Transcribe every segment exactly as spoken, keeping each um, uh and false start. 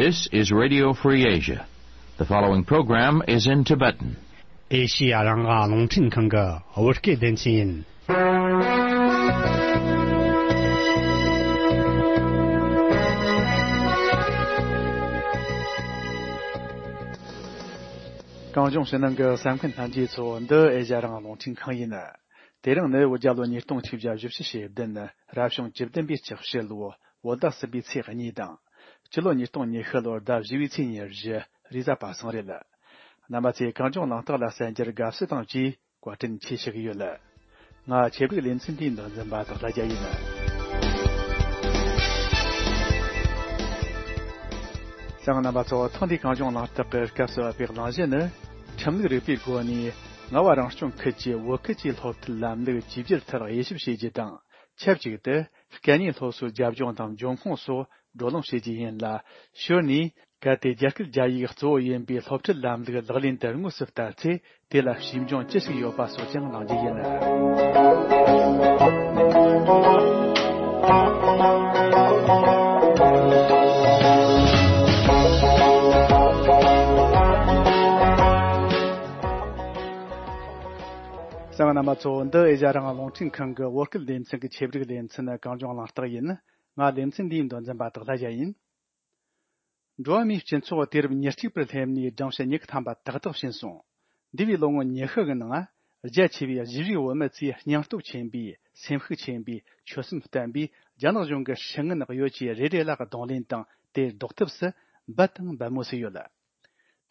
This is Radio Free Asia. The following program is in Tibetan. ཨེ་ཤི་ཡ་རང་དབང་རླུང་འཕྲིན་ཁང་གི་བོད་སྐད་སྡེ་ཚན་ཡིན། གངས་ལྗོངས་ཕྱི་ནང་གི་གསན་མཁན་ལྷན་རྒྱས་ཚོ། འདི་ཨེ་ཤི་ཡ་རང་དབང་རླུང་འཕྲིན་ཁང་ཡིན། དེ་རིང་ནི་བོད་རྒྱལ་ལོ་ཉིས་སྟོང་ཆིག་བརྒྱ་བཞི་བཅུ་ཞེ་བདུན། རབ་བྱུང་བཅུ་བདུན་པའི་ལྕགས་བྱི་ལོ། བོད་ཟླ་གསུམ་པའི་ཚེས་གཉིས་དང་། སྤྱི་ལོ་ཉིས་སྟོང་ཉི་ཤུ་ལོར་ཟླ་བཞི་པའི་ཚེས་ཉེར་བཞི། རེས་གཟའ་པ་སངས་རེད། རྣམ་པ་ཚོས་གངས་ལྗོངས་གླེང་སྟེགས་ལ་གསན་རྒྱུར་དགའ་བསུ་དང་བཅས་བཀའ་དྲིན་ཆེ་ཞུ་གི་ཡོད། ང་ཆེད་སྒྲིག་ལེ་ཚན་འདིའི་མདོ་འཛིན་པ་དང་ལྷ་རྒྱལ་ཡིན། གསན་མཁན་རྣམ་པ་ཚོ། ཐེངས་འདིའི་གངས་ལྗོངས་གླེང་སྟེགས་ཀྱི་སྐབས་སུ་བབས་པའི་གླེང་གཞི་ནི། ཁྲིམས་ལུགས་རིག་པའི་སྒོ་ནས་རྔ་བ་རང་སྐྱོང་ཁུལ་གྱི་བོད་ཁུལ་གྱི་སློབ་ཁྲིད་ལམ་ལུགས་བཅོས་བསྒྱུར་ཐད་དབྱེ་ཞིབ་བྱེད་རྒྱུ་དང་། ཆབས་ཅིག་ཏུ་སྐད་གཉིས་སློབ་གསོའི་རྒྱབ་ལྗོངས་དང་འབྱུང་ཁུངས་སོགས་བགྲོ་གླེང་བྱེད་རྒྱུ་ཡིན་ལ། ཞོར་ནས་གལ་ཏེ་རྒྱ་སྐད་རྒྱ་ཡིག་གཙོ་བོ་ཡིན་པའི་སློབ་ཁྲིད་ལམ་ལུགས་ལག་ལེན་དུ་དངོས་སུ་བསྟར་ཚེ། དེ་ལ་ཞིབ་འཇུག་ཅི་ཞིག་ཡོད་པ་སོགས་ཀྱང་གླེང་རྒྱུ་ཡིན། གསན་མཁན་རྣམ་པ་ཚོ། འདི་ཨེ་ཤ་ཡ་རང་དབང་རླུང་འཕྲིན་ཁང་གི་བོད་སྐད་སྡེ་ཚན་གྱི་ཆེད་སྒྲིག་ལེ་ཚན་གངས་ལྗོངས་གླེང་སྟེགས་ཡིན། ང་ལེ་ཚན་འདིའི་མདོ་འཛིན་པ་དག་ལྷ་རྒྱལ་ཡིན། འགྲོ་བ་མིའི་སྤྱི་ཚོགས་དུས་རབས་ཉེར་གཅིག་པར་སླེབས་ནས་སྦྲང་ཆུ་མྱུ་གུ་ཐམ་པ་ཏག་ཏག་ཕྱིན་སོང་། འདས་པའི་ལོ་ངོ་ཉི་ཤུ་གི་ནང་རྒྱ་ཆེ་བའི་གཞིས་བྱེས་བོད་མི་ཚོས་སྙིང་སྟོབས་ཆེན་པོས། སེམས་ཤུགས་ཆེན་པོས། ཆོད་སེམས་བརྟན་པོས་རྒྱ་ནག་གཞུང་གི་ཧྲེ་ངན་གཡོ་ཇུས་རེ་རེ་ལ་གདོང་ལེན་དང་། དེར་ཟློག་ཐབས་སུ་འབད་དང་འབད་མུས་སུ་ཡོད།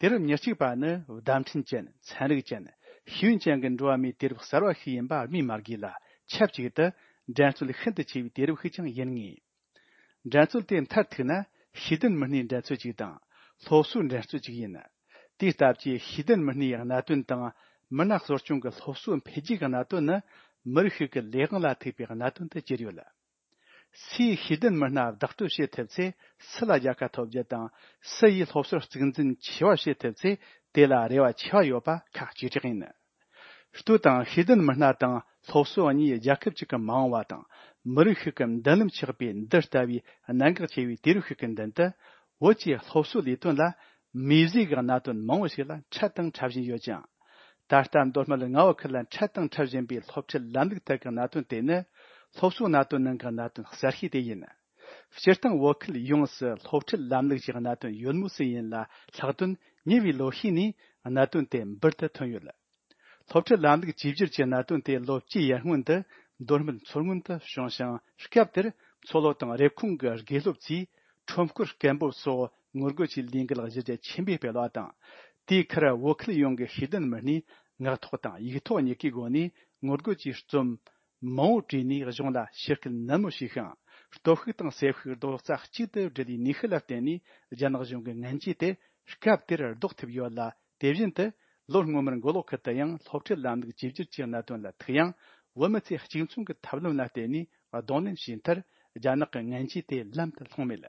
དུས་རབས་ཉེར་གཅིག་པ་ནི་བརྡ་འཕྲིན་ཅན། ཚན་རིག་ཅན། ཤེས་ཡོན་ཅན་གྱི་འགྲོ་བ་མིའི་དུས་རབས་གསར་བ་ཞིག་ཡིན་པ་སྨོས་མ་དགོས་ལ། ཆབས་ཅིག་ཏུ་འགྲན་རྩོད་ཤིན་ཏུ་ཆེ་བའི་དུས་རབས་ཤིག་ཀྱང་ཡིན་ངེས། འགྲན་རྩོད་དེ་མཐར་ཐུག་ན་ཤེས་ལྡན་མི་སྣའི་འགྲན་རྩོད་ཅིག་དང་། སློབ་གསོའི་འགྲན་རྩོད་ཅིག་ཡིན། དེའི་སྟབས་ཀྱིས་ཤེས་ལྡན་མི་སྣའི་གནད་དོན་དང་། མི་སྣ་གསོ་སྐྱོང་གི་སློབ་གསོ་འཕེལ་རྒྱས་ཀྱི་གནད་དོན་ནི། མི་རིགས་ཤིག་གི་ལས་དབང་ལ་ཐུག་པའི་གནད་དོན་དུ་གྱུར་ཡོད། སུས་ཤེས་ལྡན་མི་སྣ་བདག་སྤྲོད་བྱེད་ཐུབ་ཚེ། སུ་ལ་རྒྱལ་ཁ་ཐོབ་རྒྱུ་དང་། སུ་ཡིས་སློབ་གསོར་གཙིགས་འཛིན་ཆེ་བ་བྱེད་ཐུབ་ཚེ། དེ་ལ་རེ་བ་ཆེ་བ་ཡོད་པ་ཁག་ཆེ་དྲགས་ཡིན། ལྟོས་དང་། ཤེས་ལྡན་མི་སྣ་དང་སློབ་གསོ་གཉིས་རྒྱལ་ཁབ་ཅིག་གི་མ་འོངས་པ་དང་། མི་རིགས་ཤིག་གི་མདུན་ལམ་ཆགས་པའི་འདི་ལྟ་བུའི་གནད་འགག་ཆེ་བའི་དུས་རབས་ཤིག་གི་མདུན་དུ། བོད་ཀྱི་སློབ་གསོའི་ལས་དོན་ལ་མིག་དཔེ་གི་གནད་དོན་མང་བོ་ཞིག་ལ་འཕྲད་དང་འཕྲད་བཞིན་ཡོད་ཅིང་། ད་ལྟ་མདོ་སྨད་རྔ་བ་ཁུལ་ལ་འཕྲད་དང་འཕྲད་བཞིན་པའི་སློབ་ཁྲིད་ལམ་ལུགས་ཐད་ཀྱི་གནད་དོན་དེ་ནི། སློབ་གསོའི་གནད་དོན་ནང་གི་གནད་དོན་གསར་ཤོས་དེ་ཡིན། སྤྱིར་བཏང་བོད་ཁུལ་ཡོངས་སུ་སློབ་ཁྲིད་ལམ་ལུགས་ཀྱི་གནད་དོན་ཡོད་མུས་སུ་ཡིན་ལ། ལྷག་དོན་ཉེ་བའི་ལོ་ཤས་ནས་གནད་དོན་དེ་འབུར་དུ་ཐོན་ཡོད། སློབ་ཁྲིད་ལམ་ལུགས་བཅོས་བསྒྱུར་གྱི་གནད་དོན་དེ་ལོ་བཅུའི་ཡར་སྔོན་དུ་མདོ་སྨད་མཚོ་སྔོན་དུ་བྱུང་ཞིང་། སྐབས་དེར་མཚོ་ལྷོ་དང་རེབ་གོང་གི་དགེ་སློབ་ཚོས་ཁྲོམ་སྐོར་སྐད་འབོད་སོགས་ངོ་རྒོལ་གྱི་ལས་འགུལ་གཞི་རྒྱ་ཆེན་པོས་སྤེལ་བ་དང་། དེའི་ཁར་བོད་ཁུལ་ཡོངས་ཀྱི་ཤེས་ལྡན་མི་སྣས་ངག་ཐོག་དང་ཡིག་ཐོག་གཉིས་ཀའི་སྒོ་ནས་ངོ་རྒོལ་གྱི་རྩོམ་མང་བོ་བྲིས་ནས་གཞུང་ལ་ཞུ་སྐུལ་ནན་མོ་བྱས་ཤིང་། སྟོབས་ཤུགས་དང་སེམས་ཤུགས་རྡོག་རྩ་གཅིག་ཏུ་སྒྲིལ་བའི་ནུས་ཤུགས་ལ་བརྟེན་ནས། རྒྱ་ནག་གཞུང་གི་ངན་ཇུས་དེ་སྐབས་དེར་ཟློག་ཐུབ་ཡོད་ལ། དེ་བཞིན་དུ་ལོ་སྔོན་མར་མགོ་ལོག་ཁུལ་དུ་ཡང་སློབ་ཁྲིད་ལམ་ལུགས་བཅོས་བསྒྱུར་གྱི་གནད་དོན་ལ་ཐུག་ཡང་། བོད་མི་ཚོས་གཅིག་མཚུངས་ཀྱི་ཐབས་ལམ་ལ་བརྟེན་ནས་གདོང་ལེན་བྱས་མཐར། རྒྱ་ནག་གི་ངན་ཇུས་དེ་ལམ་དུ་ལྷུང་མེད།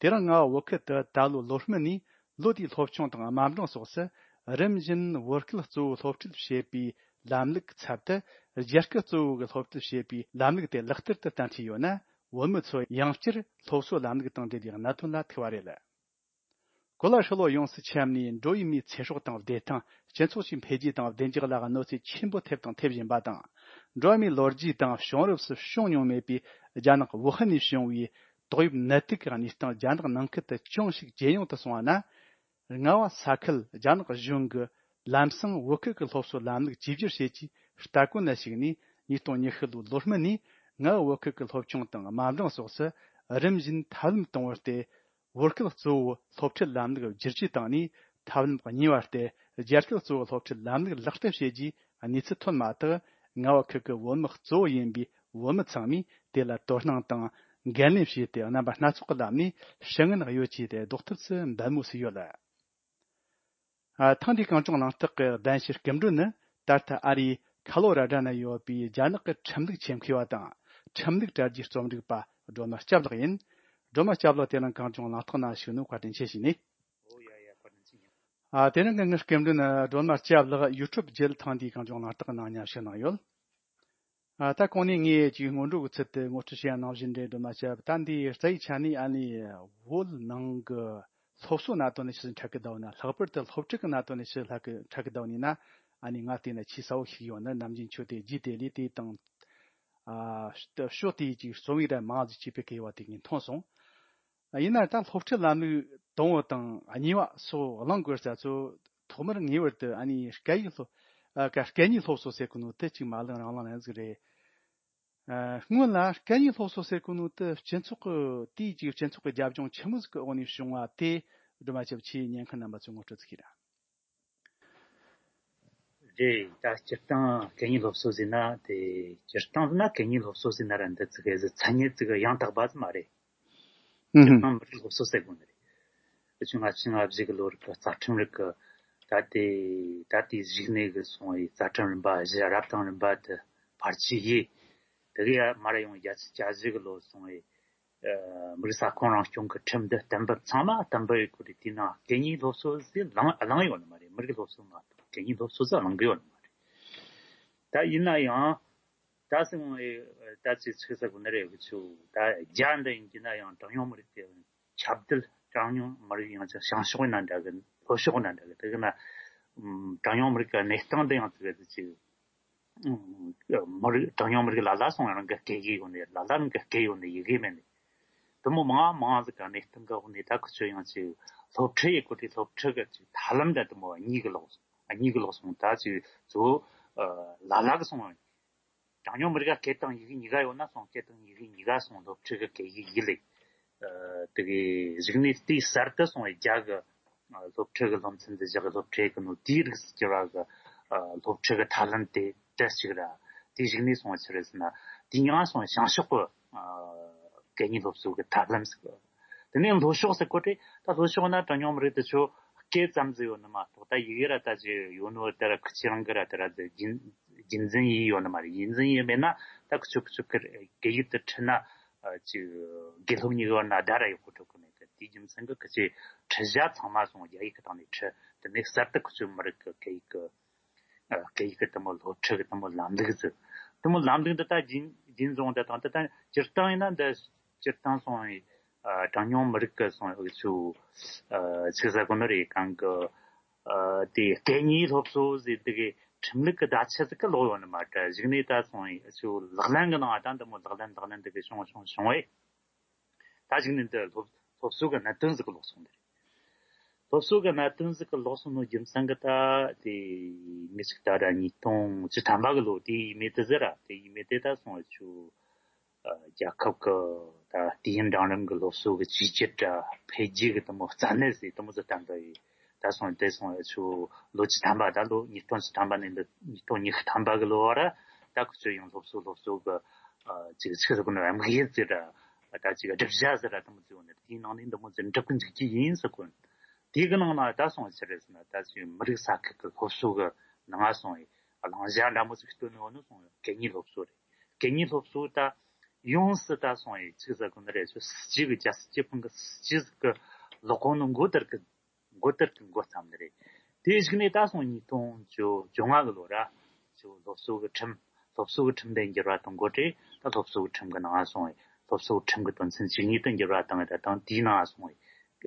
དེ་རིང་རྔ་བ་བོད་ཁུལ་དུ་ད་ལོའི་ལོ་སྨིན་ནས་ལོ་དེའི་སློབ་ཆུང་དང་དམའ་འབྲིང་སོགས་སུ། རིམ་བཞིན་བོད་སྐད་གཙོ་བོའི་སློབ་ཁྲིད་བྱེད་པའི་ལམ་ལུགས་ཚབ་ཏུ། རྒྱ་སྐད་གཙོ་བོ་གི་སློབ་ཁྲིད་བྱེད་པའི་ལམ་ལུགས་དེ་ལག་བསྟར་དུ་བསྟན་བཞིན་ཡོད་ན། བོད་མི་ཚོ་ཡང་བསྐྱར་སློབ་གསོ་ལམ་ལུགས་དང་འབྲེལ་བའི་གནད་དོན་ལ་ཐུག་པ་རེད། གོ་ལ་ཧྲིལ་བོ་ཡོངས་སུ་ཁྱབ་ནས་འགྲོ་བའི་མིའི་ཚེ་སྲོག་དང་བདེ་ཐང་། སྤྱི་ཚོགས་ཀྱི་འཕེལ་རྒྱས་དང་བདེ་འཇགས་ལ་གནོད་འཚེ་ཆེན་པོ་ཐེབས་དང་ཐེབས་བཞིན་པ་དང་། འགྲོ་བ་མིའི་ལོ་རྒྱུས་དང་བྱུང་རབས་སུ་བྱུང་མྱོང་མེད་པའི་རྒྱ་ནག་ཝུ་ཧན་ནས་བྱུང་བའི་ཏོག་དབྱིབས་ནད་དུག་གི་གནས་སྟངས་རྒྱ་ནག་ནང་ཁུལ་དུ་ཅུང་ཞིག་ཇེ་ཉུང་དུ་སོང་བ་ན། རྔ་བ་ས་ཁུལ་རྒྱ་ནག་གཞུང་གིས་ལམ་སང་བོད་ཁུལ་གྱི་སློབ་གསོ་ལམ་ལུགས་བཅོས་བསྒྱུར་བྱེད་ཀྱི་ལྟ་གོན་ལ་ཞུགས་ནས། ཉིས་སྟོང་ཉི་ཤུ་ལོའི་ལོ་སྨིན་ནས་རྔ་བ་བོད་ཁུལ་གྱི་སློབ་ཆུང་དང་དམའ་འབྲིང་སོགས་སུ་རིམ་བཞིན་ཐབས་ལམ་དང་པོ་སྟེ། བོད་སྐད་གཙོ་བོའི་སློབ་ཁྲིད་ལམ་ལུགས་བསྒྱུར་བཅོས་བཏང་ནས། ཐབས་ལམ་གཉིས་པ་སྟེ། རྒྱ་སྐད་གཙོ་བོའི་སློབ་ཁྲིད་ལམ་ལུགས་ལག་བསྟར་བྱེད་རྒྱུའི་གནས་ཚུལ་ཐོན་མ་ཐག་རྔ་བ་ཁུལ་གྱི་བོད་མི་གཙོ་བོ་ཡིན་པའི་བོད་མི་ཚང་མས་དེ་ལ་དོ་སྣང་དང་འགན་ལེན་བྱས་ཏེ། རྣམ་པ་སྣ་ཚོགས་ཀྱི་ལམ་ནས་ཧྲེ་ངན་གཡོ་ཇུས་དེ་ཟློག་ཐབས་སུ་འབད་མུས་སུ་ཡོད། ཨ། ཐེངས་འདིའི་གངས་ལྗོངས་གླེང་སྟེགས་ཀྱི་གདན་ཞུའི་སྐུ་མགྲོན་ནི། ད་ལྟ་ཨ་རིའི་ཁ་ལོ་ར་ཌ་ན་ཡོད་པའི་རྒྱ་ནག་གི་ཁྲིམས་ལུགས་ཆེད་མཁས་པ་དང་། ཁྲིམས་ལུགས་དྲ་རྒྱའི་རྩོམ་སྒྲིག་པ་སྒྲོལ་མ་སྐྱབས་ལགས་ཡིན། སྒྲོལ་མ་སྐྱབས་ལགས། དེ་རིང་གངས་ལྗོངས་གླེང་སྟེགས་ནང་ཞུགས་ནས་བཀའ་དྲིན་ཆེ་ཞུས་ནས། ཨོ་ཡ་ཡ། བཀའ་དྲིན་ཆེ། ཨ། དེ་རིང་གི་ངའི་སྐུ་མགྲོན་ནི་སྒྲོལ་མ་སྐྱབས་ལགས་ཡུ་ཊུབ་བརྒྱུད་ཐེངས་འདིའི་གངས་ལྗོངས་གླེང་སྟེགས་ནང་མཉམ་ཞུགས་གནང་ཡོད། ཨ། ད་གོང་ནས་ངས་ཅིག་སྔོན་འགྲོ་གི་ཚུལ་དུ་ངོ་སྤྲོད་བྱས་གནང་བཞིན་རེད། སྒྲོལ་མ་སྐྱབས། ད་འདི་རྩ་བའི་ཆ་ནས་ཨ་ནི་བོད་ནང་གི་ སློབ་གསོ་གནད་དོན་ནས་ཆི་ཟིག་འཕྲད་གི་བསྡད་ཡོད་ན། ལྷག་པར་དུ་སློབ་ཁྲིད་ཀྱི་གནད་དོན་ནས་ཆི་ཟིག་འཕྲད་གི་བསྡད་ཡོད་ན། ཨ་ནི་ང་བལྟས་ན་ཆེས་གསལ་བོ་ཞིག་ཡོད་ན། ནམ་རྒྱུན་ཁྱོད་དེ་རྗེས་དེད་ལས་དེ་དང་། ཨ། ཕྱོགས་དེའི་ཅིག་རྩོམ་ཡིག་ར་མང་ཟིག་ཅིག་སྤེལ་གི་ཡོད་པ་དེ་ངས་མཐོང་སོང་། ཡིན་ན་ད་སློབ་ཁྲིད་ལམ་ལུགས་དང་པོ་དང་གཉིས་པ་སོགས་གླེང་དགོས་ས་ཚོ། ཐོག་མར་ངེས་པར་དུ་ཨ་ནི་སྐད་ཡིག་སློབ། ཨ། སྐད་ཡིག་སློབ་གསོ་ཟེར་གོ་ནོ་དེ་ཅིག་མ་གླེང་རང་གླེང་ཡང་ཟིག་རེད། ཨ། སྔོན་ལ་སྐད་ཡིག་སློབ་གསོ་ཟེར་གོ་ནོ་དེ་སྤྱི་ཚོགས་ཀྱི་དེའི་ཅིག་སྤྱི་ཚོགས་ཀྱི་རྒྱབ་ལྗོངས་ཆི་མོ་ཟིག་གི་འོག་ནས་བྱུང་བ་དེ། སྒྲོལ་མ་སྐྱབས། ཁྱེད་ཉན་མཁན་རྣམ་པ་ཚོས་ངོ་སྤྲོད་ཅིག་གྱིས་ར། རེད། ད་སྤྱིར་བཏང་སྐད་གཉིས་སློབ་གསོ་ཟེར་ན་དེ། སྤྱིར་བཏང་ཟེར་ན་སྐད་གཉིས་སློབ་གསོ་ཟེར་ན་ར་འདི་ཙི་གེ་ཟིག་མཚན་ཉིད་ཙི་གེ་ཡང་དག་པ་ཟིག་མ་རེད། སྤྱིར་བཏང་མི་རིགས་སློབ་གསོ་ཟེར་དགོས་ནི་རེད། ཕྱི་ལོ་ལྔ་བཅུ་ང་བཞི་གི་ལོ་རིག་གི་རྩ་ཁྲིམས་རིག་གི། ད་དེ་ད་དེའི་གཞུག་ནས་གི་སོང་བའི་རྩ་ཁྲིམས་རིམ་པ་བཞི། རབ་དང་རིམ་པ་དེ་ཕལ་ཆེར་ཡོད། དེ་གི་ཡ་མར་ཡོང་བརྒྱད་ཅུ་གྱ་བཞི་གི་ལོ་སོང་བའི། ཨ། མི་རིགས་ས་ཁོངས་རང་སྐྱོང་གི་ཁྲིམས་འདི་གཏན་འབེབས། ཚང་མ་གཏན་འབེབས་ཡོད་གི་རེད། དེའི་ནང་སྐད་གཉིས་སློབ་གསོ་ཟིག་བླངས་བླངས་ཡོད་ནི་མ་རེད། མི་རིགས་སློབ་གསོ་མ་གཏོགས་སྐད་གཉིས་སློབ་གསོ་ཟིག་བླང་གི་ཡོད་ནི་མ་རེད། ད་ཡིན་ན་ཡང་ད་སོང་བའི་ད་ཅི་ཆི་ཟེར་དགོས་ནི་རེད། འུ་ཆོ་ད་རྒྱ་འདི་ཡིན་གྱི་ན་ཡང་གྲངས་ཉུང་མི་རིགས་དེ་ཁྱབ་གདལ། གྲངས་ཉུང་མི་རིགས་ཡང་ཅིག་བྱང་ཕྱོགས་ཡིན་ན་འདྲ་གི། ལྷོ་ཕྱོགས་ཡིན་ན་འདྲ་གི། དེ་གི་ན་ཨམ་གྲངས་ཉུང་མི་རིགས་ཀྱི་གནས་སྟངས་འདི་ཡང་ཙི་གེ་ཟིག་ཅིག་ཨམ་མི་རིགས། གྲངས་ཉུང་མི་རིགས་ལ་ལ་སོང་རང་གི་སྐད་ཡིག་ཡོད་ནི། ལ་ལ་རང་གི་སྐད་ཡོད་ནི་ཡི་གེ་མེད་ནི། དེ་མོ་མང་མང་ཟིག་གི་གནས་སྟངས་གི་འོག་ནས་ད་ཁུ་ཆོ་ཡང་ཅིག་སློབ་ཁྲིད་ཡེད་གོ་དུས་སློབ་ཁྲིད་གི་ཅིག་ཐབས་ལམ་འདི་དེ་མོ་གཉིས་གི་ལོག་སོང་། གཉིས་གི་ལོག་སོང་། ད་ཅིག་གཙོ་བོ་ཨ་ལ་ལ་གི་སོང་། གྲངས་ཉུང་མི་རིགས་ཀ་སྐད་དང་ཡི་གེ་གཉིས་ཀ་ཡོད་ན་སོང་། སྐད་དང་ཡི་གེ་གཉིས་ཀ་སོང་སློབ་ཁྲིད་གི་སྐད་ཡིག་ཡིན་ལེ། ཨ་དེ་གི་གཞུག་ནས་དེའི་གསར་དུ་སོང་བའི་རྒྱ་གི་ཨ་སློབ་ཁྲིད་གི་སློབ་ཚན་འདི་བཞག་གི། སློབ་ཁྲིད་གི་ནོ་དེའི་རིགས་སུ་གྱུར་བ་གི་ཨ་སློབ་ཁྲིད་གི་ཐབས་ལམ་དེ་དེ་གཅིག་ར། དེའི་གཞུག་ནས་སོང་བ་ཆི་རེད་ཟེར་ན། དེ་ཡང་སོང་བྱང་ཕྱོགས་གི་ཨ་སྐད་གཉིས་སློབ་གསོ་གི་ཐབས་ལམ་ཟེར་གི། དེ་ནས་ལྷོ་ཕྱོགས་ཟེར་གོ་དུས་ད་ལྷོ་ཕྱོགས་ན་གྲངས་ཉུང་མི་རིགས་དེ་ཆོ་སྐད་ཙམ་ཟིག་ཡོད་ནི་མ་གཏོགས། ད་ཡི་གེ་ར་ད་ཅིག་ཡོད་ནོ་དེ་ར་ཁུ་ཆོ་རང་གི་ར་དེ་ར་ཟིག་རྒྱུན་རྒྱུན་འཛིན་ཡས་ཡོད་ནི་མ་རེད། རྒྱུན་འཛིན་ཡས་མེད་ན་ད་ཁུ་ཆོ་ཁུ་ཆོ་གི་སྐད་ཡིག་དེ་ཁྲིད་ན་ཨ་ཅིག་དགེ་སློབ་གཉིས་ཀྱི་བར་ན་ཟླ་ར་ཡག་པོ་འགྲོ་གི་མེད་གི། དེའི་རྒྱུ་མཚན་གྱིས་ཁུ་ཆོས་ཁྲིད་བྱ་ཚང་མ་སོང་རྒྱ་ཡིག་གི་སྟེང་ནས་ཁྲིད། དེ་ནས་གསར་དུ་ཁུ་ཆོ་མི་རིགས་ཀྱི་སྐད་ཡིག་གི་ཨ་སྐད་ཡིག་གི་དེ་མོ་སློབ་ཁྲིད་གི་དེ་མོ་ལམ་ལུགས་ཟིག་དེ་མོ་ལམ་ལུགས་འདི་ད་རྒྱུན་རྒྱུན་བཟུང་དེ་དང་། དེ་ད་སྤྱིར་བཏང་ཡིན་ན་འདི་སྤྱིར་བཏང་སོང་བའི་ཨ་གྲངས་ཉུང་མི་རིགས་ཀྱི་སོང་བའི་ཆོ་ཨ་ཆི་ཟེར་གོ་ནི་རེད། གང་གི་ཨ་དེ་སྐད་གཉིས་སློབ་གསོ་ཟེར་དེ་གི་ཁྲིམས་ལུགས་ཀྱི་བརྡ་ཆད་ཟིག་གི་ལོག་ཡོད་ནི་མ་རེད། གཞུག་ནས་ད་སོང་བའི་ཆོ་ལག་ལེན་གི་ནང་ད་འདི་མོ་ལག་ལེན་ལག་ལེན་དེ་གི་བྱུང་བྱུང་བྱུང་བས། ད་གཞུག་ནས་འདི་སློབ་སློབ་གསོ་གི་གནད་དོན་ཟིག་གི་ལོག་སོང་ནི་རེད། སློབ་གསོ་གི་གནད་དོན་ཟིག་གི་ལོག་སོང་ནོ་རྒྱུ་མཚན་གི་ད་དེ་མི་ཞིག་ད་ར་ཉིས་སྟོང་བཅུ་ཐམ་པ་གི་ལོ་དེ་ཡིན་མེད་དེ་ཟེར་ར། དེ་ཡིན་མེད་དེ་ད་སོང་བའི་ཆོ་ཨ་རྒྱལ་ཁབ་ཀྱི་ད་དུས་ཡུན་འབྲིང་རིམ་གྱི་སློབ་གསོ་གི་བཅོས་བསྒྱུར་ར་འཕེལ་རྒྱས་ཀྱི་དེ་མོ་རྩ་གནད་ཟིག་དེ་མོ་ཟིག་བཏང་པ་ཡིན། ད་སོང་དེ་སོང་ཆུ་ལོ་བཅུ་ཐམ་པ། ད་ལོ་ཉིས་སྟོང་བཅུ་ཐམ་པ་ནས་འདི་ཉིས་སྟོང་ཉི་ཤུ་ཐམ་པ་གི་ལོ་བར་ད་ཁུ་ཆོ་ཡང་སློབ་གསོ་སློབ་གསོ་གི་ཨ་ཅིག་ཆི་ཟེར་གོ་ནི་རེད། དམིགས་ཡུལ་ཟེར་ར། ད་ཅིག་སྒྲུབ་བྱ་ཟེར་ར་དེ་མོ་ཟིག་ཡོད་ནི། དེའི་ནང་ནས་འདི་མོ་ཟིག་འགྲུབ་གི་འཇུག་རྒྱུ་ཡིན་ཟེར་གོ། དེ་གི་ནང་ན་ད་སོང་ཆི་རེད་ཟེར་ན། ད་ཅིག་མི་རིགས་ས་ཁུལ་གི་སློབ་གསོ་གི་ནང་སོང་བའི་བླང་བྱ་འདྲ་མོ་ཟིག་བཏོན་ནི་ཡོད་ནི། སོང་སྐད་གཉིས་སློབ་གསོ་རེད། སྐད་གཉིས་སློབ་གསོ་ད་ཡོངས་སུ་ད་སོང་བའི་ཆི་ཟེར་གོ་ནི་རེད། ཆོ་སྲིད་སྤྱི་གི་རྒྱལ་སྲིད་སྤྱི་དཔོན་གི་སྲིད་སྤྱི་ཟིག་གི་ལོག་གོ་ནི་འགོ་དེར་གི་འགོ་དེར་གི་འགོ་བརྩམས་ནི་རེད། དེའི་གཞུག་ནས་ད་སོང་ཉིས་སྟོང་བཅོ་བཅོ་ལྔ་གི་ལོ་ར། ཆོ་སློབ་གསོ་གི་ཁྲིམས། སློབ་གསོ་གི་ཁྲིམས་དེ་འགྱུར་བ་གཏོང་དགོས་རེད། ད་སློབ་གསོ་གི་ཁྲིམས་གི་ནང་སོང་བའི་སློབ་གསོ་གི་ཁྲིམས་གི་དོན་ཚན་བཅུ་གཉིས་དེ་འགྱུར་བ་བཏང་བ་དང་། དེའི་ནང་སོང་བའི་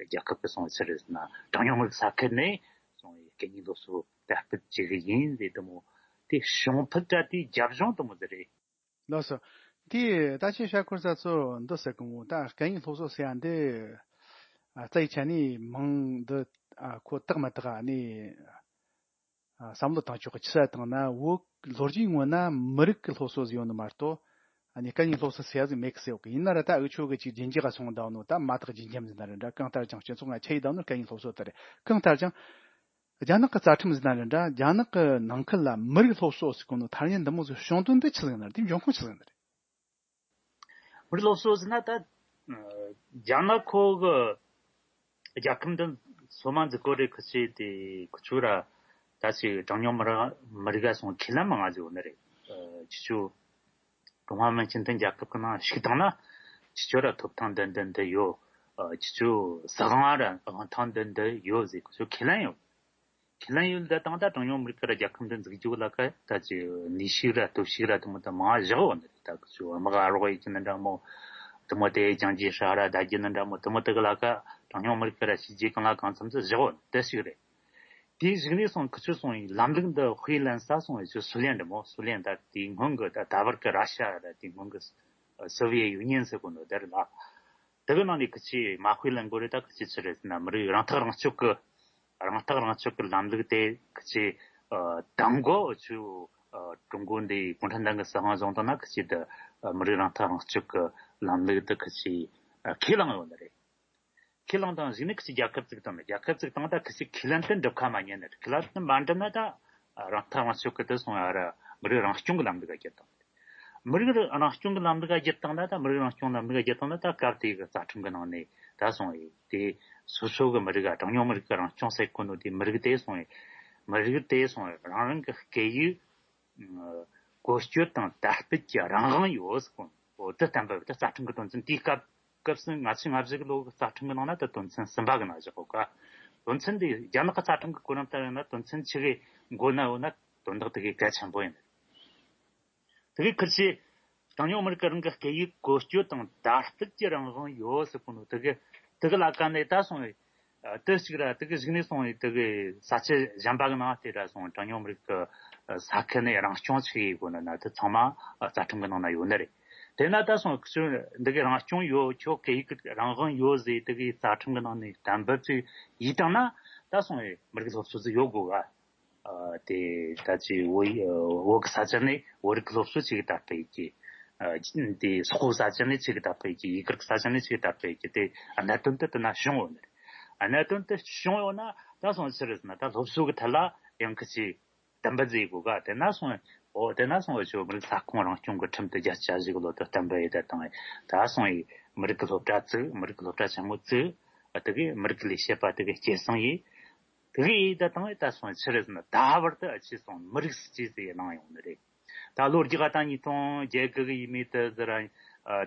རྒྱལ་ཁབ་གི་སོང་བའི་ཆི་རེད་ཟེར་ན་གྲངས་ཉུང་མི་རིགས་ས་ཁུལ་ནས་སོང་བའི་སྐད་གཉིས་སློབ་གསོ་དར་སྤེལ་བྱེད་གི་ཡིན་ཟེར། དེ་མོ་དེ་བྱུང་ཕུད་ད་དེའི་རྒྱབ་ལྗོངས་དེ་མོ་ཟིག་རེད། ལགས་སོ། དེ་ད་ཁྱེད་ཤར་སྐོར་ས་ཚོ་འདི་ཟེར་གི་མོ། ད་སྐད་གཉིས་སློབ་གསོ་ཟེར་ཡ་འདི་ཨ་རྩ་ཡི་ཆ་ནས་མིང་འདི་ཨ་ཁོ་དག་མི་དག་ཨ་ནི་ཨ་བསམ་བློ་བཏང་ཆོག་གི། ཆི་ཟེར་བཏང་ན་བོད་ལོ་རྒྱུས་ངོས་ན་མི་རིགས་ཀྱི་སློབ་གསོ་ཟིག་ཡོད་ནི་མ་གཏོགས་ཨ་ནི་སྐད་གཉིས་སློབ་གསོ་ཟེར་ཡ་ཟིག་མེད་གི་ཟེར་གི། ཡིན་ན་ར་ད་འུ་ཆོ་གི་ཅིག་རྒྱུན་འཇགས་སོང་བསྡད་ནོ་ད་མ་དག་རྒྱུན་འཇམ་ཟིག་ན་ར་འདྲ། གང་ལྟར་ཀྱང་སྤྱི་ཚོགས་ནང་ཁྱབ་ཡི་བསྡད་ནོ་སྐད་གཉིས་སློབ་གསོ་དེ་རེད། གང་ལྟར་ཀྱང་རྒྱ་ནག་གི་རྩ་ཁྲིམས་ཟེར་ན་རེད་འདྲ། རྒྱ་ནག་གི་ནང་ཁུལ་ལ་མི་རིགས་སློབ་གསོ་ཟེར་གོ་ནོ་ཐ་སྙད་འདི་མོ་ཟིག་བྱུང་དོན་འདི་ཆི་ཟིག་ཡིན་ན་རེད། དེའི་འབྱུང་ཁུངས་ཆི་ཟིག་ཡིན་ན་རེད། མི་རིགས་སློབ་གསོ་ཟེར་ན་ད་ཨ་རྒྱ་ནག་ཁོ་གི་རྒྱལ་ཁབ་འདི་སོ་མ་འཛུགས་གོ་རེ་ཁུ་ཆེ་དེ་ཁུ་ཆུ་ར་ད་ཅིག་གྲངས་ཉུང་མི་རིགས་མི་རིགས་ག་སོང་ཁས་ལེན་མང་ང་ཟིག་ཡོད་ནི་རེད། ཨ་ཁུ་ཆུ་ཀྲུང་ཧྭ་མིན་སྤྱི་མཐུན་རྒྱལ་ཁབ་ཀྱི་ནང་ཞུགས་བཏང་ན་ཁྱེད་ཆོ་ར་ཐོབ་ཐང་འདི་འདི་འདི་ཡོད། ཨ་ཁྱེད་ཆོ་སྲིད་དབང་ར་དབང་ཐང་འདི་འདི་ཡོད་ཟེར་ཁྱེད་ཆོ་ཁས་ལེན་ཡོད། ཁས་ལེན་ཡོད་འདི་དང་ད་གྲངས་ཉུང་མི་རིགས་ཀྱི་ར་རྒྱལ་ཁབ་འདི་འཛུགས་རྒྱུ་ལ་ཀ་ད་ཅི་ནུས་ཤུགས་ར་སྟོབས་ཤུགས་ར་དེ་མོ་ད་མང་བཞག་ཡོད་ནི་རེད། ད་ཁྱེད་ཆོ་དམག་ཨ་རོགས་ཡེད་ཀྱི་ནི་འདྲ་མོ། དེ་མོ་དེ་ཅང་ཅི་ཧྲ་ར་ད་རྒྱུ་ནི་འདྲ་མོ་དེ་མོ་དེ་གི་ལ་ཀ་གྲངས་ཉུང་མི་རིགས་ཀྱི་ར་བྱས་རྗེས་གང་ལ་གང་འཚམ་ཚོ་བཞག་འོ་དེ་ཞིག་རེད། དེའི་གཞུག་ནས་སོང་ཁི་ཆོ་སོང་ཡིན་ལམ་ལུགས་འདི་དཔེ་ལེན་ས་སོང་ཡིན་ཆོ་སུའུ་ལེན་འདྲ་མོ་སུའུ་ལེན་ད་དེའི་སྔོན་གི་ད་ད་བར་གི་ར་ཤ་ར་དེའི་སྔོན་གི་སོ་བི་ཡེ་ཡུ་ནི་ཡན་ཟེར་གོ་ནོ་དེ་རེད་ལ། དེ་གི་ནང་ནས་ཁི་ཆོས་མ་དཔེ་ལེན་དགོས་རེད། ད་ཁི་ཆོས་ཆི་རེད་ཟེར་ན་མི་རིགས་རང་ཐག་རང་གཅོད་གི་རང་ཐག་རང་གཅོད་ཀྱི་ལམ་ལུགས་དེ་ཁི་ཆོས་ཨ་དང་གོ་ཆུ་ཨ་ཀྲུང་གོ་འདི་གུང་ཁྲན་ཏང་གི་སྲིད་དབང་བཟུང་བཏང་ན་ཁི་ཆོས་དེ་ཨ་མི་རིགས་རང་ཐག་རང་གཅོད་ཀྱི་ལམ་ལུགས་དེ་ཁི་ཆོས་ཨ་ཁས་བླངས་ཡོད་ནི་རེད། ཁས་བླངས་དང་གཞིགས་ནས་ཁི་ཆོས་རྒྱལ་ཁབ་བཙུགས་བཏང་ནི། རྒྱལ་ཁབ་བཙུགས་བཏང་ད་ཁི་ཆོས་ཁས་ལེན་དེ་འགྲུབ་ཁ་མ་ཉན་ནི་རེད། ཁས་ལེན་དེ་མ་འགྲུབ་ན་ད་རང་ཐག་རང་གཅོད་ཀྱི་དེ་སོང་ཡ་ར་མི་རིགས་རང་སྐྱོང་གི་ལམ་ལུགས་ཀ་བསྒྱུར་བཏང་། མི་རིགས་རང་སྐྱོང་གི་ལམ་ལུགས་ཀ་བསྒྱུར་བཏང་ན་ད་མི་རིགས་རང་སྐྱོང་ལམ་ལུགས་ཀ་བསྒྱུར་བཏང་ན་ད་སྐབས་དེའི་གི་རྩ་ཁྲིམས་གི་ནང་ནས་ད་སོང་ཡི་དེ་སོ་སོ་གི་མི་རིགས་ཀ་གྲངས་ཉུང་མི་རིགས་ཀྱི་རང་སྐྱོང་ཟེར་གོ་ནོ་དེ་མི་རིགས་དེ་སོང་ཡི་མི་རིགས་དེ་སོང་ཡི་རང་རང་གི་སྐད་ཡིག་བཀོལ་སྤྱོད་དང་དར་སྤེལ་གྱི་རང་དབང་ཡོད་ཟེར་གོ་ནོ་འོ་དེ་བསྟན་པ་ད་རྩ་ཁྲིམས་གི་དོན་ཚན་དེའི་སྐབས་སྐབས་སུ་ང་ཚོས་ང་བཞི་གི་ལོ་གི་རྩ་ཁྲིམས་གི་ནང་ན་ད་དོན་ཚན་གསུམ་པ་གི་ནང་བཞག་གོ་ག་དོན་ཚན་དེ་རྒྱ་ནག་གི་རྩ་ཁྲིམས་གི་གོ་རིམ་ལྟར་ཡིན་ན་དོན་ཚན་ཆི་གི་མགོ་ན་འོ་ན་དོན་དག་དེ་གི་གལ་ཆེན་པོ་ཡིན། དེ་གི་ཁིར་ཆེ། གྲངས་ཉུང་མི་རིགས་ཀྱི་རང་གི་སྐད་ཡིག་བཀོལ་སྤྱོད་དང་དར་སྤེལ་གྱི་རང་དབང་ཡོད་ཟེར་གོ་ནོ་དེ་གི་དེ་གི་ལ་ཀ་ནས་ད་སོང་བའི་དེ་གཅིག་ར་དེ་གི་གཞུག་ནས་སོང་བའི་དེ་གི་ས་ཆ་གཞན་པ་གི་ནང་དེ་ར་སོང་གྲངས་ཉུང་མི་རིགས་ཀྱི་ས་ཁུལ་ནས་རང་སྐྱོང་ཆི་ཡེ་གོ་ནོ་ན་དེ་ཚང་མ་རྩ་ཁྲིམས་གི་ནང་ན་ཡོད་ནི་རེད། དེ་ན་ད་སོང་ཁི་ཆོ་འདི་གི་རང་སྐྱོང་ཡོད་ཁྱོད་སྐད་ཡིག་གི་རང་དབང་ཡོད་ཟེར་དེ་གི་རྩ་ཁྲིམས་གི་ནང་ནས་གཏན་འབེབས་ཅིག་ཡིན་བཏང་ན་ད་སོང་བའི་མི་རིགས་སློབ་གསོ་ཟིག་ཡོད་དགོ་ག་ཨ་དེ་ད་ཅི་བོད་ཡིག་ཨ་བོད་ཀྱི་ས་ཆ་ནས་བོད་རིགས་ཀྱི་སློབ་གསོ་ཅིག་དར་སྤེལ་གྱི་ཨ་དེ་སོག་པོའི་ས་ཆ་ནས་ཅིག་དར་སྤེལ་གྱི་ཡུ་གུར་གྱི་ས་ཆ་ནས་ཅིག་དར་སྤེལ་གྱི་དེ་གནད་དོན་དེ་དེ་ན་བྱུང་ཡོད་ནི་རེད། གནད་དོན་དེ་བྱུང་ཡོད་ན་ད་སོང་ཕྱིར་ཟེར་ན་ད་སློབ་གསོ་གི་ཐད་ལ་ཡང་ཁི་ཆི་གཏན་འབེབས་མཛད་དགོས་ག་དེ་ན་སོང་ཨོ་དེ་ན་སོང་ཨོ་ཆོ་མི་རིགས་ས་ཁོངས་རང་སྐྱོང་གི་ཁྲིམས་དེ་བརྒྱད་ཅུ་གྱ་བཞི་གི་ལོ་དེ་གཏན་འབེབས་ཡེ་དེ་དང་ད་སོང་ཡི་མི་རིགས་ཀྱི་སློབ་གྲྭ་བཙུགས། མི་རིགས་ཀྱི་སློབ་གྲྭ་ཆེན་མོ་བཙུགས། ཨ་དེ་གི་མི་རིགས་ཀྱི་ལས་བྱེད་པ་དེ་གི་སྐྱེད་སྲིང་ཡེ། དེ་གི་ཡེ་ད་དང་ད་སོང་ཕྱིར་ཟེར་ན་ད་བར་དུ་ཨ་ཆི་སོང་མི་རིགས་སུ་ཅི་ཟེར་ཡེ་གནང་ཡོང་ནི་རེད། ད་ལོ་རྒྱུས་ད་ཉིས་སྟོང་བརྒྱད་དགུ་གི་ཡས་མས་དེ་ཟེར་ར།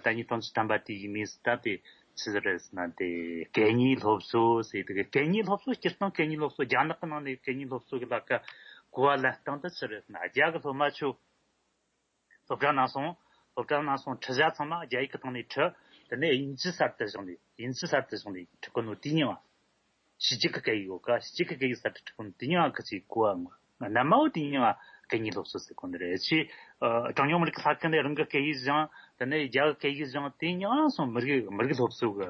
ད་ཉིས་སྟོང་བཅུ་ཐམ་པ་དེ་ཡས་མས་སུ་ད་དེ་ཆི་ཟིག་རེད་ཟེར་ན་དེ་སྐད་གཉིས་སློབ་གསོ་ཟེར་དེ་གི་སྐད་གཉིས་སློབ་གསོ་སྤྱིར་བཏང་སྐད་གཉིས་སློབ་གསོ་རྒྱ་ནག་གི་ནང་ནས་སྐད་གཉིས་སློབ་གསོ་གི་ལ་ཀ་གོ་བ་ལེན་སྟངས་དེ་ཆི་རེད་ཟེར་ན་རྒྱ་གི་སློབ་མ་ཆོ་སློབ་གྲྭ་ནང་སོང་སློབ་གྲྭ་ནང་སོང་ཁྲིད་བྱ་ཚང་མ་རྒྱ་ཡིག་གི་སྟེང་ནས་ཁྲིད། དེ་ནས་དབྱིན་ཇི་གསར་དུ་བཞག་ནས་དབྱིན་ཇི་གསར་དུ་བཞག་ནས་ཁྲིད་གོ་ནོ་དེ་ཉིད་ཕྱི་རྒྱལ་གི་སྐད་ཡིག་ཡོད་ཀ་ཕྱི་རྒྱལ་གི་སྐད་ཡིག་གསར་དུ་ཁྲིད་གོ་ནོ་དེ་ཉིད་ཁ་ཅིག་གོ་བ་ངོ་ན་མ་འོ་དེ་ཉིད་སྐད་གཉིས་སློབ་གསོ་ཟེར་གོ་ནི་རེད། ཕྱི་ཨ་གྲངས་ཉུང་མི་རིགས་ས་ཁུལ་ནས་རང་གི་སྐད་ཡིག་སྦྱང་དེ་ནས་རྒྱ་གི་སྐད་ཡིག་སྦྱང་དེ་ཉིད་སོང་མི་རིགས་མི་རིགས་སློབ་གསོ་གི་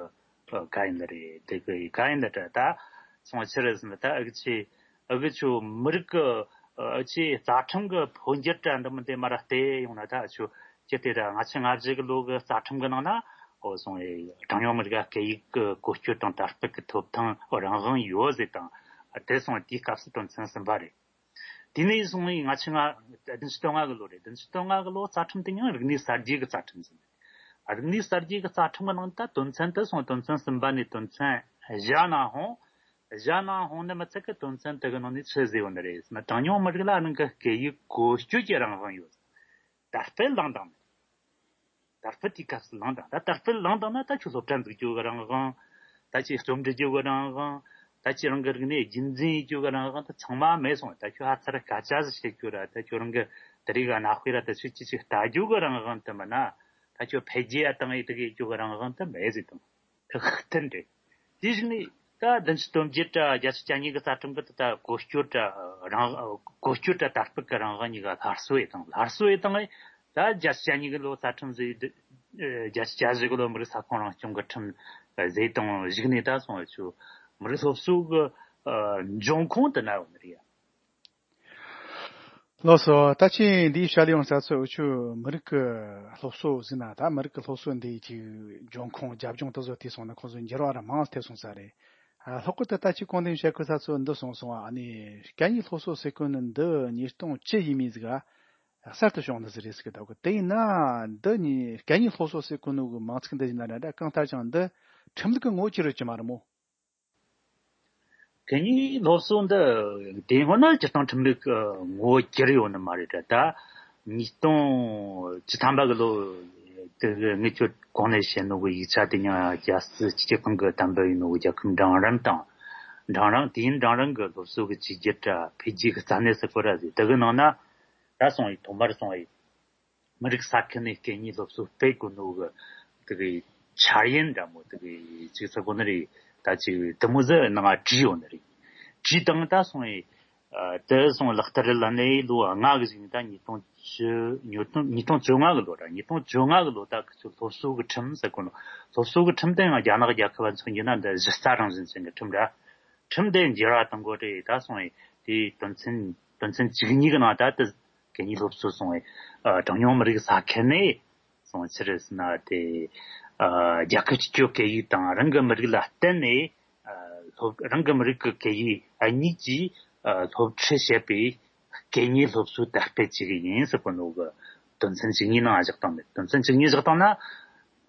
ག་ཡིན་ལ་རེད། དེ་གི་ག་ཡིན་ལ་རེད། ད་སོང་ཕྱིར་ཟེར་ན་ད་ཨ་གི་ཆི་ཨ་གི་ཆོ་མི་རིགས་གི་ཨ་ཆི་རྩ་ཁྲིམས་གི་འཕོ་འགྱུར་དྲ་འདི་མི་འདི་མ་ར་བལྟས་ཡོང་ན་ད་ཆོ་ཅི་སྟེ་ར་ང་ཆི་ང་བཞི་གི་ལོ་གི་རྩ་ཁྲིམས་གི་ནང་ན་ཨོ་སོང་ཨེ་གྲངས་ཉུང་མི་རིགས་སྐད་ཡིག་གི་བཀོལ་སྤྱོད་དང་དར་སྤེལ་གི་ཐོབ་ཐང་རང་དབང་ཡོད་ཟེར་དང་དེ་སོང་དེའི་སྐབས་སུ་དོན་ཚན་གསུམ་པ་རེད། དེ་ནས་བཟུང་ང་ཆི་ང་བདུན་ཅུ་དོན་ལྔ་གི་ལོ་རེད། བདུན་ཅུ་དོན་ལྔ་གི་ལོ་རྩ་ཁྲིམས་དེ་ཡང་རིག་གནས་གསར་བརྗེ་གི་རྩ་ཁྲིམས་ཟིན། རིག་གནས་གསར་བརྗེ་གི་རྩ་ཁྲིམས་གི་ནང་ད་དོན་ཚན་དེ་སོང་དོན་ཚན་གསུམ་པ་ནས་དོན་ཚན་བཞི་ནང་ཧོང་བཞི་ནང་ཧོང་ནི་མི་ཚད་གི་དོན་ཚན་དེ་གི་ནང་ནས་ཆི་ཟེར་ཡོད་ནི་རེད་ཟེར་ན་གྲངས་ཉུང་མི་རིགས་ལ་རང་གི་སྐད་ཡིག་བཀོལ་སྤྱོད་ཀྱི་རང་དབང་ཡོད། དར་སྤེལ་བླངས་དང་མེད། དར་སྤེལ་དེའི་སྐབས་སུ་བླངས་དང་ད་དར་སྤེལ་བླངས་དང་ན་ད་ཁྱོད་སློབ་གྲྭ་འཛུགས་རྒྱུ་གི་རང་དབང་། ད་ཁྱོད་རྩོམ་འབྲི་རྒྱུ་གི་རང་དབང་། ད་ཁྱོད་རང་གི་རིག་གནས་རྒྱུན་འཛིན་ཡེད་རྒྱུ་གི་རང་དབང་ད་ཚང་མ་མེད་སོང་། ད་ཁྱོད་ཧ་ཚར་སྐད་ཆ་ཟིག་བཤད་རྒྱུ་ར་ད་ཁྱོད་རང་གི་དེ་རིགས་གི་གནའ་དཔེ་ར་ད་ཁྱོད་ཅི་ཅིག་ལྟ་རྒྱུ་གི་རང་དབང་དེ་མིན་ན་ད་ཁྱོད་འཕེལ་རྒྱས་ཡ་བཏང་ཡེ་དེ་གི་ཡེད་རྒྱུ་གི་རང་དབང་དེ་མེད་ཟིག་དང་། ཁག་ཐེན་རེད། དེ་བཞིན་ནི་ད་བདུན་ཅུ་དོན་བརྒྱད་དྲ་བརྒྱད་ཅུ་གྱ་གཉིས་ཀྱི་རྩ་ཁྲིམས་ཀྱི་ད་གོ་སྐྱོར་དྲ་རང་གོ་སྐྱོར་དྲ་དར་སྤེལ་གྱི་རང་དབང་གཉིས་ཀ་སླར་གསོ་ཡེ་དང་སླར་གསོ་ཡེ་དང་ད་བརྒྱད་ཅུ་གྱ་གཉིས་ཀྱི་ལོ་རྩ་ཁྲིམས་ཟེར་བརྒྱད་ཅུ་གྱ་བཞི་གི་ལོ་མི་རིགས་ས་ཁོངས་རང་སྐྱོང་གི་ཁྲིམས་ཟེར་དང་གཞུག་ནས་ད་སོང་བ་ཆུ་མི་རིགས་སློབ་གསོ་གི་འབྱུང་ཁུངས་དེ་ན་ཡོད་ནི་རེད། ལགས་སོ། ད་ཅི་འདིའི་བྱ་ལས་ཡོང་ས་ཚོ་འུ་ཆོ་མི་རིགས་ཀྱི་སློབ་གསོ་ཟེར་ན་ད་མི་རིགས་ཀྱི་སློབ་གསོ་འདིའི་ཅིག་འབྱུང་ཁུངས་རྒྱབ་ལྗོངས་དེ་ཚོ་ཐོས་སོང་ན་ཁོང་ཚོ་འགྱུར་བ་ར་མང་ཐེབས་སོང་ས་རེད། ཨ་ལྷག་པར་དུ་ད་ཅི་གོང་དེ་བཤད་ཁུལ་ས་ཚོ་འདི་སོང་སོང་ཨ་ནི་སྐད་གཉིས་སློབ་གསོ་ཟེར་གོ་ནི་འདི་ཉིས་སྟོང་བཅུ་ཡས་མས་ཟིག་ག་གསར་དུ་བྱུང་ནི་ཟིག་རེད་ཟེར་གི་འདུག་གི་དེ་ཡིན་ན་འདི་ནི་སྐད་གཉིས་སློབ་གསོ་ཟེར་གོ་ནོ་གི་མིང་ཚིག་འདི་ཡིན་ན་ར་འདྲ་གང་ལྟར་ཀྱང་འདི་ཁྲིམས་ལུགས་ཀྱི་ངོ་བོ་གྱུར་ཡོད་ཀྱི་མ་རེད་མོ། སྐད་གཉིས་སློབ་གསོ་འདི་དེ་སྔོན་ན་སྤྱིར་བཏང་ཁྲིམས་ལུགས་ཀྱི་ངོ་བོ་གྱུར་ཡོད་ནི་མ་རེད་དྲ། ད་ཉིས་སྟོང་བཅུ་ཐམ་པ་གི་ལོ་དེ་གི་ངེད་ཚོ་གོང་ནས་བཤད་ནོ་གི་ཡིག་ཆ་དེ་ཉིད་རྒྱལ་སྲིད་སྤྱི་ཁྱབ་ཁང་གི་གཏན་འབེབས་ཡིན་ནོ་གི་རྒྱལ་ཁབ་འབྲིང་རིམ་དང་འབྲིང་རིམ་དེའི་འབྲིང་རིམ་གི་སློབ་གསོ་གི་བཅོས་བསྒྱུར་དྲ་འཕེལ་རྒྱས་ཀྱི་རྩ་གནད་ཟེར་གོ་ར་ཟིག་དེ་གི་ནང་ན་ད་སོང་ཡི་ཐོག་མར་སོང་ཡི། མི་རིགས་ས་ཁུལ་ནས་སྐད་གཉིས་སློབ་གསོ་སྤེལ་དགོས་ནོ་གི་དེ་གི་ འཆར་ཡན་འདྲ་མོ་དེ་གི་ཅིག་ཚ་གོ་ནི་རེད། ད་ཅིག་དེ་མོ་ཟེར་ནང་བྲིས་ཡོད་ནི་རེད། བྲིས་དང་ད་སོང་ཡི། ཨ་དེ་སོང་ལག་བསྟར་ལ་ནས་ལོ་ལྔ་གི་ཞིག་ད་ཉིས་སྟོང་བཅུ་ཉིས་སྟོང་ཉིས་སྟོང་བཅོ་ལྔ་གི་ལོ་ར། ཉིས་སྟོང་བཅོ་ལྔ་གི་ལོ་ད་ཁི་ཚོ་སློབ་གསོ་གི་ཁྲིམས་ཟེར་གོ་ནོ། སློབ་གསོ་གི་ཁྲིམས་དེ་ཡང་རྒྱ་ནག་རྒྱལ་ཁབ་ཚོ་ཡིན་ན་འདི་གཞི་རྩ་རང་བཞིན་ཅན་གི་ཁྲིམས་ར། ཁྲིམས་དེ་འགྱུར་བ་གཏང་དགོས་རེད། ད་སོང་ཡི་དེའི་དོན་ཚན་དོན་ཚན་བཅུ་གཉིས་གི་ནང་ད་དེ་གད་སྙིགས་སློབ་གསོ་སོང་ཡི། ཨ་གྲངས་ཉུང་མི་རིགས་ས་ཁུལ་ནས་སོང་ཕྱིར་ཟེར་ན་དེ། ཨ་རྒྱལ་ཁབ་སྤྱི་སྤྱོད་སྐད་ཡིག་དང་རང་གི་མི་རིགས་ལ་བརྟེན་ནས། ཨ་སློབ་རང་གི་མི་རིགས་ཀྱི་སྐད་ཡིག་ཨ་གཉིས་ཀྱིས་ཨ་སློབ་ཁྲིད་བྱེད་པའི་སྐད་གཉིས་སློབ་གསོ་དར་སྤེལ་བྱེད་ཀྱི་ཡིན་ཟེར་གོ་ནོ་གི་དོན་ཚན་བཅུ་གཉིས་ནང་བཞག་བཏང་མེད། དོན་ཚན་བཅུ་གཉིས་བཞག་བཏང་ན།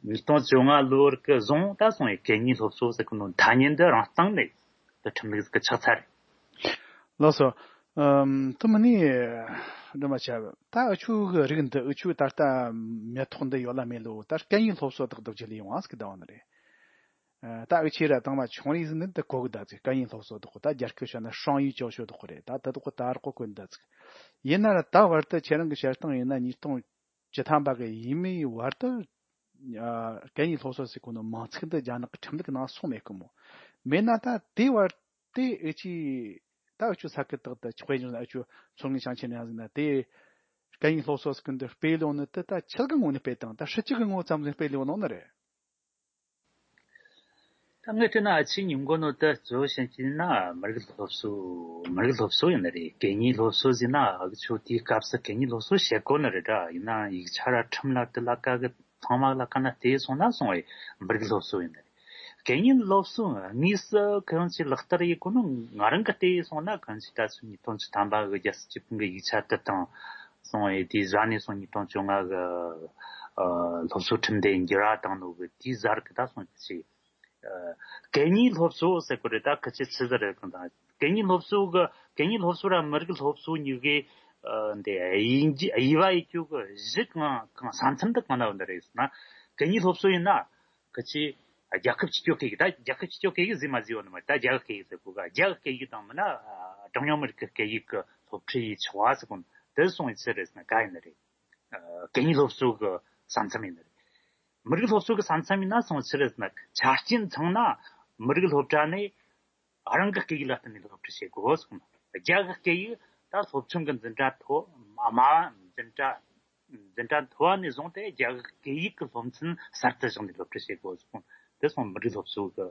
ཉིས་སྟོང་བཅོ་ལྔ་ལོར་གི་བཟུང་ད་སོང་ཡི་སྐད་གཉིས་སློབ་གསོ་ཟེར་གོ་ནོ་ཐ་སྙད་འདི་རང་སྟེང་ནས་དེ་ཁྲིམས་ལུགས་ཀྱི་ཆགས་ཚར། ལགས་སོ། ཨམ་དེ་མིན་ནི་འདྲི་མ་བྱ། ད་འུ་ཆོ་གི་རིགས་འདི་འུ་ཆོ་ད་ལྟ་མེ་ཏོག་འདི་ཡོད་ལ་མེད་ལོ། ད་སྐད་གཉིས་སློབ་གསོ་དག་འདུག་ཅི་ལས་ཡོང་ཨ་ཟིག་གདའ་བ་ནི་རེད། ཨ་ད་འུ་ཆོས་ར་དང་མ་ཆུང་རིགས་ཟིག་ནི་འདི་གོ་གི་ད་ཟིག་སྐད་གཉིས་སློབ་གསོ་དག་གོ། ད་རྒྱ་སྐད་བཤད་ན་双语教学དག་གོ་རེད། ད་ད་དག་གོ་ད་རག་གོ་གོ་འདི་ཟིག་ཡིན་ན་ར་ད་བར་དུ་ཁྱེད་རང་གི་བཤད་སྟངས་ཡིན་ན་ཉིས་སྟོང་བཅུ་ཐམ་པ་གི་ཡིན་མིན་བར་དུ། ཨ་སྐད་གཉིས་སློབ་གསོ་ཟེར་གོ་ནོ་མིང་ཚིག་འདི་རྒྱ་ནག་གི་ཁྲིམས་ལུགས་ནང་སོང་མེད་གི་མོ། མེད་ན་ད་དེ་བར་དེ་ཨེ་ཅི་ད་ཨེ་ཆུ་ས་ཁུལ་དག་ད་ཆོག་ཡིན་ན་ཨེ་ཆུ་མཚོ་སྔོན་ཞིང་ཆེན་ཡང་ཟིན་ན་དེ་སྐད་གཉིས་སློབ་གསོ་ཟེར་གི་འདི་སྤེལ་ཡོང་ནི་དེ་ད་ཆི་གི་ངོ་ནས་སྤེལ་དང་ད་སྲིད་སྤྱི་གི་ངོ་ཙམ་ཟིག་སྤེལ་ཡོང་ནོ་ནི་རེད། ད་ངས་བལྟས་ན་ཨ་ཆི་ཉིན་མགོ་ནོ་ད་གཙོ་བོ་བཤད་ཀྱི་ན་མི་རིགས་སློབ་གསོ། མི་རིགས་སློབ་གསོ་ཡིན་ནི་རེད། སྐད་གཉིས་སློབ་གསོ་ཟེར་ན་ཨ་ཆོ་དེའི་སྐབས་སུ་སྐད་གཉིས་སློབ་གསོ་བྱེད་དགོས་ནི་རེད་ད། ཡིན་ན་ཡིག་ཆ་ར་ཁྲིམས་ལ་དེ་ལ་ཀ་གི་ཚང་མ་ལ་ཀ་ན་དེ་སོང་ན་སོང་བའི་མི་རིགས་སློབ་གསོ་ཡིན་ནི་རེད། སྐད་གཉིས་སློབ་གསོ་དངོས་སུ་ཁོ་རང་ཚོས་ལག་བསྟར་ཡེད་གོ་ནོ་ང་རང་གི་བལྟས་སོང་ན་ཁོ་རང་ཚོས་ད་ཚོད་ཉིས་སྟོང་བཅུ་ཐམ་པ་གི་རྒྱལ་སྲིད་སྤྱི་ཁྱབ་ཀྱི་ཡིག་ཆ་དེ་དང་སོང་བའི་དེའི་ཟ་ནས་སོང་ཉིས་སྟོང་བཅོ་ལྔ་གི་ཨ་སློབ་གསོ་ཁྲིམས་དེ་འགྱུར་བ་བཏང་ནོ་གི་དེའི་ཟར་གི་ད་སོང་ཅི། ཨ་སྐད་གཉིས་སློབ་གསོ་ཟེར་གོ་རེད། ད་ཁི་ཆེ་ཆི་ཟེར་རེད་གང་ད། སྐད་གཉིས་སློབ་གསོ་གི་སྐད་གཉིས་སློབ་གསོ་ར་མི་རིགས་སློབ་གསོ་གཉིས་ཀའི་ཨ་འདི་དབྱེ་འབྱེད་དབྱེ་བ་ཡེད་རྒྱུ་གི་གཞི་གང་གང་ས་མཚམས་དེ་གང་ན་ཡོད་ནི་རེད་ཟེར་ན། སྐད་གཉིས་སློབ་གསོ་ཡིན་ན་ཁི་ཆེ་རྒྱལ་ཁབ་སྤྱི་སྤྱོད་སྐད་ཡིག་ད་རྒྱལ་ཁབ་སྤྱི་སྤྱོད་སྐད་ཡིག་ཟེར་མ་ཟེར་ཡོད་ནི་མ་རེད། ད་རྒྱ་གི་སྐད་ཡིག་ཟེར་གོ་ག་རྒྱ་གི་སྐད་ཡིག་དང་མིན་ན་ཨ་གྲངས་ཉུང་མི་རིགས་ཀྱི་སྐད་ཡིག་གི་སློབ་ཁྲིད་ཡེད་ཆོག་པ་ཟེར་གོ་ནོ་དེ་སོང་ཡི་ཆི་རེད་ཟེར་ན་ག་ཡིན་ནི་རེད། ཨ་སྐད་གཉིས་སློབ་གསོ་གི་ས་མཚམས་ཡིན་ནི་རེད། མི་རིགས་སློབ་གསོ་གི་ས་མཚམས་ཡིན་ན་སོང་ཆི་རེད་ཟེར་ན་ཆ་རྐྱེན་ཚང་ན་མི་རིགས་སློབ་གྲྭ་ནས་རང་གི་སྐད་ཡིག་ལ་བརྟེན་ནས་སློབ་ཁྲིད་བྱེད་དགོས་གསུངས། རྒྱ་གི་སྐད་ཡིག་ད་སློབ་ཆུང་གི་འཛིན་གྲྭ་མཐོ་དམའ་བ་འཛིན་གྲྭ་འཛིན་གྲྭ་མཐོ་བ་ནས་བཟུང་སྟེ་རྒྱ་གི་སྐད་ཡིག་གི་སློབ་ཚན་གསར་དུ་བཞག་ནས་སློབ་ཁྲིད་བྱེད་དགོས་གསུངས། དེ་སོང་མི་རིགས་སློབ་གསོ་གི་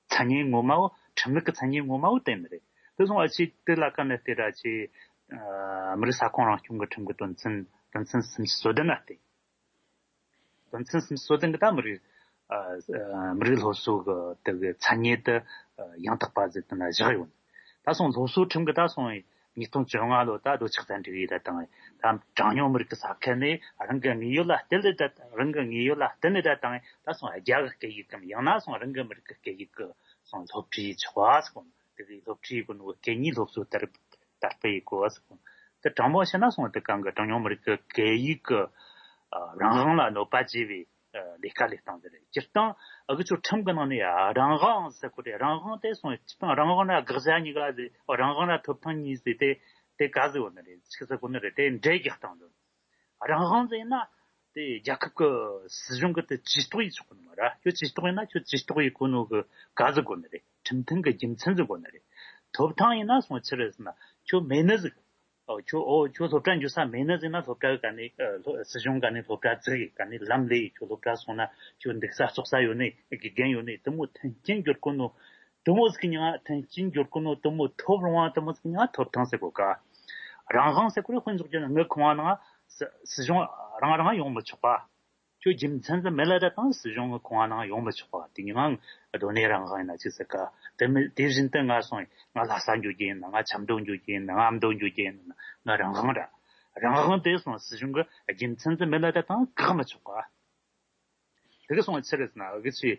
མཚན་ཉིད་ངོ་མ་བོ་ཁྲིམས་ལུགས་ཀྱི་མཚན་ཉིད་ངོ་མ་བོ་དེ་ནི་རེད། དེ་སོང་ཨ་ཆི་དེ་ལ་ཀ་ནས་དེ་ར་ཆི་མི་རིགས་ས་ཁོངས་རང་སྐྱོང་གི་ཁྲིམས་ཀྱི་དོན་ཚན་དོན་ཚན་སུམ་ཅུ་སོ་བདུན་ན་བལྟས། དོན་ཚན་སུམ་ཅུ་སོ་བདུན་གྱི་ད་མི་རིགས་ཨ་ཨ་མི་རིགས་སློབ་གསོ་གི་དེ་གི་མཚན་ཉིད་དེ་ཨ་ཡང་དག་པ་ཟེར་དེ་ན་བཞག་ཡོད། ད་སོང་སློབ་གསོ་ཁྲིམས་གི་ད་སོང་ཉིས་སྟོང་བཅོ་ལྔ་ལོ་ད་རྡོ་ཆག་ཚན་སྒྲིག་ཡིག་ད་དང་ད་གྲངས་ཉུང་མི་རིགས་ཀྱི་ས་ཁུལ་ནས་རང་གི་དངོས་ཡོད་ལ་བརྟེན་ནས་ད་རང་གི་དངོས་ཡོད་ལ་བརྟེན་ནས་ད་དང་ད་སོང་རྒྱ་གི་སྐད་ཡིག་གམ་ཡང་ན་སོང་རང་གི་མི་རིགས་ཀྱི་སྐད་ཡིག་གི་སོང་སློབ་ཁྲིད་ཡེད་ཆོག་པ་སོང་དེ་གི་སློབ་ཁྲིད་ཡེད་གོ་ནོ་སྐད་གཉིས་སློབ་གསོ་དར་དར་སྤེལ་ཡེད་དགོས་ཟེར་གོ། དེ་དྲང་པོ་བཤད་ན་སོང་དེ་གང་གི་གྲངས་ཉུང་མི་རིགས་ཀྱི་སྐད་ཡིག་གི་ཨ་རང་དབང་ལ་གནོད་པ་བྱས་པའི་ཨ་ལས་ཀ་ལས་སྟངས་དེ་རེད། སྤྱིར་བཏང་ཨ་གི་ཆོ་ཁྲིམས་ཀྱི་ནང་ནས་ཨ་རང་དབང་ཟེར་གོ་རེད། རང་དབང་དེ་སོང་སྤྱིར་བཏང་རང་དབང་ལ་དགག་བྱ་གཉིས་ཀ་ཟེར། རང་དབང་ལ་ཐོབ་ཐང་གཉིས་ཟེར་དེ་དེ་ག་ཟེར་གོ་ནི་རེད། ཆི་ཟེར་གོ་ནི་རེད། དེ་འདྲེ་རྒྱག་སྟངས་དེ། རང་དབང་ཟེར་ན་དེ་རྒྱལ་ཁབ་ཀྱི་སྲིད་གཞུང་གི་དེ་ཇུས་གཏོགས་ཡེད་ཆོག་གི་མ་རེད། ཁྱོད་ཇུས་གཏོགས་ཡེད་ན་ཁྱོད་ཇུས་གཏོགས་ཡེད་གོ་ནོ་གི་ག་ཟེར་གོ་ནི་རེད། ཁྲིམས་མཐུན་གི་རྒྱུ་མཚན་ཟེར་གོ་ནི་རེད། ཐོབ་ཐང་ཡིན་ན་སོང་ཆི་རེད་ཟེར་ན་ཁྱོད་མེད་ནི་ཟིག་ཨོ་ཁྱོད་ཨོ་ཁྱོད་སློབ་གྲྭ་འགྱོ་ས་མེད་ནི་ཟིག་ན་སློབ་གྲྭ་གི་ག་ནས་ཨ་སློབ་སྲིད་གཞུང་ག་ནས་སློབ་གྲྭ་བཙུགས་ཡེ་ག་ནས་ལམ་ལས་ཡེ། ཁྱོད་སློབ་གྲྭ་སོང་ན་ཁྱོད་འདུག་ས་ལྕོགས་ས་ཡོད་ནི་དགེ་རྒན་ཡོད་ནི་དེ་མོ་མཐུན་རྐྱེན་འབྱོར་གོ་ནོ། དེ་མོ་ཟིག་གི་མྱིང་ང་མཐུན་རྐྱེན་འབྱོར་གོ་ནོ། དེ་མོ་ཐོབ་རུང་བ་དེ་མོ་ཟིག་གི་མྱིང་ང་ཐོབ་ཐང་ཟེར་གོ་ག་རང་དབང་ཟེར་གོ་རེ་དཔེ་འཇོག་རྒྱུ་ན་ངའི་ཁང་བ་ནང་སྲི་སྲིད་གཞུང་རང་རང་ཡོང་མི་ཆོག་པ། ཁྱོད་རྒྱུ་མཚན་ཟིག་མེད་ལ་ད་དང་སྲིད་གཞུང་གི་ཁང་བ་ནང་ཡོང་མི་ཆོག་པ། དེ་མྱིང་ང་སྡོད་གནས་རང་དབང་ཡིན་ན་ཅི་ཟེར་ག་དེ་མི་དེ་བཞིན་དུ་ང་སོང་ང་ལྷ་ས་འགྱོ་རྒྱུ་ཡིན་ན། ང་ཆབ་མདོ་འགྱོ་རྒྱུ་ཡིན་ན། ང་ཨ་མདོ་འགྱོ་རྒྱུ་ཡིན་ན། ང་རང་དབང་ར། རང་དབང་དེ་སོང་སྲིད་གཞུང་གི་རྒྱུ་མཚན་ཟིག་མེད་ལ་ད་དང་བཀག་མི་ཆོག་པ། དེ་གི་སོང་ཆི་རེད་ཟེར་ན་འུ་གི་ཆི་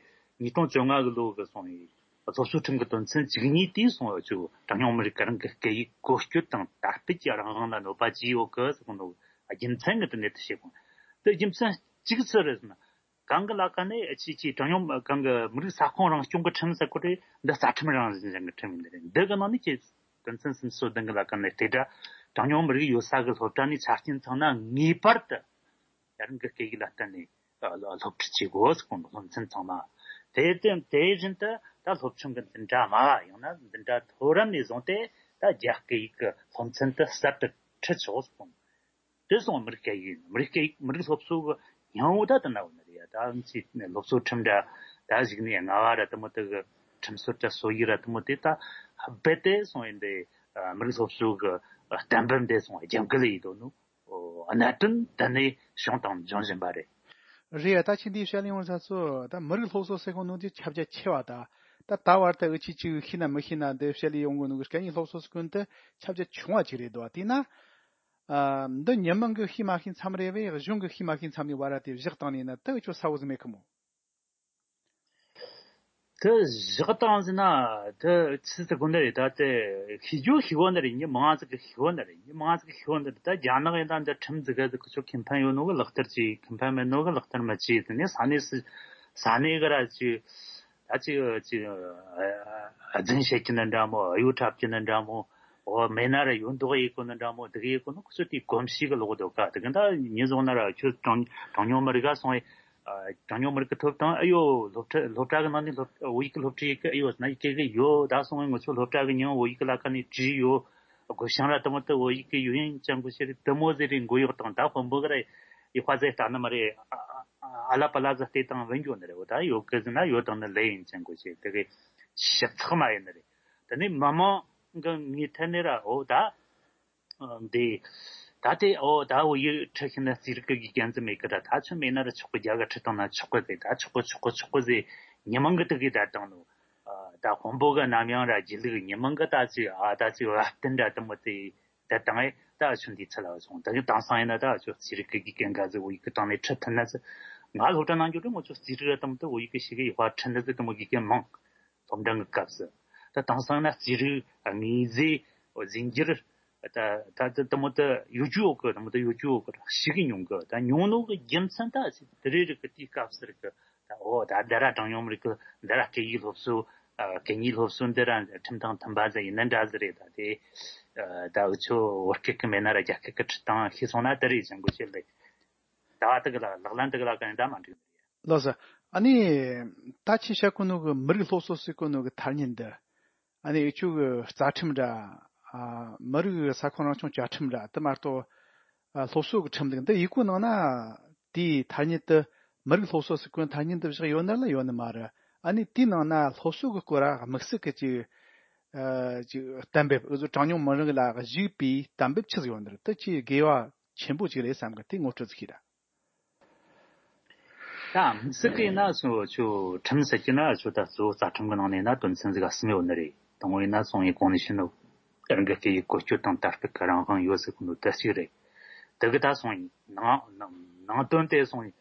ཉིས་སྟོང་བཅོ་ལྔ་གི་ལོ་གི་སོང་ཡི་སློབ་གསོ་ཁྲིམས་ཀྱི་དོན་ཚན་བཅུ་གཉིས་དེའི་སོང་འུ་ཆོ་གྲངས་ཉུང་མི་རིགས་གི་རང་གི་སྐད་ཡིག་བཀོལ་སྤྱོད་དང་དར་སྤེལ་གྱི་རང་དབང་ལ་གནོད་པ་བྱས་ཡོད་གི་ཟེར་གོ་ནོ་རྒྱུ་མཚན་གི་དེ་ནས་དེ་བཤད་གོ། དེ་རྒྱུ་མཚན་གཅིག་ཆི་རེད་ཟེར་ན་གང་གི་ལ་ཀ་ནས་ཨ་ཆི་ཆི་གྲངས་ཉུང་གང་གི་མི་རིགས་ས་ཁོངས་རང་སྐྱོང་གི་ཁྲིམས་ཟེར་གོ་རེད། འདི་རྩ་ཁྲིམས་རང་བཞིན་ཅན་གི་ཁྲིམས་ཡིན་ནི་རེད། འདི་གི་ནང་ནས་ཁྱེད་དོན་ཚན་སུམ་ཅུ་སོ་བདུན་གི་ལ་ཀ་ནས་དེ་འདྲ་གྲངས་ཉུང་མི་རིགས་ཡོད་ས་གི་སློབ་གྲྭ་ནས་ཆ་རྐྱེན་ཚང་ན་ངེས་པར་དུ་རང་གི་སྐད་ཡིག་ལ་བརྟེན་ནས་ སློབ་ཁྲིད་བྱེད་དགོས་ཟེར་གོ་ནོ། སློབ་ཚན་ཚང་མ་དེ་དེ་དེ་བཞིན་དུ་ད་སློབ་ཆུང་གི་འཛིན་གྲྭ་མ་ཡང་ན་འཛིན་གྲྭ་མཐོ་རིམ་ནས་བཟུང་སྟེ་ད་རྒྱ་སྐད་ཡིག་གི་སློབ་ཚན་དེ་གསར་དུ་ཁྲིད་ཆོག་ཟེར་གོ་ནོ། དེ་སོང་མི་རིགས་སྐད་ཡིག་མི་རིགས་སྐད་ཡིག་མི་རིགས་སློབ་གསོ་གི་སྙིང་བོ་ད་དེ་ན་བོ་ནི་རེད་ཡ། ད་ང་ཚོས་སློབ་གསོ་ཁྲིམས་འདྲ་ད་གཞུག་ནས་ལྔ་བ་ར་དེ་མོ་དེ་གི་ཁྲིམས་སྲོལ་དྲ་སྲོལ་ཡིག་ར་དེ་མོ་དེ་ད་རྦད་དེ་སོང་ཡིན་དེ་མི་རིགས་སློབ་གསོ་གི་གཏན་འབེབས་འདི་སོང་རྒྱབ་འགལ་ཡིན་དོ་ནོ། གནད་དོན་དེ་ནས་བྱུང་དང་འབྱུང་བཞིན་པ་རེད། རེད་ཡ། ད་ཁྱེད་འདིའི་བཤད་ལས་ཡོང་ས་ཚོ་ད་མི་རིགས་སློབ་གསོ་ཟེར་གོ་ནོ་དེ་ཁྱབ་རྒྱ་ཆེ་བ་ད། ད་ད་བར་དུ་འུ་ཆི་ཅིག་ཤེས་ན་མི་ཤེས་ན་འདི་བཤད་ལས་ཡོང་གོ་ནོ་གི་སྐད་གཉིས་སློབ་གསོ་ཟེར་གོ་ནོ་དེ་ཁྱབ་རྒྱ་ཆུང་བ་ཅིག་རེད་དོ། དེས་ན། ཨ། འདི་མྱི་མང་གི་ཤེས་མ་ཤེས་མཚམས་རེད་བས་གཞུང་གི་ཤེས་མ་ཤེས་མཚམས་ནས་བར་ར་དེ་བཞག་བཏང་ནས་ན་དེ་ཁྱོད་ས་བོ་ཟིག་མེད་ཁི་མོ། དེ་བཞག་བཏང་ཟིན་ན་དེ་ཆི་ཟིག་གོ་ནི་རེད། ད་དེ་ཤེས་རྒྱུ་ཤེས་གོ་ནི་རེད། མྱི་མང་ཟིག་གི་ཤེས་གོ་ནི་རེད། མྱི་མང་ཟིག་གི་ཤེས་གོ་ནི་རེད། ད་རྒྱ་ནག་ཡིན་ད་འདི་ཁྲིམས་ཟིག་ག་ཟིག་ཁི་ཆོ་ཁེ་ཕན་ཡོད་ནོ་གི་ལག་བསྟར་གྱིས། ཁེ་ཕན་མེད་ནོ་གི་ལག་བསྟར་མི་བྱེད་ཟིན་ནས་ས་གནས་སུ་ས་གནས་གི་ར་ཅིག་ད་ཅིག་ཅིག་རྫུན་བཤད་ཀྱི་ནི་འདྲ་མོ། གཡོ་འཁྲབ་ཀྱི་ནི་འདྲ་མོ། འོ་མེད་ན་ར་ཡོད་མདོག་ཡེ་གོ་ནི་འདྲ་མོ། དེ་གི་ཡེ་གོ་ནི་ཁོ་ཚོ་དེའི་གོམས་གཤིས་གི་ལོག་འདུག་ག་དེ་གི་ད་ཉིན་བཟུང་ན་ར་ཁྱོད་གྲངས་གྲངས་ཉུང་མི་རིགས་ག་སོང་ཡེ། གྲངས་ཉུང་མི་རིགས་གི་ཐོབ་ཐང་ཨེ་ཡོད། སློབ་གྲྭ་སློབ་གྲྭ་གི་ནང་ནས་སློབ་བོད་ཡིག་གི་སློབ་ཁྲིད་ཡེ་གི་ཨེ་ཡོད་ཟེར་ན་ཡེ་གེ་གི་ཡོད། ད་སོང་ཡེ་ང་ཚོ་སློབ་གྲྭ་གི་མྱིང་བོད་ཡིག་གི་ལ་ཁ་ནས་བྲིས་ཡོད། སྒོ་བྱང་ར་དེ་མོ་དེ་བོད་ཡིག་གི་ཡོད་ཡིན་ཅང་གོ་ཤེས་རེད། དེ་མོ་ཟེར་རེ་མགོ་གཡོག་དང་ད་དཔོན་པོ་གི་ར་ཡེ་ཧ་ཟེར་ལྟ་ནི་མ་རེད། ཨ་ལ་པ་ལ་ཟ་སྟེ་དང་བན་འགྱོ་ནི་རེད། འོ་ད་ཡོད་གི་ཟེར་ན་ཡོད་དང་ནི་ལེ་ཡིན་ཅང་གོ་ཤེས་དེ་གི་ཞིབ་ཚགས་མ་ཡིན་ནི་རེད། དེ་ནས་མི་མང་གི་ངོས་ཐད་ནས་ར་འོ་ད། འདི། ད་དེ་འོ་ད་འོ་ཡི་ཁྲི་ཤི་ན་རྩིས་རིག་གི་དགེ་རྒན་ཙམ་མེད་གི་ད་ད་ཆོ་མེད་ན་ར་ཆོག་གི་རྒྱ་གི་ཁྲི་བཏང་ན་ཆོག་གི་ཟེར། ད་ཆོག་གི་ཆོག་གི་ཆོག་གི་ཟེར་ཉི་མང་གི་དུ་གི་ད་བཏང་ནོ། ད་དཔོན་པོ་གི་ནམ་ཡང་ར་རྒྱུ་ལུགས་ཉི་མང་གི་ད་ཅི་ཨ་ད་ཅི་བ་བསྟན་ར་དུ་མོ་དེ་ད་བཏང་ཨེ་ད་ཆོ་འདི་ཚ་ལ་བ་སོང་། ད་གི་དེང་སང་ཡིན་ན་ད་ཆོ་རྩིས་རིག་གི་དགེ་རྒན་ག་ཟེ་འོ་ཡི་གི་བཏང་ནས་ཁྲི་ཐུན་ན་ཟེ། ང་སློབ་གྲྭ་ནང་འགྱོ་དུས་ང་ཆོ་རྩིས་རིག་ར་དུ་མོ་དེ་འོ་ཡི་གི་ཞིག་གི་ཡི་ཧ་ཁྲི་ན་ཟེ་དུ་མོ་དགེ་རྒན་མང་། སློབ་འབྲིང་གི་སྐབས་སུ། ད་དེང་སང་ན་རྩིས་རིག་དངོས་རྫས་རྫས་འགྱུར། ད་ད་ད་དེ་མོ་ད་ཡོད་རྒྱུ་ཡོད་གི། དེ་མོ་ད་ཡོད་རྒྱུ་ཡོད་གི་ཞིག་གི་ཉུང་གི། ད་ཉུང་ནོ་གི་རྒྱུ་མཚན་ད་ཅི་དེ་རེ་རེ་གི་དེའི་སྐབས་སུ་རེ་གི་ད་འོ་ད་འདི་ར་གྲངས་ཉུང་མི་རིགས་གི་འདི་ར་སྐད་ཡིག་སློབ་གསོ། སྐད་གཉིས་སློབ་གསོ་འདི་ར་ཁྲིམས་དང་མཐུན་པ་ཟིག་ཡིན་ན་འདྲ་ཟིག་རེད། ད་དེ་ད་འུ་ཆོ་བོད་སྐད་གི་མེད་ན་ར་རྒྱ་སྐད་གི་ཁྲིད་སྟངས་ཤེས་སོང་ན་དེ་རེད་ཅང་གོ་ཤེས་ལེ། ད་དེ་གི་ལ་ལག་ལེན་དེ་གི་ལ་ག་ཡིན་ད་མ་འགྲིག་ནི་རེད། ལགས་སོ། ཨ་ནི། ད་ཁྱེད་བཤད་གོ་ནོ་གི་མི་རིགས་སློབ་གསོ་ཟེར་གོ་ནོ་གི་ཐ་སྙད་འདི། ཨ་ནི་འུ་ཆོ་གི་རྩ་ཁྲིམས་འདྲ། ཨ། མི་རིགས་ས་ཁོངས་རང་སྐྱོང་བཅའ་ཁྲིམས་འདྲ་དེ་མ་གཏོགས། ཨ། སློབ་གསོ་གི་ཁྲིམས་ལུགས་འདི་ཡི་གོ་ནང་ན། དེའི་ཐ་སྙད་དེ་མི་རིགས་སློབ་གསོ་ཟེར་གོ་ནོ་ཐ་སྙད་འདི་བཞག་ཡོད་ནི་ལ་ཡོད་ནི་མ་རེད། ཨ་ནི་དེའི་ནང་ན་སློབ་གསོ་གི་སྐོར་ར་དམིགས་བསལ་གི་ཅིག་ཨ། ཅིག་གཏན་འབེབས་འུ་ཚོ་གྲངས་ཉུང་མི་རིགས་ལ་གཞིགས་པའི་གཏན་འབེབས་ཆི་ཟིག་ཡོད་ནི་རེད། དེ་ཆེས་དགེ་བ་ཆེན་པོ་ཅིག་རེད་བསམ་གི། དེ་ངོ་སྤྲོད་ཟིག་ཤེས་ར། ད་དམིགས་བསལ་གྱི་ཡིན་ན་སོ་ཆོ་ཁྲིམས་ཟེར་གྱི་ན་ཆོ་ད་གཙོ་བོ་རྩ་ཁྲིམས་ཀྱི་ནང་ནས་ན་དོན་ཚན་ཟིག་གསུམ་ཡོད་ནི་རེད། དང་པོ་ཡིན་ན་སོང་ཡི་གོང་ནས་ཤི་ནོ། རང་གི་སྐད་ཡིག་བཀོལ་སྤྱོད་དང་དར་སྤེལ་གྱི་རང་དབང་ཡོད་ཟེར་གི་ནོ་དེ་གཅིག་རེད། དེ་གི་ད་སོང་ཡི་ནང་ནང་དོན་དེ་སོང་ཡི་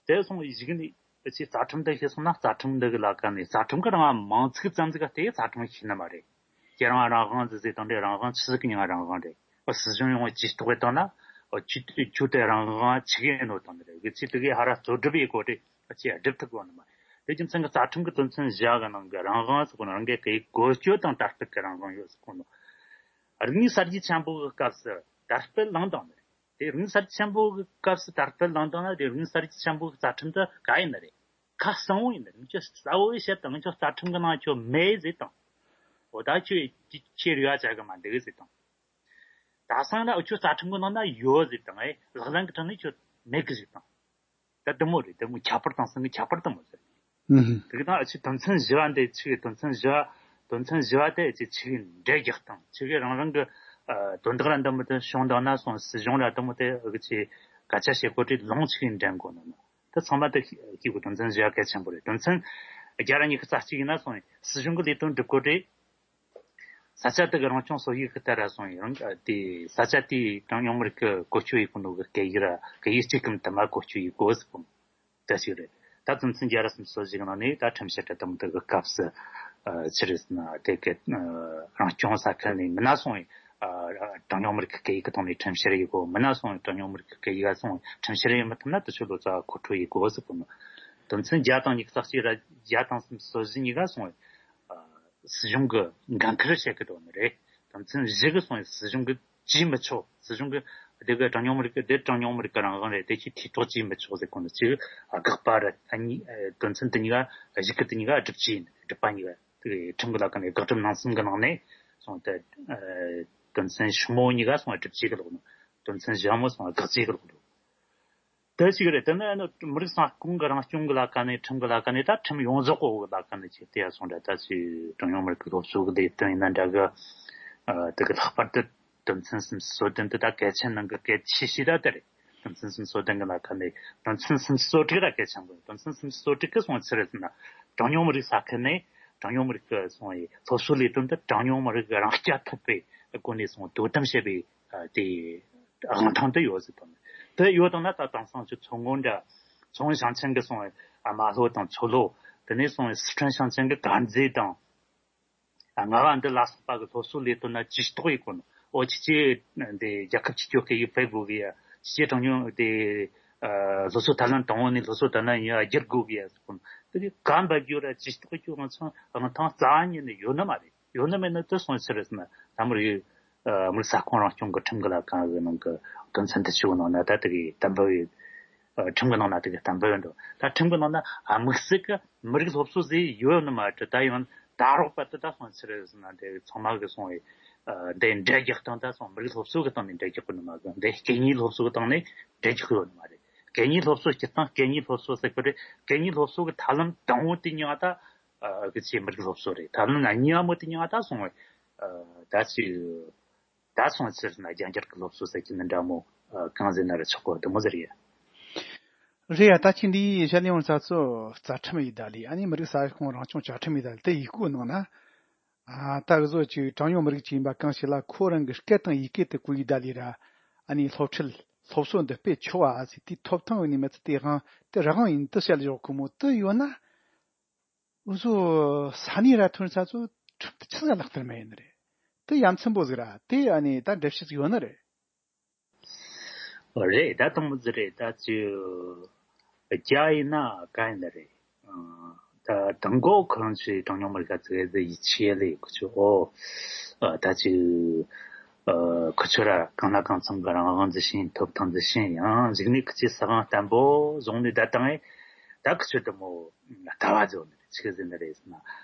དེ་སོང་ཡི་གཞིག་ནས་ཕྱི་རྩ་ཁྲིམས་དེ་ཤེས་སོང་ན་རྩ་ཁྲིམས་འདི་གི་ལ་ཀ་ནས་རྩ་ཁྲིམས་ཀྱི་རང་དབང་མང་ཚིག་ཙམ་ཟིག་ག་དེ་རྩ་ཁྲིམས་ཤེས་ནི་མ་རེད། ཁྱེད་རང་རང་དབང་ཟིག་ཟེར་དང་དེ་རང་དབང་ཆི་ཟིག་གི་མྱིང་རང་དབང་རེད། སྲིད་གཞུང་ཡོང་བ་ཇུས་གཏོགས་བཏང་ན། ཁྱོད་ཁྱོད་དེ་རང་དབང་ཆི་གི་ཡིན་ནོ་དང་རེད། གི་ཚེ་དེ་གའི་ཧ་ར་རྩོད་སྒྲུབ་ཡེ་གོ་དེ་ཁྱེད་སྒྲུབ་ཐུབ་གོ་ནི་མ་རེད། དེ་རྒྱུ་མཚན་གི་རྩ་ཁྲིམས་ཀྱི་དོན་ཚན་བཞི་གི་ནང་གི་རང་དབང་ཟེར་གོ་ནོ་རང་གི་སྐད་ཡིག་བཀོལ་སྤྱོད་དང་དར་སྤེལ་གྱི་རང་དབང་ཡོད་ཟེར་གོ་ནོ། རིག་གནས་གསར་བརྗེ་ཆེན་པོ་གི་སྐབས་སུ་དར་སྤེལ་ལངས་དང་ནི་རེད། དེ་རིག་གནས་གསར་བརྗེ་ཆེན་པོ་གི་སྐབས་སུ་དར་སྤེལ་ལངས་དང་ན་དེ་རིག་གནས་གསར་བརྗེ་ཆེན་པོ་གི་རྩ་ཁྲིམས་དེ་ག་ཡིན་ནི་རེད། ཁ་གསང་བོ་ཡིན་ནི་རེད། ང་ཚོས་གསལ་བོ་བཤད་དང་ང་ཚོ་རྩ་ཁྲིམས་གི་ནང་ཁྱོད་མེད་ཟེར་དང་། འོ་ད་ཁྱོད་ཁྱེད་རེ་བ་བྱ་གི་མ་འདུག་ཟེར་དང་། ད་སང་ན་ཁྱོད་རྩ་ཁྲིམས་གི་ནང་ན་ཡོད་ཟེར་དང་ཨེ་ལག་ལེན་གི་ཁྲིམས་ནི་ཁྱོད་མེད་གི་ཟེར་དང་། ད་དེ་མོ་རེད། དེ་མོ་ཁྱད་པར་དང་སང་གི་ཁྱད་པར་དེ་མོ་ཟེར། ཨུ་ཧུ། དེ་གི་ནང་ཨ་ཆི་དོན་ཚན་བཞི་བ་འདི་ཆི་གི་དོན་ཚན་བཞི་བ། དོན་ཚན་བཞི་བ་དེ་ཨ་ཆི་ཆི་གི་འགྲེལ་རྒྱག་དང་ཆི་གི་རང་རང་གི་ཨ་དོན་དག་ར་འདི་མོ་དེ་བྱུང་དང་ན་སོང་སྲིད་གཞུང་ར་འདི་མོ་དེ་ཨ་གི་ཆི་སྐད་ཆ་བཤད་གོ་དྲི་ལོང་ཆི་གི་འདྲེན་གོ་ནོ་ན་དེ་ཚང་མ་དེ་ཁྱི་གི་དོན་ཚན་བཞི་བ་གལ་ཆེན་པོ་རེད། དོན་ཚན་བརྒྱ་ར་ཉི་ཤུ་རྩ་གཅིག་ཡིན་ན་སོང་སྲིད་གཞུང་གི་ལས་དོན་སྒྲུབ་གོ་དྲི། ས་ཆ་དེ་གི་རང་སྐྱོང་སྲོལ་ཡིག་གི་ལྟར་ར་སོང་ཡང་དེ་ས་ཆ་དེའི་གྲངས་ཉུང་མི་རིགས་ཀྱི་བཀོལ་སྤྱོད་ཡེད་གོ་ནོ་གི་སྐད་ཡིག་ར་སྐད་ཡིག་གཅིག་གམ་དུ་མ་བཀོལ་སྤྱོད་ཡེད་དགོས་ཟེར་གོ་ནོ་དེ་ཞིག་རེད། ད་དོན་ཚན་བརྒྱ་ར་སུམ་ཅུ་སོ་བཞི་གི་ནང་ནས་ད་ཁྲིམས་བཤེར་གྲ་དམ་དུ་གི་སྐབས་སུ་ཆི་རེད་ཟེར་ན་དེ་གི་རང་སྐྱོང་ས་ཁུལ་ནས་མི་སྣ་སོང་ཡང་གྲངས་ཉུང་མི་རིགས་ཀྱི་སྐད་ཡིག་གི་ཐོག་ནས་ཁྲིམས་བཤེར་ཡེད་དགོས། མི་སྣ་སོང་ཡང་གྲངས་ཉུང་མི་རིགས་ཀྱི་སྐད་ཡིག་ག་སོང་ཁྲིམས་བཤེར་ཡེད་མི་ཐུབ་ན་དེ་ཚོ་ལོ་ཙཱ་བ་མཁོ་སྤྲོད་ཡེད་དགོས་ཟེར་གོ་ནོ། དོན་ཚན་བརྒྱ་དང་ཉི་ཤུ་རྩ་གཅིག་ར་བརྒྱ་དང་སུམ་ཅུ་སོ་བཞི་གཉིས་ཀ་སོང་ཡང་། སྲིད་གཞུང་གི་འགན་ཁུར་བྱེད་ཀྱི་འགྲོ་ནི་རེད། དོན་ཚན་བཞི་གི་སོང་ཡང་སྲིད་གཞུང་གི་བྱེད་མི་ཆོག་སྲིད་གཞུང་གི་ དེ་གི་གྲངས་ཉུང་མི་རིགས་དེ་གྲངས་ཉུང་མི་རིགས་ཀྱི་རང་དབང་རེད། དེ་ཁྱོད་ཐེ་གཏོགས་བྱས་མི་ཆོག་ཟེར་གོ་ནོ་ཅིག་དགག་པ་རེད། ཨ་ནི་དོན་ཚན་དེ་གཉིས་ཀ་གཞི་ཁུལ་དེ་གཉིས་ཀ་སྒྲུབ་བྱས་ཡིན། སྒྲུབ་པ་གཉིས་ཀ་དེ་གི་ཁྲིམས་ཀྱི་ལ་ཁ་ནས། དགག་སྒྲུབ་ནང་གསེས་གི་ནང་ནས་སོང་དེ་དོན་ཚན་ཞིབ་མོ་གཉིས་ཀ་སོང་སྒྲུབ་བྱས་གི་ལོག་ནོ། དོན་ཚན་ཞིབ་མོ་སོང་དགག་བྱས་གི་ལོག་ནོ། དེ་ཞིག་རེད། དེ་ནི་ཨ་ནི་མི་རིགས་ས་ཁོངས་ཀྱི་རང་སྐྱོང་གི་ལ་ཁ་ནས། ཁྲིམས་ཀྱི་ལ་ཁ་ནས། ད་ཁྲིམས་ཡོངས་རྫོགས་གི་ལ་ཁ་ནས་ཁྱེད་དེ་ཡ་སོང་འདྲ། ད་ཅི་གྲངས་ཉུང་མི་རིགས་ཀྱི་སློབ་གསོ་གི་ལས་དོན་ཡིན་ན་འདྲ་གི། ཨ་དེ་གི་ལྷག་པར་དུ་དོན་ཚན་སུམ་ཅུ་སོ་བདུན་དེ་ད་གལ་ཆེན་ནང་གི་གལ་ཆེ་ཤོས་ད་དེ་རེད། དོན་ཚན་སུམ་ཅུ་སོ་བདུན་གི་ལ་ཁ་ནས་དོན་ཚན་སུམ་ཅུ་སོ་དྲུག་ར་གལ་ཆེན་པོ། དོན་ཚན་སུམ་ཅུ་སོ་དྲུག་གི་སོང་ཚུལ་རེད་ཟེར་ན། གྲངས་ཉུང་མི་རིགས་ས་ཁུལ་ནས་གྲངས་ཉུང་མི་རིགས་ཀྱི་སོང་བའི་སློབ་གསོ་ལས་དོན་དེ་གྲངས་ཉུང་མི་རིགས་རང་རྐྱ་ཐུབ་པའི་སྒོ་ནས་སོང་དོ་དམ་བྱེད་པའི་ཨ་དེ་དབང་ཐང་དེ་ཡོད་ཟེར་དང་། དེ་ཡོད་དང་ན་ད་དེང་སང་ཆུ་མཚོ་སྔོན་འདྲ། མཚོ་སྔོན་ཞིང་ཆེན་གྱི་སོང་ཨ་རྨ་ལྷོ་དང་མཚོ་ལྷོ། དེ་ནས་སོང་སི་ཁྲོན་ཞིང་ཆེན་གྱི་དཀར་མཛེས་དང་། ཨ་རྔ་བ་འདི་ལ་སོགས་པ་གི་སློབ་གསོ་ལས་དོན་ན་ཇུས་གཏོགས་ཡིན་གོ་ནོ། ཨོ་ཅི་ཅི་འདི་རྒྱལ་ཁབ་སྤྱི་སྤྱོད་སྐད་ཡིག་སྤེལ་དགོས་གི་ཡ། སྤྱི་གྲངས་ཉུང་དེ་ཨ་སློབ་གསོ་ཐབས་ལམ་དང་པོ་ནས་སློབ་གསོ་ཐབས་ལམ་ཡིན་བསྒྱུར་དགོས་གི་ཡ་ཟེར་གོ་ནོ། དེ་གི་ག་འབབ་རྒྱུ་ར་ཇུས་གཏོགས་རྒྱུ་ང་ཚོ་ང་ཐང་རྩ་བ་ཉིད་ནས་ཡོད་ནི་མ་རེད། ཡོད་ནི་མེད་ནི་དེ་སོང་ཚུལ་རེད་ཟེར་ན། ད་མི་རིགས་ཨ་མི་རིགས་ས་ཁོངས་རང་སྐྱོང་གི་ཁྲིམས་ཀྱི་ལ་ཁ་གི་ནང་གི་དོན་ཚན་དེ་ཆུ་ནང་ན་ད་དེ་གི་གཏན་འབེབས་ཡོད། ཨ་ཁྲིམས་ཀྱི་ནང་ན་དེ་གི་གཏན་འབེབས་ཡོད་འདུག། ད་ཁྲིམས་ཀྱི་ནང་ན་ཨ་དམིགས་བསལ་གི་མི་རིགས་སློབ་གསོ་ཟེར་ཡོད་ནི་མ་རེད། ད་ཡང་ད་རོགས་པ་དེ་ད་སོང་ཚུལ་རེད་ཟེར་ན། དེ་ཚང་མ་གི་སོང་བའི་ཨ་དེ་འགྲེལ་རྒྱག་སྟངས་ད་སོང་མི་རིགས་སློབ་གསོ་གི་སྟེང་ནས་འགྲེལ་རྒྱག་གི་ནི་མ་གི། དེ་སྐད་གཉིས་སློབ་གསོ་གི་སྟེང་ནས་འགྲེལ་རྒྱག་གི་ཡོད་ནི་མ་རེད། སྐད་གཉིས་སློབ་གསོ་སྤྱིར་བཏང་སྐད་གཉིས་སློབ་གསོ་ཟེར་གི་རེད། སྐད་གཉིས་སློབ་གསོ་གི་ཐབས་ལམ་དང་པོ་དེ་ཉིད་ད་ཨ་གི་ཆེ་མི་རིགས་སློབ་གསོ་རེད། ཐབས་ལམ་གཉིས་པ་མོ་དེ་ཉིད་ད་སོང་བའི་ཨ་ད་ཅི་ད་སོང་ཚུལ་ན་རྒྱ་འགྱུར་གྱི་སློབ་གསོ་ཟེར་གྱི་ནི་འདྲ་མོ། ཨ་གང་ཟེར་ན་ར་ཆོག་གོ་དེ་མོ་ཟེར་ཡ། རེད་ཡ། ད་ཁྱེད་འདིའི་བཤད་ལེ་ཡོང་ས་ཚོ་རྩ་ཁྲིམས་ཡི་ད་ལི། ཨ་ནི་མི་རིགས་ས་ཁོངས་རང་སྐྱོང་བཅའ་ཁྲིམས་ཡི་ད་ལི་དེ་ཡི་གོ་ནང་ན། ཨ་ད་གི་བཟོ་ཅིག་གྲངས་ཉུང་མི་རིགས་ཅིག་ཡིན་པ་གང་ཞིག་ལ་ཁོ་རང་གི་སྐད་དང་ཡི་གེ་དེ་གོ་ཡི་ད་ལི་ར། ཨ་ནི་སློབ་ཁྲིད་སློབ་གསོ་འདི་སྤེལ་ཆོག་ཨ་ཟེར། དེའི་ཐོབ་ཐང་ཡོད་ནི་མི་ཚེ་དེ་དབང་དེ་རང་ཡིན་དུ་བཤད་ལེ་ཡོང་གི་མོ་དུ་ཡོད་ན། འུ་ཚོ་ས་གནས་ར་ཐོན་ས་ཚོ་ཁྲིམས་དེ་ཆི་ཟིག་ལག་བསྟར་མེད་ཡིན་ནི་རེད། དེ་ཡ་མཚན་པོ་ཟིག་ར་དེ་ཨ་ནི་ད་འགྲེལ་བཤད་ཟིག་ཡོད་ནི་རེད། རེད། ད་དང་པོ་ཟིག་རེད། ད་ཅི་རྒྱ་ཡིན་ན་ག་ཡིན་ནི་རེད། ཨ་ད་དང་གོ་ཁོ་རང་ཚོའི་གྲངས་ཉུང་མི་རིགས་ཚོ་གི་ཡིད་ཆེས་ལས་ཁོ་ཚོ་ཨོ་ཨ་ད་ཅི་ཨ་ཁོ་ཚོ་ར་གང་ལ་གང་འཚམ་གི་རང་དབང་འདི་བཞིན་ཐོབ་ཐང་འདི་བཞིན་ཡང་གཞིགས་ནས་ཁོ་ཚོས་ས་ཁང་བརྟན་པོ་བཟུང་ནས་ད་དང་ཨེ་ད་ཁོ་ཚོ་དེ་མོ་ལྟ་བ་བཟོ་ནི་རེད། ཆི་ཟེར་ནི་རེད་ཟེར་ན།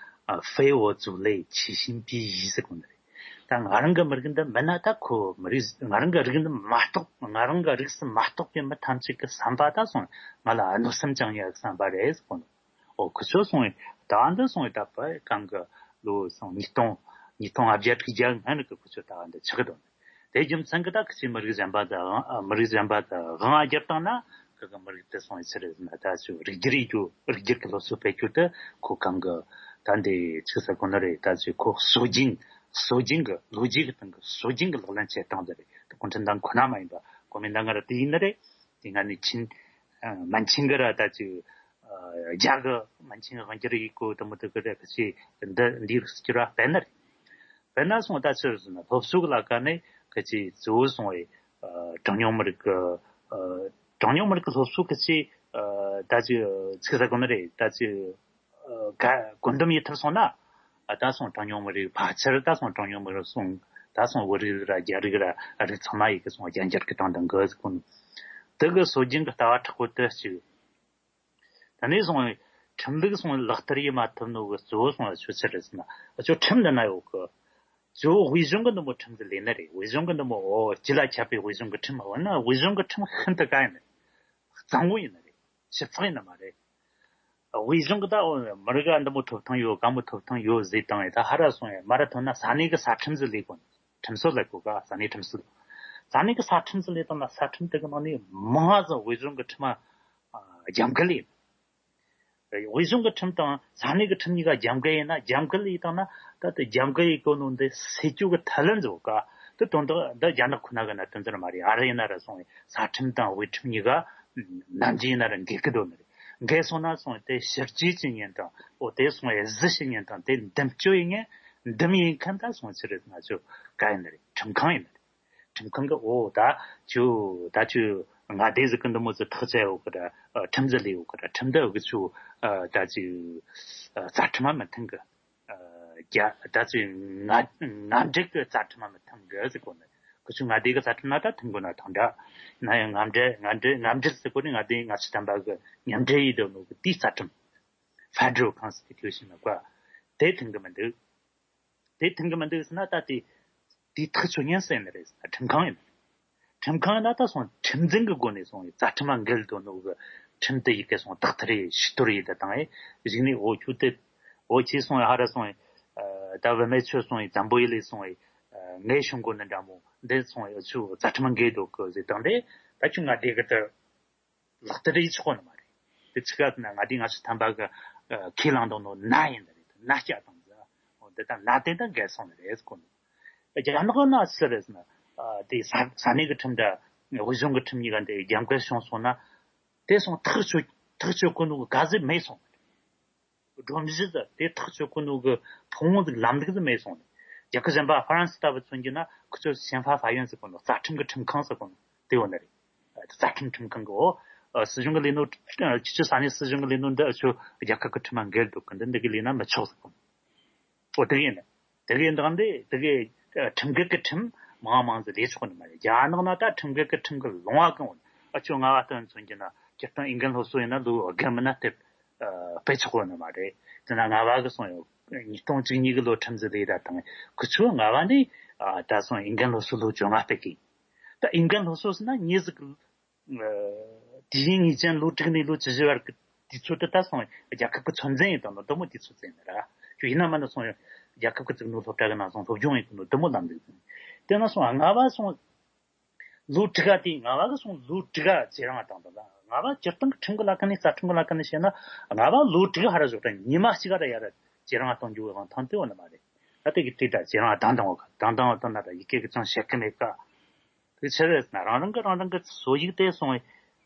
ཨ་非我族类，其心必异ཟེར་གོ་ནི་རེད། ད་ང་རང་གི་མི་རིགས་འདི་མིན་ན་ད་ཁོ་མི་རིགས། ང་རང་གི་རིགས་འདི་མ་གཏོགས། ང་རང་གི་རིགས་སུ་མ་གཏོགས་པའི་མི་ཐམས་ཅད་ཀྱི་བསམ་པ་ད་སོང་ང་ལ་གནོད་སེམས་བཅངས་ཡག་བསམ་པ་རེད་ཟེར་གོ་ནི། ཨོ་ཁོ་ཚོ་སོང་བའི་ད་འདི་སོང་བའི་ད་པ་གང་གི་ལོ་སོང་ཉིས་སྟོང་ཉིས་སྟོང་ལྔ་བརྒྱ་དྲུག་བརྒྱ་སྔ་ནི་གི་ཁོ་ཚོ་ད་འདི་ཆགས་གི་འདུག། དེ་རྒྱུ་མཚན་གྱིས་ད་ཁི་ཆོས་མི་རིགས་གཞན་པ་དང་། ཨ་མི་རིགས་གཞན་པ་དང་དབང་བསྒྱུར་བཏང་ན་ཁི་གི་མི་རིགས་དེ་སོང་ཡི་ཆི་རེད་ཟེར་ན། ད་ཅིག་རིགས་སྒྱུར་ཡེད་རྒྱུ། རིགས་སྒྱུར་གྱི་སློབ་གསོ་སྤེལ་རྒྱུ་དེ་ཁོ་གང་གི་ད་འདི་ཆི་ཟེར་གོ་ནི་རེད། ད་ཅིག་ཁོ་སྲོལ་རྒྱུན། སྲོལ་རྒྱུན་གྱི་ལོ་རྒྱུས་ཀྱི་སྟེང་གི་སྲོལ་རྒྱུན་གྱི་ལག་ལེན་བྱེད་སྟངས་དེ་རེད། ད་གུང་ཁྲན་ཏང་ཁོ་ན་མ་ཡིན་པ་གོ་མིན་ཏང་ག་ར་དེ་ཡིན་ནི་རེད། དེ་སྔ་ནས་ཆིན་ཨ་མན་ཆིན་གྱི་ར་ད་ཅིག་ཨ་རྒྱ་གི་མན་ཆིན་དབང་སྒྱུར་ཡེད་གོ་དེ་མོ་དེ་གི་ར་ཁི་ཆོས་འདི་འདི་རིགས་སུ་གྱུར་བ་སྤེལ་ནི་རེད། དཔེར་ན་སོང་ད་ཆི་ཟེར་ན་སློབ་གསོ་གི་ལ་ཁ་ནས་ཁི་ཆོས་གཙོ་བོ་སོང་བའི་ཨ་གྲངས་ཉུང་མི་རིགས་ཀྱི་ཨ་གྲངས་ཉུང་མི་རིགས་ཀྱི་སློབ་གསོ་ཁི་ཆོས་ཨ་ད་ཅི་ཆི་ཟེར་གོ་ནི་རེད། ད་ཅི་ཨ་ག་བཀོད་འདོམས་ཡེད་ཐུབ་སོང་ན། ཨ་ད་སོང་གྲངས་ཉུང་མི་རིགས་ཕལ་ཆེར་ད་སོང་གྲངས་ཉུང་མི་རིགས་སོང་ད་སོང་བོད་རིགས་ར་རྒྱ་རིགས་ར་རིགས་ཚང་མ་ཡི་གེ་སོང་རྒྱ་འགྱུར་གི་སྟངས་དང་གི་ཟེར་གོ་ནི། དེ་གི་སྲོལ་རྒྱུན་གི་ལྟ་བ་མཁྲེགས་པོ་དེ་གཅིག། ད་ནས་སོང་བའི་ཁྲིམས་ལུགས་སོང་ལག་བསྟར་ཡེད་མ་ཐུབ་ནོ་གི་གཙོ་བོ་སོང་ལ་ཆོས་ཕྱིར་རེད་ཟེར་ན། ཨ་ཅོ་ཁྲིམས་འདི་ན་ཡོད་གི། གཙོ་བོ་དབུས་གཞུང་གི་འདི་མོ་ཁྲིམས་ཟིག་ལས་ནི་རེད། དབུས་གཞུང་གི་འདི་མོ་ཨོ་སྤྱི་ལ་ཁྱབ་པའི་དབུས་གཞུང་གི་ཁྲིམས། འོ་ན་དབུས་གཞུང་གི་ཁྲིམས་ཤིན་ཏུ་ག་ཡིན་ནི་རེད། གཙང་བོ་ཡིན་ནི་རེད། ཞིབ་ཚགས་ཡིན་ནི་མ་རེད། དབུས་གཞུང་གི་ད་ཨོ་མི་རིགས་འདི་མོ་ཐོབ་ཐང་ཡོད། ག་མོ་ཐོབ་ཐང་ཡོད་ཟེར་བཏང་ཡ་ད་ཧ་ར་སོང་ཡ་མ་ར་ཐོན་ན་ས་གནས་གི་ས་ཁྲིམས་ཟིག་ལས་དགོས་ནི། ཁྲིམས་སྲོལ་ལ་གོ་ག་ས་གནས་ཁྲིམས་སྲོལ། ས་གནས་ཀྱི་ས་ཁྲིམས་སུ་ལས་དང་ན་ས་ཁྲིམས་དེ་གི་ནང་ནས་མང་ང་ཟིག་དབུས་གཞུང་གི་ཁྲིམས་ཨ་རྒྱབ་འགལ་ཡིན། དབུས་གཞུང་གི་ཁྲིམས་དང་ས་གནས་ཀྱི་ཁྲིམས་གཉིས་ཀ་རྒྱབ་འགལ་ཡིན་ན། རྒྱབ་འགལ་ཡིན་དང་ན་ད་དེ་རྒྱབ་འགལ་ཡིན་གོ་ནོ་འདི་སེལ་རྒྱུ་གི་ཐབས་ལམ་ཟིག་ག་དེ་དོན་དག་འདི་རྒྱ་ནག་ཁོ་ན་གི་གནད་དོན་ཟིག་མ་རེད། ཨ་རི་ཡིན་ན་ར་སོང་བའི་ས་ཁྲིམས་དང་དབུས་ཁྲིམས་གཉིས་ཀ་ནམ་རྒྱུན་ཡིན་ན་ར་འགལ་གི་འདུག་ནི་རེད། འགལ་སོང་ན་སོང་བའི་དེ་ཕྱིར་བཅོས་བྱེད་མཁན་དང་ཨོ་དེ་སོང་བའི་གཞི་བྱེད་མཁན་དང་དེ་འདེམས་སྤྱོད་ཡེད་མཁན་འདེམས་ཡེད་མཁན་ད་སོང་ཕྱིར་ང་ཚོ་ག་ཡིན་ནི་རེད། ཁྲིམས་ཁང་ཡིན་ནི་རེད། ཁྲིམས་ཁང་གི་འོ་ད་ཁྱོད་ད་ཁྱོད་མངའ་སྡེ་ཟིག་གི་འདི་མོ་ཟིག་ཐག་བཅད་ཡོད་གི་ར། ཨ་ཁྲིམས་ཟིག་ལས་ཡོད་གི་ར། ཁྲིམས་འདི་གི་ཁྱོད་ཨ་ད་ཅི་ཨ་རྩ་ཁྲིམས་མ་མི་མཐུན་གི། ཨ་རྒྱ་ད་ཅི་མངའ་མངའ་འབྲེལ་གི་རྩ་ཁྲིམས་མ་མི་མཐུན་གི་ཟེར་གོ་ནི། ཁོ་ཚོས་མངའ་སྡེ་གི་རྩ་ཁྲིམས་ན་ད་མཐུན་དགོས་ན་དང་འདྲ། ཡིན་ན་ཡང་མངའ་འབྲེལ་མངའ་འབྲེལ་མངའ་འབྲེལ་ཟེར་གོ་ནི་མངའ་སྡེ་ལྔ་བཅུ་ཐམ་པ་གི་མཉམ་འབྲེལ་ཡིན་འདུག་ནོ་གི་དེའི་རྩ་ཁྲིམས། Federal Constitution ལ་གོ། དེ་མཐུན་གི་མི་འདུག་དེ་མཐུན་གི་མི་འདུག་ཟེར་ན་ད་དེ་དེ་ཐག་ཆོད་ཉན་ས་ཡིན་ནི་རེད་ཟེར་ན་ཁྲིམས་ཁང་ཡིན་ནི་རེད། ཁྲིམས་ཁང་ཡིན་ན་ད་སོང་ཁྲིམས་འཛིན་གི་སྒོ་ནས་སོང་རྩ་ཁྲིམས་ལ་འགལ་འདུག་ནོ་གི་ཁྲིམས་དེ་ཡི་གེ་སོང་དག་ཐེར་ཡེ་ཕྱི་དོར་ཡེ་དེ་བཏང་ཡེ་གཞུག་ནས་འོ་ཁྱོད་དེ་འོ་ཁྱེད་སོང་ཡེ་ཧ་ར་སོང་ཡེ་ད་བུད་མེད་ཁྱོད་སོང་ཡེ་འཛམ་བུ་གླིང་ལ་སོང་ཡེ་ངའི་གཞུང་སྒོ་ནས་འདྲ་མོ་འདི་སོང་ཡེ་ཁྱོད་རྩ་ཁྲིམས་ལ་འགལ་འདུག་གི་ཟེར་བཏང་དེ་ད་ཁྱོད་མངའ་སྡེ་གི་དེ། ལག་བསྟར་ཡེ་ཆོག་གོ་ནི་མ་རེད། དེ་ཆི་ག་ཟེར་ན་མངའ་སྡེ་ལྔ་བཅུ་ཐམ་པ་གི་ཁས་བླངས་དང་ནོ་ན་ཡིན་ད་རེད་ན་སྐྱ་དང་ཟེར། འོ་འདི་དང་ན་དེ་དང་འགལ་སོང་ནི་རེད་གོ་ནི། རྒྱ་ནག་ན་ཆི་རེད་ཟེར་ན། དེ་ས་ས་གནས་ཀྱི་ཁྲིམས་དང་དབུས་གཞུང་གི་ཁྲིམས་གཉིས་ཀ་འདི་རྒྱབ་འགལ་བྱུང་སོང་ན། དེ་སོང་ཐག་ཆོད་ཐག་ཆོད་གོ་ནོ་གི་ག་ཟེ་མེད་སོང་། སྒྲོམ་གཞི་ཟེར་དེ་ཐག་གཅོད་གོ་ནོ་གི་ཕུང་བོ་ཟིག་ལམ་ལུགས་ཟིག་མེད་སོང་ནས། རྒྱལ་ཁབ་གཞན་པ་ཧྥ་རན་སི་ལྟ་བུ་མཚོན་རྒྱུ་ན་ཁོ་ཚོ་ཞན་ཧྥ་ཧྥ་ཡོན་ཟེར་གོ་ནོ་རྩ་ཁྲིམས་ཀྱི་ཁྲིམས་ཁང་ཟེར་གོ་ནོ་དེ་ཡོད་ནི་རེད། རྩ་ཁྲིམས་ཁྲིམས་ཁང་གི་འོ། སྲིད་གཞུང་གི་ལས་ནོ། སྤྱི་སྤྱོད་ས་གནས་སྲིད་གཞུང་གི་ལས་ནོ་འདི་ཨ་ཆོ་རྒྱལ་ཁབ་ཀྱི་ཁྲིམས་ལ་འགལ་འདུག་གི་འདི་འདི་གི་ལས་ན་མི་ཆོག་ཟེར་གོ་ནོ། འོ་དེ་གི་ཡིན། དེ་གི་འདང་འདི་དེ་གི་ཁྲིམས་འགལ་གྱི་ཁྲིམས་མང་མང་ཟིག་ལས་ཆོག་ནི་མ་རེད། རྒྱ་ནག་ན་ད་ཁྲིམས་འགལ་གྱི་ཁྲིམས་གི་ལུང་བ་གང་འོ་ཨ་ཆོ་ལྔ་བ་སྟོན་མཚོན་རྒྱུ་ན་སྤྱིར་བཏང་ཨིན་རྒན་སློབ་གསོ་ཡིན་ན་ལོ་བརྒལ་མིན་ན་དེབ། སྤེལ་ཆོག་གོ་ནི་མ་རེད། དེ་ན་ལྔ་བ་གི་སོང་ཡོད། ཉིས་སྟོང་བཅུ་གཉིས་གི་ལོ་ཁྲིམས་ཟིག་ལས་ད་དང་ཁུ་ཆུ་ལྔ་བ་ནི་ད་སོང་ཨིན་རྒན་སློབ་གསོ་ལོ་བཅོ་ལྔ་སྤེལ་གི། ད་ཨིན་རྒན་སློབ་གསོ་ཟེར་ན་ཉིས་ཟིག་དུས་ཡུན་ངེས་ཅན་ལོ་དྲུག་ནས་ལོ་བཅུ་བཞི་བར་གི་དུས་ཚོད་དེ་ད་སོང་རྒྱལ་ཁབ་ཀྱི་ཚོད་འཛིན་ཡིན་དང་ནོ་དུ་མོ་དུས་ཚོད་ཙམ་ཡིན་ར། ཁྱོད་ཡིན་ན་མ་ན་སོང་རྒྱལ་ཁབ་ཀྱི་བཙུགས་ནོ་སློབ་གྲྭ་གི་ནང་སོང་སློབ་སྦྱོང་ཡིན་དུ་ནོ་དུ་མོ་ལམ་ལུགས་ཙམ་ཡིན། དེ་ན་སོང་ལྔ་བ་སོང་། ལོ་དྲུག་ག་དེ་ལྔ་བ་གི་སོང་ལོ་དྲུག་ག་ཇེ་རིང་བཏང་དང་ལྔ་བ་སྤྱིར་བཏང་གི་ཁྲིམས་ཀྱི་ལ་ཁ་ནས་རྩ་ཁྲིམས་ཀྱི་ལ་ཁ་ནས་བཤད་ན་ལྔ་བ་ལོ་དྲུག་ཧ་ར་ཞོག་ད་ཉི་མ་གཅིག་ག་ར་ཡ་ར་ཇེ་རིང་བཏང་རྒྱུ་གི་དབང་ཐང་དེ་འོ་ན་མ་རེད། ད་དེ་གི་དེ་ད་ཇེ་རིང་བཏང་དང་འོ་ག་དང་དང་འོ་དང་ན་ད་ཡི་གེ་གི་ཅང་བཤད་གི་མེད་ཀ། དེ་ཆི་རེད་ཟེར་ན་རང་རང་གི་རང་རང་གི་སྲོལ་ཡིག་དེ་སོང་བས།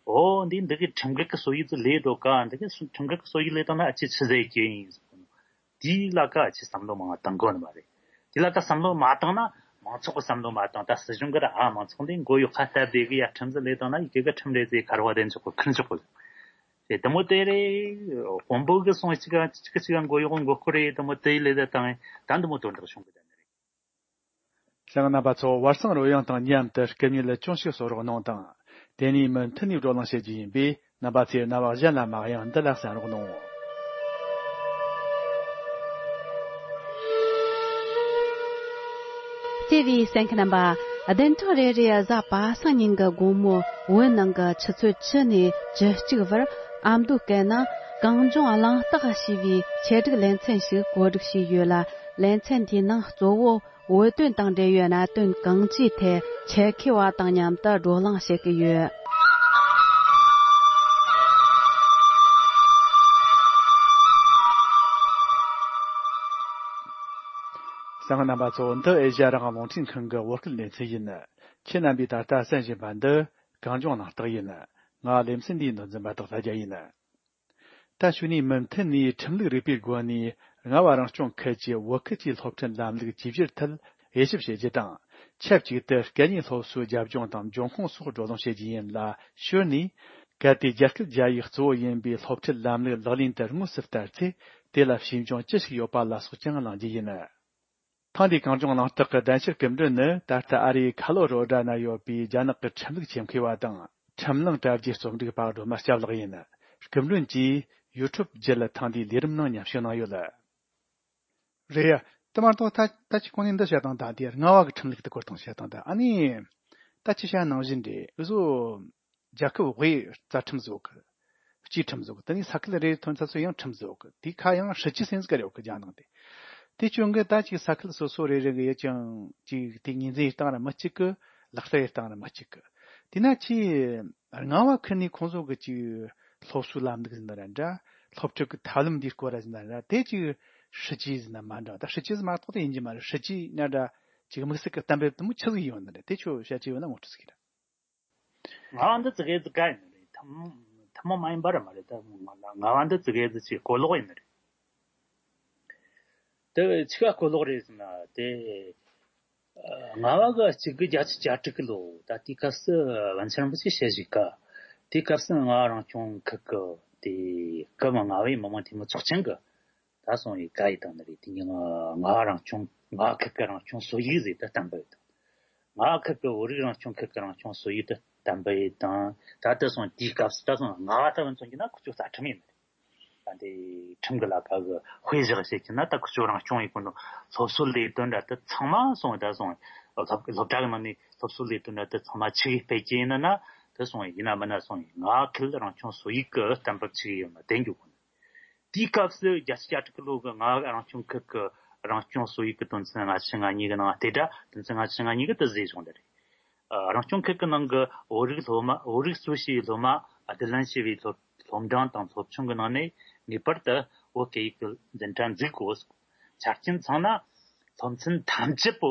འོ་འདི་འདི་གི་ཁྲིམས་འགལ་གི་སྲོལ་ཡིག་དེ་ལས་འགྲོ་ག་འདི་གི་ཁྲིམས་འགལ་གི་སྲོལ་ཡིག་ལས་དང་ན་ཨ་ཅེ་ཆི་ཟེར་གྱི་ཡིན་ཟེར། དེའི་ལ་ཀ་ཅི་བསམ་བློ་མང་བ་བཏང་དགོས་ནི་མ་རེད། དེ་ལ་ཀ་བསམ་བློ་མ་བཏང་ན་མང་ཚོགས་ཀྱི་བསམ་བློ་མ་བཏང་ད་སྲིད་གཞུང་གི་ར་ཨ་མང་ཚོགས་འདི་མགོ་གཡོག་ཁ་སྟབས་བདེ་གི་ཡ་ཁྲིམས་ཟིག་ལས་བཏང་ན་ཡི་གེ་གི་ཁྲིམས་རེད་ཟེར་ཁ་རོ་བ་དེ་འཇོག་གི་ཁུར་འཇོག་གི་རེད། དེ་དེ་མོ་དེ་རེད། དཔོན་པོ་གི་སོང་གཅིག་ག་གཅིག་ག་གཅིག་ག་མགོ་གཡོག་མགོ་སྐོར་རེད་དེ་མོ་དེ་ལས་ད་བཏང་ད་འདི་མོ་དོན་དག་བྱུང་གི་ད་ནི་རེད། ལྷན་རྣམ་པ་ཚོ་བར་གསེང་རོལ་དབྱངས་དང་མཉམ་དུ་སྐུ་ཉིད་ལ་ཅུང་ཞིག་གསོལ་རོགས་གནང་དང་། དེ་ནས་མུ་མཐུད་ནས་བགྲོ་གླེང་བྱེད་རྒྱུ་ཡིན་པས་རྣམ་པ་ཚོས་རྣ་བ་གཞན་ལ་མ་གཡེང་འདི་ལ་གསན་རོགས་གནང་། བརྩེ་བའི་གསན་མཁན་རྣམ་པ། བདུན་ཕྲག་རེ་རེའི་གཟའ་པ་སངས་ཉིན་གྱི་དགོང་མོ་བོད་ནང་གི་ཆུ་ཚོད་བཅུ་ནས་བཅུ་གཅིག་བར་ཨ་མདོའི་སྐད་ནང་གངས་ལྗོངས་གླེང་སྟེགས་ཞེས་པའི་ཆེད་སྒྲིག་ལེ་ཚན་ཞིག་གོ་སྒྲིག་བྱས་ཡོད་ལ། ལེ་ཚན་འདིའི་ནང་གཙོ་བོ་བོད་དོན་དང་འབྲེལ་བའི་གནད་དོན་གང་ཅིའི་ཐད་ཆེད་མཁས་པ་དང་མཉམ་དུ་བགྲོ་གླེང་བྱེད་ཀྱི་ཡོད། གསན་མཁན་རྣམ་པ་ཚོ། འདི་ཨེ་ཤ་ཡ་རང་དབང་རླུང་འཕྲིན་ཁང་གི་བོད་སྐད་ལེ་ཚན་ཡིན། ཁྱེད་རྣམ་པས་ད་ལྟ་གསན་བཞིན་པ་འདི་གངས་ལྗོངས་གླེང་སྟེགས་ཡིན། ང་ལེ་ཚན་འདིའི་མདོ་འཛིན་པ་དོག་ལྷ་རྒྱལ་ཡིན། ད་གཞུག་ནས་མུ་མཐུད་ནས་ཁྲིམས་ལུགས་རིག་པའི་སྒོ་ནས་རྔ་བ་རང་སྐྱོང་ཁུལ་གྱི་བོད་ཁུལ་གྱི་སློབ་ཁྲིད་ལམ་ལུགས་བཅོས་བསྒྱུར་ཐད་དབྱེ་ཞིབ་བྱེད་རྒྱུ་དང་། ཆབས་ཅིག་ཏུ་སྐད་གཉིས་སློབ་གསོའི་རྒྱབ་ལྗོངས་དང་འབྱུང་ཁུངས་སོགས་བགྲོ་གླེང་བྱེད་རྒྱུ་ཡིན་ལ། ཞོར་ནས་གལ་ཏེ་རྒྱ་སྐད་རྒྱ་ཡིག་གཙོ་བོ་ཡིན་པའི་སློབ་ཁྲིད་ལམ་ལུགས་ལག་ལེན་དུ་དངོས་སུ་བསྟར་ཚེ་དེ་ལ་ཤེས་འབྱུང་ཅི་ཞིག་ཡོད་པ་ལ་སོགས་ཀྱང་གླེང་རྒྱུ་ཡིན། ཐེངས་འདིའི་གངས་ལྗོངས་གླེང་སྟེགས་ཀྱི་གདན་ཞུ་སྐུ་མགྲོན་ནི་ད་ལྟ་ཨ་རིའི་ཁ་ལོ་རོ་ཌ་ན་ཡོད་པའི་རྒྱ་ནག་གི་ཁྲིམས་ལུགས་ཆེད་མཁས་པ་དང་ཁྲིམས་གླེང་གྲ་རྒྱའི་རྩོམ་སྒྲིག་པ་སྒྲོལ་མ་སྐྱབས་ལགས་ཡིན། སྐུ་མགྲོན་གྱིས་ཡུ་ཊུབ་བརྒྱུད་ལ་ཐེངས་འདིའི་ལས་རིམ་ནང་མཉམ་ཞུགས་གནང་ཡོད། རེད་ཡ། དེ་མ་གཏོགས་ད་ད་ཅི་གོང་ནས་འདི་བཤད་སྟངས་དང་དེ་རྔ་བ་གི་ཁྲིམས་ལུགས་དེ་སྐོར་དང་བཤད་སྟངས་དང་ཨ་ནི། ད་ཅི་བཤད་ནང་བཞིན་རེད་འུ་ཟོ། རྒྱལ་ཁབ་དབུས་རྩ་ཁྲིམས་བཟོ་གི། སྤྱི་ཁྲིམས་བཟོ་གི། དེ་ནས་ས་ཁུལ་རེ་རེ་ཐོན་ཚ་ཚོ་ཡང་ཁྲིམས་བཟོ་གི། དེ་ཁ་ཡང་སྲིད་ཇུས་སེམས་ཀ་རེ་ཡོད་གི་རྒྱ་ནང་དེ། དེ་བྱུང་གི་ད་ཅིག་ས་ཁུལ་སོ་སོ་རེ་རེ་གི་ཡོད་ཀྱང་ཅིག་དེ་ངོས་འཛིན་སྟངས་ར་མི་གཅིག་གི། ལག་བསྟར་སྟངས་ར་མི་གཅིག་གི། དེ་ན་ཅི། རྔ་བ་ཁུལ་ནས་ཁོང་ཚོ་གི་ཅིག་སློབ་གསོའི་ལམ་ལུགས་ཟིན་ན་ར་འདྲ། སློབ་ཁྲིད་ཀྱི་ཐབས་ལམ་འདིའི་སྐོར་ར་ཟིན་ན་ར་དེ་ཅིག་སྲིད་ཇུས་ཟིན་ན་མ་འདྲ་ད་སྲིད་ཇུས་མ་གཏོགས་དེ་ཡིན་གྱི་མ་རེད། སྲིད་ཇུས་ན་འདྲ་ཅིག་དམིགས་བསལ་གྱི་གཏན་འབེབས་དེ་མོ་ཆི་ཟིག་ཡོད་ནི་རེད། དེ་ཁྱོད་བཤད་ཀྱི་ཡོད་ན་ངོ་སྤྲོད་ཟིག་གི་ར། ང་བ་འདི་ཙི་གེ་ཙི་ག་ཡིན་ནི་རེད། ཐུན་མོང་ཐུན་མོང་མ་ཡིན་པ་ར་མ་རེད། ད་ང་བ་འདི་ཙི་གེ་ཙི་ཅིག་གོ་ལོག་ཡིན་ནི་རེད། དེ་ཆི་ག་གོ་ལོག་རེད་ཟེར་ན་དེ། ང་བ་གི་གཅིག་དགུ་བརྒྱད་ཅུ་གྱ་དྲུག་གི་ལོ་ད་དེའི་སྐབས་སུ་པཎ་ཆེན་རིན་པོ་ཆེ་ཞལ་བཞུགས་ཀ། དེའི་སྐབས་སུ་རྔ་བ་རང་སྐྱོང་ཁུལ་གི་དེ་སྐབས་རྔ་བའི་མི་དམངས་འཐུས་མི་ཚོགས་ཆེན་གི་ད་སོང་ཡི་བཀའ་ཡི་དང་ནི་རེད། དེ་ཉིན་རྔ་བ་རང་སྐྱོང་རྔ་བ་ཁུལ་གི་རང་སྐྱོང་སྲོལ་ཡིག་ཟེར་ད་བཏང་པ་ཡོད་དང་། ང་ཁུལ་གྱི་བོད་རིགས་རང་སྐྱོང་ཁུལ་གྱི་རང་སྐྱོང་སྲོལ་ཡིག་དེ་བསྟན་པ་ཡིན་དང་། ད་ལྟ་སོང་དེའི་སྐབས་སུ་ད་སོང་ང་ལྟ་བུ་མཚོན་གྱི་ན་ཁུ་ཚོ་རྩ་ཁྲིམས་ཡིན་མི་རེད། ད་འདི་ཁྲིམས་ཀྱི་ལ་ཁ་གི་དཔེ་བཞག་བཤད་ཀྱི་ན། ད་ཁུ་ཚོ་རང་སྐྱོང་ཡིན་གོ་ནོ་སློབ་གསོ་ལས་དོན་འདྲ་དེ་ཚང་མ་སོང་ད་སོང་སློབ་སློབ་གྲྭ་གི་ནང་ནས་སློབ་གསོ་ལས་དོན་འདྲ་དེ་ཚང་མ་ཆི་གི་སྤེལ་གྱི་ཡིན་ན་ན། དེ་སོང་ཡིན་ན་མིན་ན་སོང་ང་ཁུལ་རང་སྐྱོང་སྲོལ་ཡིག་གི་བསྟན་པ་ཆི་གི་ཡོད་ན་དེ་འཇོག་གོ་ནོ། དེའི་སྐབས་སུ་བརྒྱད་ཅུ་གྱ་དྲུག་གི་ལོ་གི་ང་རང་སྐྱོང་ཁུལ་གྱི་རང་སྐྱོང་སྲོལ་ཡིག་གི་དོན་ཚན་ལྔ་བཅུ་ང་གཉིས་ཀྱི་ནང་དེ་འདྲ་དོན་ཚན་ལྔ་བཅུ་ང་གཉིས་ཀྱི་དེ་བཟོས་བྱུང་བ་རེད། ཨ། རང་སྐྱོང་ཁུལ་གྱི་ནང་གི་བོད་རིགས་སློབ་མ། བོད་རིགས་གཙོ་བྱས་པའི་སློབ་མ། ཨ། དེ་ལན་བྱས་པའི་སློབ་སློབ་འབྲིང་དང་སློབ་ཆུང་གི་ནང་ནས་ངེས་པར་དུ་བོད་སྐད་ཡིག་གི་འཛིན་གྲྭ་འཛུགས་དགོས། ཆ་རྐྱེན་ཚང་ན་སློབ་ཚན་ཐམས་ཅད་པོ་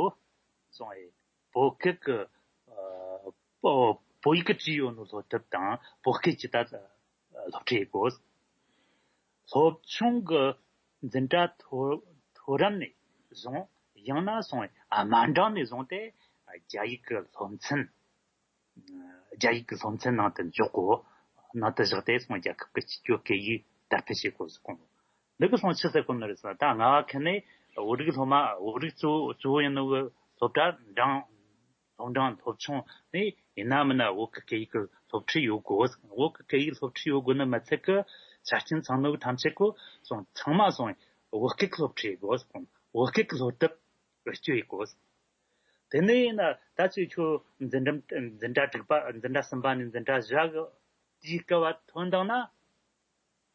སོང་བས་བོད་སྐད་ཀྱི། ཨ། བོད་བོད་ཡིག་གི་བྲིས་ཡོད་ནོ་སློབ་དེབ་དང་བོད་སྐད་ཀྱི་ད་སློབ་ཁྲིད་དགོས། སློབ་ཆུང་གི་འཛིན་གྲྭ་མཐོ་མཐོ་རིམ་ནས་བཟུང་། ཡང་ན་སོང་དམའ་འབྲིང་ནས་བཟུང་སྟེ་རྒྱ་ཡིག་གི་སློབ་ཚན། རྒྱ་ཡིག་གི་སློབ་ཚན་ནང་དུ་འཇོག་དགོས། ནང་དུ་བཞག་སྟེ་སོང་རྒྱལ་ཁབ་ཀྱི་སྤྱི་སྤྱོད་སྐད་ཡིག་དར་སྤེལ་བྱེད་དགོས་ཟེར་གོ་ནོ། འདི་གི་སོང་ཆི་ཟེར་གོ་ནི་རེད་ཟེར་ན། ད་ང་ཁ་ནས་བོད་རིགས་སློབ་མ། བོད་རིགས་གཙོ་བོ་གཙོ་བོ་ཡིན་ནོ་གི་སློབ་གྲྭ་འབྲིང་སློབ་འབྲིང་སློབ་ཆུང་ནས་ཡིན་ན་མིན་ན་བོད་ཀྱི་སྐད་ཡིག་གི་སློབ་ཁྲིད་ཡོད་དགོས། བོད་ཀྱི་སྐད་ཡིག་སློབ་ཁྲིད་ཡོད་དགོས་ནི་མི་ཚད་ཀྱི་ཆ་རྐྱེན་ཚང་ནོ་གི་ཐམས་ཅད་ཀོ་སོང་ཚང་མ་སོང་བོད་སྐད་ཀྱི་སློབ་ཁྲིད་ཡོད་དགོས། བོད་སྐད་ཀྱི་སློབ་དེབ་བེད་སྤྱོད་ཡོད་དགོས། དེ་ནས་ཡིན་ན་ད་ཅི་ཁྱོད་འཛིན་གྲྭ་འཛིན་གྲྭ་དྲུག་པ། འཛིན་གྲྭ་གསུམ་པ་ནས་འཛིན་གྲྭ་བཞི་གི་དེའི་སྐབས་བ་ཐོན་བཏང་ན།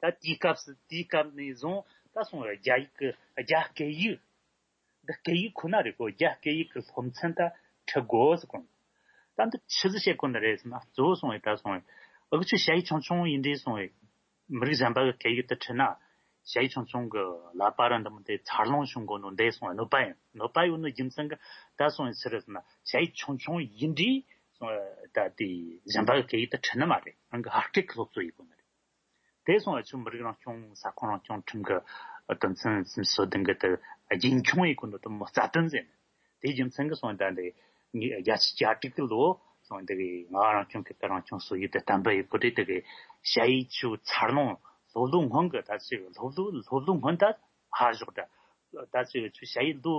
ད་དེའི་སྐབས་སུ་དེའི་སྐབས་ནས་བཟུང་ད་སོང་རྒྱ་ཡིག་གི་རྒྱ་སྐད་ཡིག་འདི་སྐད་ཡིག་ཁོ་ན་རེད་གོ། རྒྱ་སྐད་ཡིག་གི་སློབ་ཚན་ད་ཁྲིད་དགོས་ཟེར་གོ། ད་འདི་ཆི་ཟིག་བཤད་གོ་ནི་རེད་ཟེར་ན། གཙོ་བོ་སོང་བས་ད་སོང་བས་འུ་ཆོ་ཞ་ཡིས་ཆུང་ཆུང་ཡིན་དུས་སོང་བས་མི་རིགས་གཞན་པ་གི་སྐད་ཡིག་དེ་ཁྲིད་ན། ཞ་ཡིས་ཆུང་ཆུང་གི་ཀླད་པ་ར་འདི་མོ་དེ་འཚར་ལོངས་བྱུང་གོ་ནོ་འདི་སོང་བས་གནོད་པ་ཡིན། གནོད་པ་ཡོད་ནོ་རྒྱུ་མཚན་གི་ད་སོང་བས་ཆི་རེད་ཟེར་ན། ཞ་ཡིས་ཆུང་ཆུང་ཡིན་དུས་སོང་བས་ད་དེ་གཞན་པ་གི་སྐད་ཡིག་དེ་ཁྲིད་ནི་མ་རེད། རང་གི་ཕ་སྐད་གི་སློབ་གསོ་ཡིན་གོ་ནི་རེད། དེ་སོང་བ་ཆུ་མི་རིགས་རང་སྐྱོང་ས་ཁོངས་རང་སྐྱོང་ཁྲིམས་ཀྱི་དོན་ཚན་སུམ་ཅུ་སོ་བདུན་གྱི་དེ་རྒྱུན་འཁྱོངས་ཡེད་གོ་ནོ་དེ་མོ་རྩ་དོན་ཟེར་ནས། དེའི་རྒྱུ་མཚན་གྱིས་སོང་ད་འདི་ངས་རྒྱལ་སྤྱི་བཅའ་སྒྲིག་གི་ལོ་སོང་འདི་གི་ང་རང་སྐྱོང་ཁུལ་གྱི་རང་སྐྱོང་སྲོལ་ཡིག་དེ་བསྟན་པ་ཡེད་གོ་དུས་དེ་གི་ཞ་ཡིས་ཆུ་འཚར་ལོངས་སློབ་ལོ་སྔོན་གྱི་ད་ཅིག་སློབ་ལོ་སློབ་ལོ་སྔོན་ད་ཧ་ཞོག་ད། ད་ཅིག་ཆུ་ཞ་ཡིས་ལོ་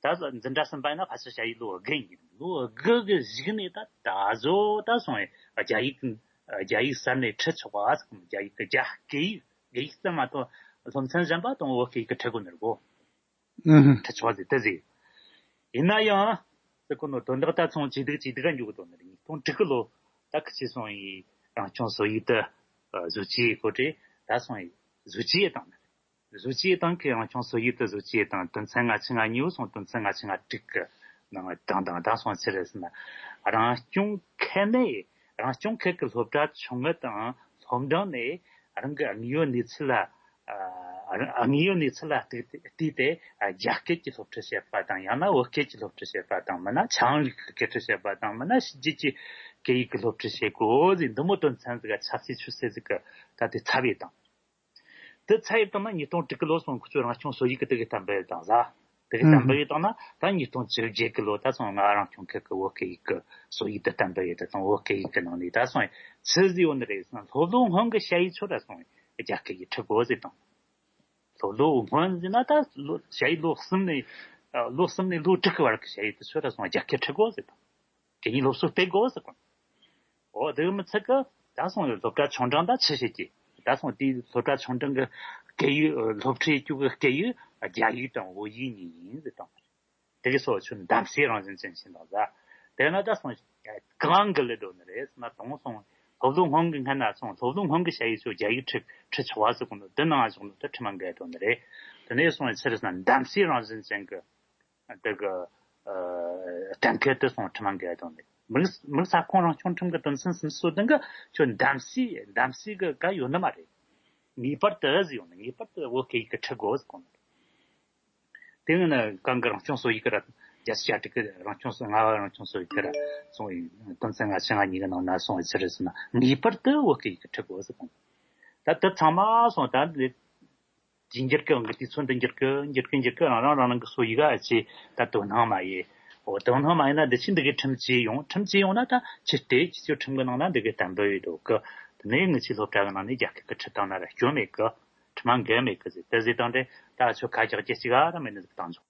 ད་འཛིན་གྲྭ་གསུམ་པ་ཡིན་ན་ཕལ་ཆེར་ཞ་ཡིས་ལོ་དགུ་ཡིན། ལོ་དགུ་གི་གཞུག་ནས་ད་ད་གཟོད་ད་སོང་ཡིན་རྒྱ་ཡིག་རྒྱ་ཡིག་གསར་ནས་ཁྲིད་ཆོག་པ་ཟེར། རྒྱ་ཡིག་གི་རྒྱ་སྐད་ཡིག་སྐད་ཡིག་ཙམ་མ་གཏོགས་སློབ་ཚན་གཞན་པ་དང་བོད་སྐད་ཡིག་གི་ཁྲིད་དགོས་ནི་རེད་གོ། ཨུ་ཧུ། ཁྲིད་ཆོག་ཟེར་དེ་ཟེར། ཡིན་ན་ཡང་ཟེར་གོ་ནོ་དོན་དག་ད་ཚོང་ཇེ་སྡུག་ཇེ་སྡུག་ག་འགྱོ་གི་འདུག་ནི་རེད། ཉིས་སྟོང་དྲུག་གི་ལོ་ད་ཁི་ཆེ་སོང་ཡིན་རང་སྐྱོང་སྲོལ་ཡིག་དེ་བཟོ་བཅོས་ཡེད་གོ་དུས་ད་སོང་ཡིན་བཟོ་བཅོས་བཏང་ནི་རེད། བཟོ་བཅོས་བཏང་གི་རང་སྐྱོང་སྲོལ་ཡིག་དེ་བཟོ་བཅོས་བཏང་དོན་ཚན་ལྔ་བཅུ་ང་གཉིས་པོ་སོང་དོན་ཚན་ལྔ་བཅུ་ང་དྲུག་གི་ནང་བཏང་དང་ད་སོང་ཆི་རེད་ཟེར་ན། རང་སྐྱོང་ཁུལ་ནས་རང་སྐྱོང་ཁུལ་གྱི་སློབ་གྲྭ་ཆུང་ངུ་དང་སློབ་འབྲིང་ནས་རང་གི་དངོས་ཡོད་གནས་ཚུལ་ལ་ཨ་དངོས་ཡོད་གནས་ཚུལ་ལ་བལྟས་ཏེ་བལྟས་ཏེ་རྒྱ་སྐད་ཀྱི་སློབ་ཁྲིད་བྱེད་པ་དང་ཡང་ན་བོད་སྐད་ཀྱི་སློབ་ཁྲིད་བྱེད་པ་དང་མིན་ན་ཆའང་ལུགས་ཀྱི་སྐད་ཁྲིད་བྱེད་པ་དང་མིན་ན་ཕྱི་རྒྱལ་གྱི་སྐད་ཡིག་གི་སློབ་ཁྲིད་བྱེད་དགོས་ཟེར་འདི་མོ་དོན་ཚན་ཟིག་ག་ཆབ་སྲིད་ཆོས་སྲིད་ཟིག་གི་ད་དེ་ཚབ་ཡེད་དང་། དེ་ཚ་ཡིབ་བཏང་ན་ཉིས་སྟོང་དྲུག་གི་ལོ་སོང་ཁོ་ཚོས་རང་སྐྱོང་སྲོལ་ཡིག་གི་དེ་གི་གཏན་འབེབས་བཏང་ཟ། དེ་གི་གཏན་འབེབས་བཏང་ན་ད་ཉིས་སྟོང་བཅོ་བརྒྱད་གི་ལོ་ད་སོང་ང་རང་སྐྱོང་ཁུལ་གི་བོད་སྐད་ཡིག་གི་སྲོལ་ཡིག་དེ་གཏན་འབེབས་ཡེད་དེ་སོང་བོད་སྐད་ཡིག་གི་ནང་ནས་ད་སོང་ཆི་ཟིག་ཡོད་ནི་རེད་སོང་སློབ་ལོ་སྔོན་གི་ཞ་ཡིས་ཆོ་ར་སོང་རྒྱ་སྐད་ཡིག་ཁྲིད་དགོས་ཟེར་དང་། སློབ་ལོ་སྔོན་ཟེར་ན་ད་ལོ་ཞ་ཡིས་ལོ་གསུམ་ནས་ལོ་གསུམ་ནས་ལོ་དྲུག་གི་བར་གི་ཞ་ཡིས་དེ་ཆོ་ར་སོང་རྒྱ་སྐད་ཁྲིད་དགོས་ཟེར་དང་། གད་སྙིགས་སློབ་གསོ་སྤེལ་དགོས་ཟེར་གོ། འོ་དེ་མི་ཚད་གི་ད་སོང་ཡོད་སློབ་གྲྭ་ཆུང་འབྲིང་ད་ཆི་བྱེད་ཀྱི་ད་སོང་དེའི་སློབ་གྲྭ་ཆུང་འབྲིང་གི་སྐད་ཡིག་སློབ་ཁྲིད་བཅུག་གི་སྐད་ཡིག་རྒྱ་ཡིག་དང་བོད་ཡིག་གཉིས་ཡིན་ཟེར་དང་། དེ་གི་སོགས་ཆུ་གདམ་གསེས་རང་བཞིན་ཅན་ཞིག་འདུག་ཟ། དེ་ན་ད་སོང་གང་གི་ལས་འགྲོ་ནི་རེད་ཟེར་ན་དང་སོང་སློབ་ལོ་སྔོན་གི་སྔ་ན་སོང་སློབ་ལོ་སྔོན་གི་ཞ་ཡིས་ཆོ་རྒྱ་ཡིག་ཁྲིད་ཁྲིད་ཆོག་བ་ཟེར་གོ་ནོ་དེ་ནང་བཞག་ནོ་དེ་ཁྲིམས་འགལ་འགྲོ་ནི་རེད། དེ་ནས་སོང་ཆི་རེད་ཟེར་ན་གདམ་གསེས་རང་བཞིན་ཅན་གི་དེ་གི་གཏན་འཁེལ་དུ་སོང་ཁྲིམས་འགལ་དང་ནི་མི་རིགས་མི་རིགས་ས་ཁོངས་རང་སྐྱོང་ཁྲིམས་ཀྱི་དོན་ཚན་སུམ་ཅུ་སོ་བདུན་གི་ཁྱོད་གདམ་གསེས་གདམ་གསེས་གི་ག་ཡོད་ནི་མ་རེད། ངེས་པར་དུ་ཟེར་ཡོང་ནི་ངེས་པར་དུ་བོད་སྐད་ཡིག་གི་ཁྲིད་དགོས་ཟེར་གོ་ནི་རེད། དེ་ནི་གང་གི་རང་སྐྱོང་སྲོལ་ཡིག་གི་ར་རྒྱལ་སྤྱི་བཅའ་སྒྲིག་གི་རང་སྐྱོང་སྲོལ་ལྔ་བ་རང་སྐྱོང་སྲོལ་ཡིག་གི་ར་སོང་ཡིན་དོན་ཚན་ལྔ་བཅུ་ང་གཉིས་གི་ནང་ན་སོང་ཡིན་ཆི་རེད་ཟེར་ན་ངེས་པར་དུ་བོད་སྐད་ཡིག་གི་ཁྲིད་དགོས་ཟེར་གོ་ནི་རེད། ད་དེ་ཚང་མ་སོང་ད་འདི། དེ་འགྱུར་གི་འོང་གི་དུས་ཚོད་འདི་འགྱུར་གི་འགྱུར་གི་འགྱུར་གི་རང་རང་རང་རང་གི་སྲོལ་ཡིག་ག་ཅི་ད་དོ་སྣང་མ་ཡེ། འོ་དོ་སྣང་མ་ཡེ་ན་འདི་ཕྱི་འདི་གི་ཁྲིམས་བཅས་ཡོང་ཁྲིམས་བཅས་ཡོང་ན་ད་ཕྱི་དེ་ཁྱེད་ཚོའི་ཁྲིམས་གི་ནང་ན་འདི་གི་གཏན་འབེབས་ཡོད་འདུག་གི། དེ་ནས་ངི་ཆོའི་སློབ་གྲྭ་གི་ནང་ནས་རྒྱ་སྐད་གི་ཁྲིད་སྟངས་ན་ར་སྐྱོན་མེད་གི། ཁྲིམས་འགལ་མེད་གི་ཟེར་དེ་ཟེར་དང་དེ་ད་ཆོ་ཁ་རྒྱག་རྒྱུ་ཅིག་ག་ར་མེད་ནི་ཟིག་བཏང་ཆོག་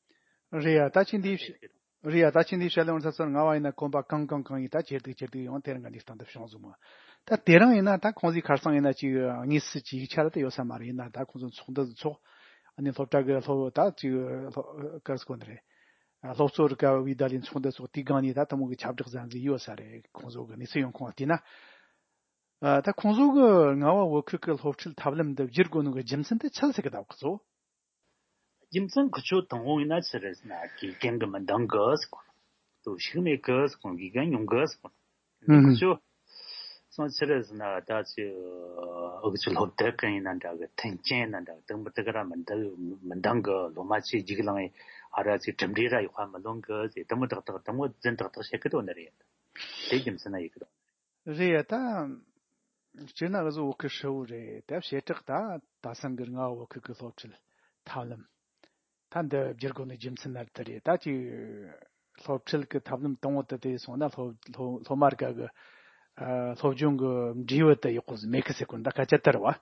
རེད་ཡ། ད་ཅི་འདི་བཤད། རེད་ཡ། ད་ཁྱེད་འདི་བཤད་ལེ་འོང་ས་ཚོར་ང་བ་ཡིན་ན་གོམ་པ་གང་གང་གང་ཡིན། ད་ཇེ་སྡུག་ཇེ་སྡུག་ཡོང་། དེ་རིང་གི་གནས་སྟངས་འདི་བྱུང་སོང་མ། ད་དེ་རིང་ཡིན་ན་ད་ཁོང་ཚོའི་ཁར་སང་ཡིན་ན་ཅིག་དངོས་སུ་ཅིག་ཡིག་ཆ་ར་ད་ཡོད་ས་མ་རེད། ཡིན་ན་ད་ཁོང་ཚོ་ཚོགས་འདུ་ཚོགས། ཨ་ནི་སློབ་གྲྭ་གི་སློབ་ད་ཅིག་སློབ་གར་སྐོར་ནི་རེད། སློབ་གཙོ་རི་ཀ་བའི་ད་ལིན་ཚོགས་འདུ་ཚོགས། དེའི་སྒང་ནས་ད་དེ་མོ་གི་ཁྱབ་བསྒྲགས་བཟང་ཟིག་ཡོད་ས་རེད། ཁོང་ཚོ་གི་གནས་ཚུལ་ཡོང་ཁུངས་བལྟས་ན། ཨ། ད་ཁོང་ཚོ་གི་རྔ་བ་བོད་ཁུལ་གི་སློབ་ཁྲིད་ཐབས་ལམ་འདི་བསྒྱུར་དགོས་ནོ་གི་རྒྱུ་མཚན་དེ་ཆི་ཟིག་གི་ད་གི་ཚོ། རྒྱུ་མཚན་ཁི་ཆོ་དང་པོ་ཡིན་ན་ཆི་རེད་ཟེར་ན་དགེ་རྒན་གི་མི་འདང་གི་ཟེར་གོ། ལྟོ་ཤུགས་མེད་གི་ཟེར་གོ། དགེ་རྒན་ཉུང་གི་ཟེར་གོ། ཨུ་ཧུམ། ཁི་ཆོ་སོང་ཆི་རེད་ཟེར་ན་ད་ཅི་ཨུ་ཆོ་སློབ་དེབ་གི་ཡིན་ན་འདྲ་གི། མཐུན་རྐྱེན་ཡིན་ན་འདྲ་གི། དེ་མི་དེ་ག་ར་མི་འདང་མི་འདང་གི། སློབ་མ་ཆེ་རྒྱུགས་ལངས་ཨ་ར་ཅི་གྲུབ་འབྲས་ར་ཡག་པ་མི་ལོན་གི་ཟེར། དེ་མོ་ཏག་ཏག་དེ་མོ་རྫུན་ཏག་ཏག་བཤད་གི་དོན་ནི་རེད། དེ་རྒྱུ་མཚན་ན་ཡིན་གི་དོན། རེད་ཡ། ད་སྤྱིར་ན་འུ་ཚོ་བོད་ཁུལ་ཧྲིལ་བོ་རེད། ད་བྱེ་བྲག་ད་ད་སང་གི་རྔ་བ་བོད་ཁུལ་གི་སློབ་ཁྲིད་ཐབས་ལམ་ད་འདི་བསྒྱུར་དགོས་ནི་རྒྱུ་མཚན་ན་དེ་རེད། ད་ཅིག་སློབ་ཁྲིད་གི་ཐབས་ལམ་དང་པོ་དེ་དེ་སོང་ན་སློབ་སློབ་སློབ་མ་རིགས་གི་ཨ་སློབ་སྦྱོང་གི་འབྲས་བུ་དེ་ཡག་པོ་ཟིག་མེད་གི་ཟེར་གོ་ནོ་ད་སྐད་ཆ་དེ་རེད་བ།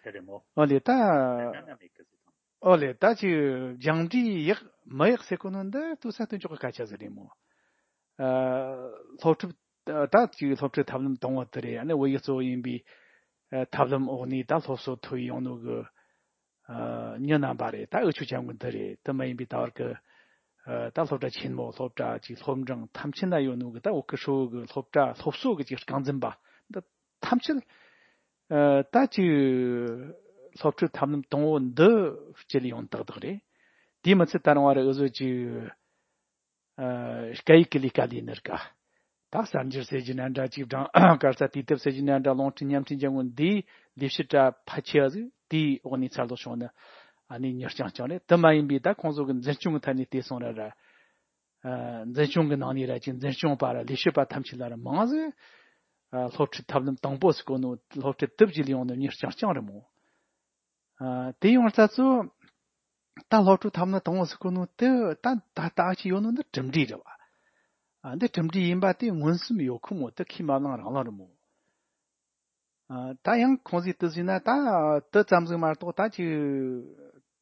དེ་རེད་མོ། ཨོ་ལེ། ད་ད་ན་ན་མེད་གི་ཟེར་དང་། ཨོ་ལེ། ད་ཅིག་སྦྱང་འབྲས་ཡག་མི་ཡག་ཟེར་གོ་ནོ་འདི་ལྟོས་ས་སྟོན་ཆོག་གི་སྐད་ཆ་ཟིག་རེད་མོ། ཨ་སློབ་ཁྲིད། ད་ཅིག་སློབ་ཁྲིད་ཐབས་ལམ་དང་པོ་དེ་རེད། ཨ་ནི་བོད་ཡིག་གཙོ་བོ་ཡིན་པའི་ཨ་ཐབས་ལམ་འོག་ནས་ད་སློབ་གསོ་ཐོབ་ཡོང་ནོ་གི་ཨ་མྱི་རྣམ་པ་རེད། ད་འུ་ཆོ་ཆ་མོ་འདི་རེད། དེ་མ་ཡིན་པའི་ད་བར་གི་ཨ་ད་སློབ་གྲྭ་ཆེན་མོ། སློབ་གྲྭ་ཅིག་སློབ་འབྲིང་ཐམས་ཅད་ན་ཡོད་ནོ་གི་ད་བོད་ཀྱི་ཧྲིལ་བོ་གི་སློབ་གྲྭ་སློབ་གསོ་གི་ཅིག་རྐང་འཛིན་པ་འདི་ཐམས་ཅད་ཨ་ད་ཅིག་སློབ་ཁྲིད་ཐབས་ལམ་དང་པོ་འདི་སྤྱད་ཡོང་ཏག་ཏག་རེད། དེ་མི་ཚད་ད་རུང་བ་ར་འུ་ཚོ་ཅིག་ཨ་སྐད་ཡིག་གི་ལས་ཀ་ལས་ནི་ར་ཀ། ད་གསར་འགྱུར་ཟེར་རྒྱུ་ན་འདྲ། ཅིག་སྦྲང་གར་ས་དུས་དེབ་ཟེར་རྒྱུ་ན་འདྲ། རླུང་འཕྲིན་བརྙན་འཕྲིན་རྒྱང་ངོ་འདིའི་ལས་བྱེད་གྲ་ཕལ་ཆེ་བ་ཟིག་དེའི་འོག་ནས་ཚར་ལོག་བྱུང་ན་ཨ་ནི་མྱི་རྐྱང་རྐྱང་རེད། དེ་མ་ཡིན་པའི་ད་ཁོང་ཚོ་གི་འཛིན་སྐྱོང་གི་ཐད་ནས་བལྟས་སོང་ར་ར། ཨ་འཛིན་སྐྱོང་གི་ནང་ནས་ར་ཅིག་འཛིན་སྐྱོང་པ་ར་ལས་བྱེད་པ་ཐམས་ཅད་ལ་ར་མང་ཟིག་ཨ་སློབ་ཁྲིད་ཐབས་ལམ་དང་པོ་ཟིག་གོ་ནོ། སློབ་ཁྲིད་དེབ་ཅིག་ལས་ཡོང་ནོ་མྱི་རྐྱང་རྐྱང་རེད་མོ། ཨ་དེ་ཡོང་ས་ཚོ་ད་སློབ་ཕྲུག་ཐམ་ན་དང་པོ་ཟིག་གོ་ནོ་དེ་ད་ད་ལྟ་ཅི་ཡོད་ནོ་འདི་གྲུབ་འབྲས་རེད་བ། ཨ་འདི་གྲུབ་འབྲས་ཡིན་པ་དེ་མངོན་སུམ་ཡོད་ཁུ་མོ་དེ་ཁས་མ་བླངས་རང་བླངས་རེད་མོ། ཨ་ད་ཡང་ཁོང་ཚོས་དེ་ཟིན་ན་ད་དེ་ཙམ་ཟིག་མ་གཏོགས་ད་ཅི་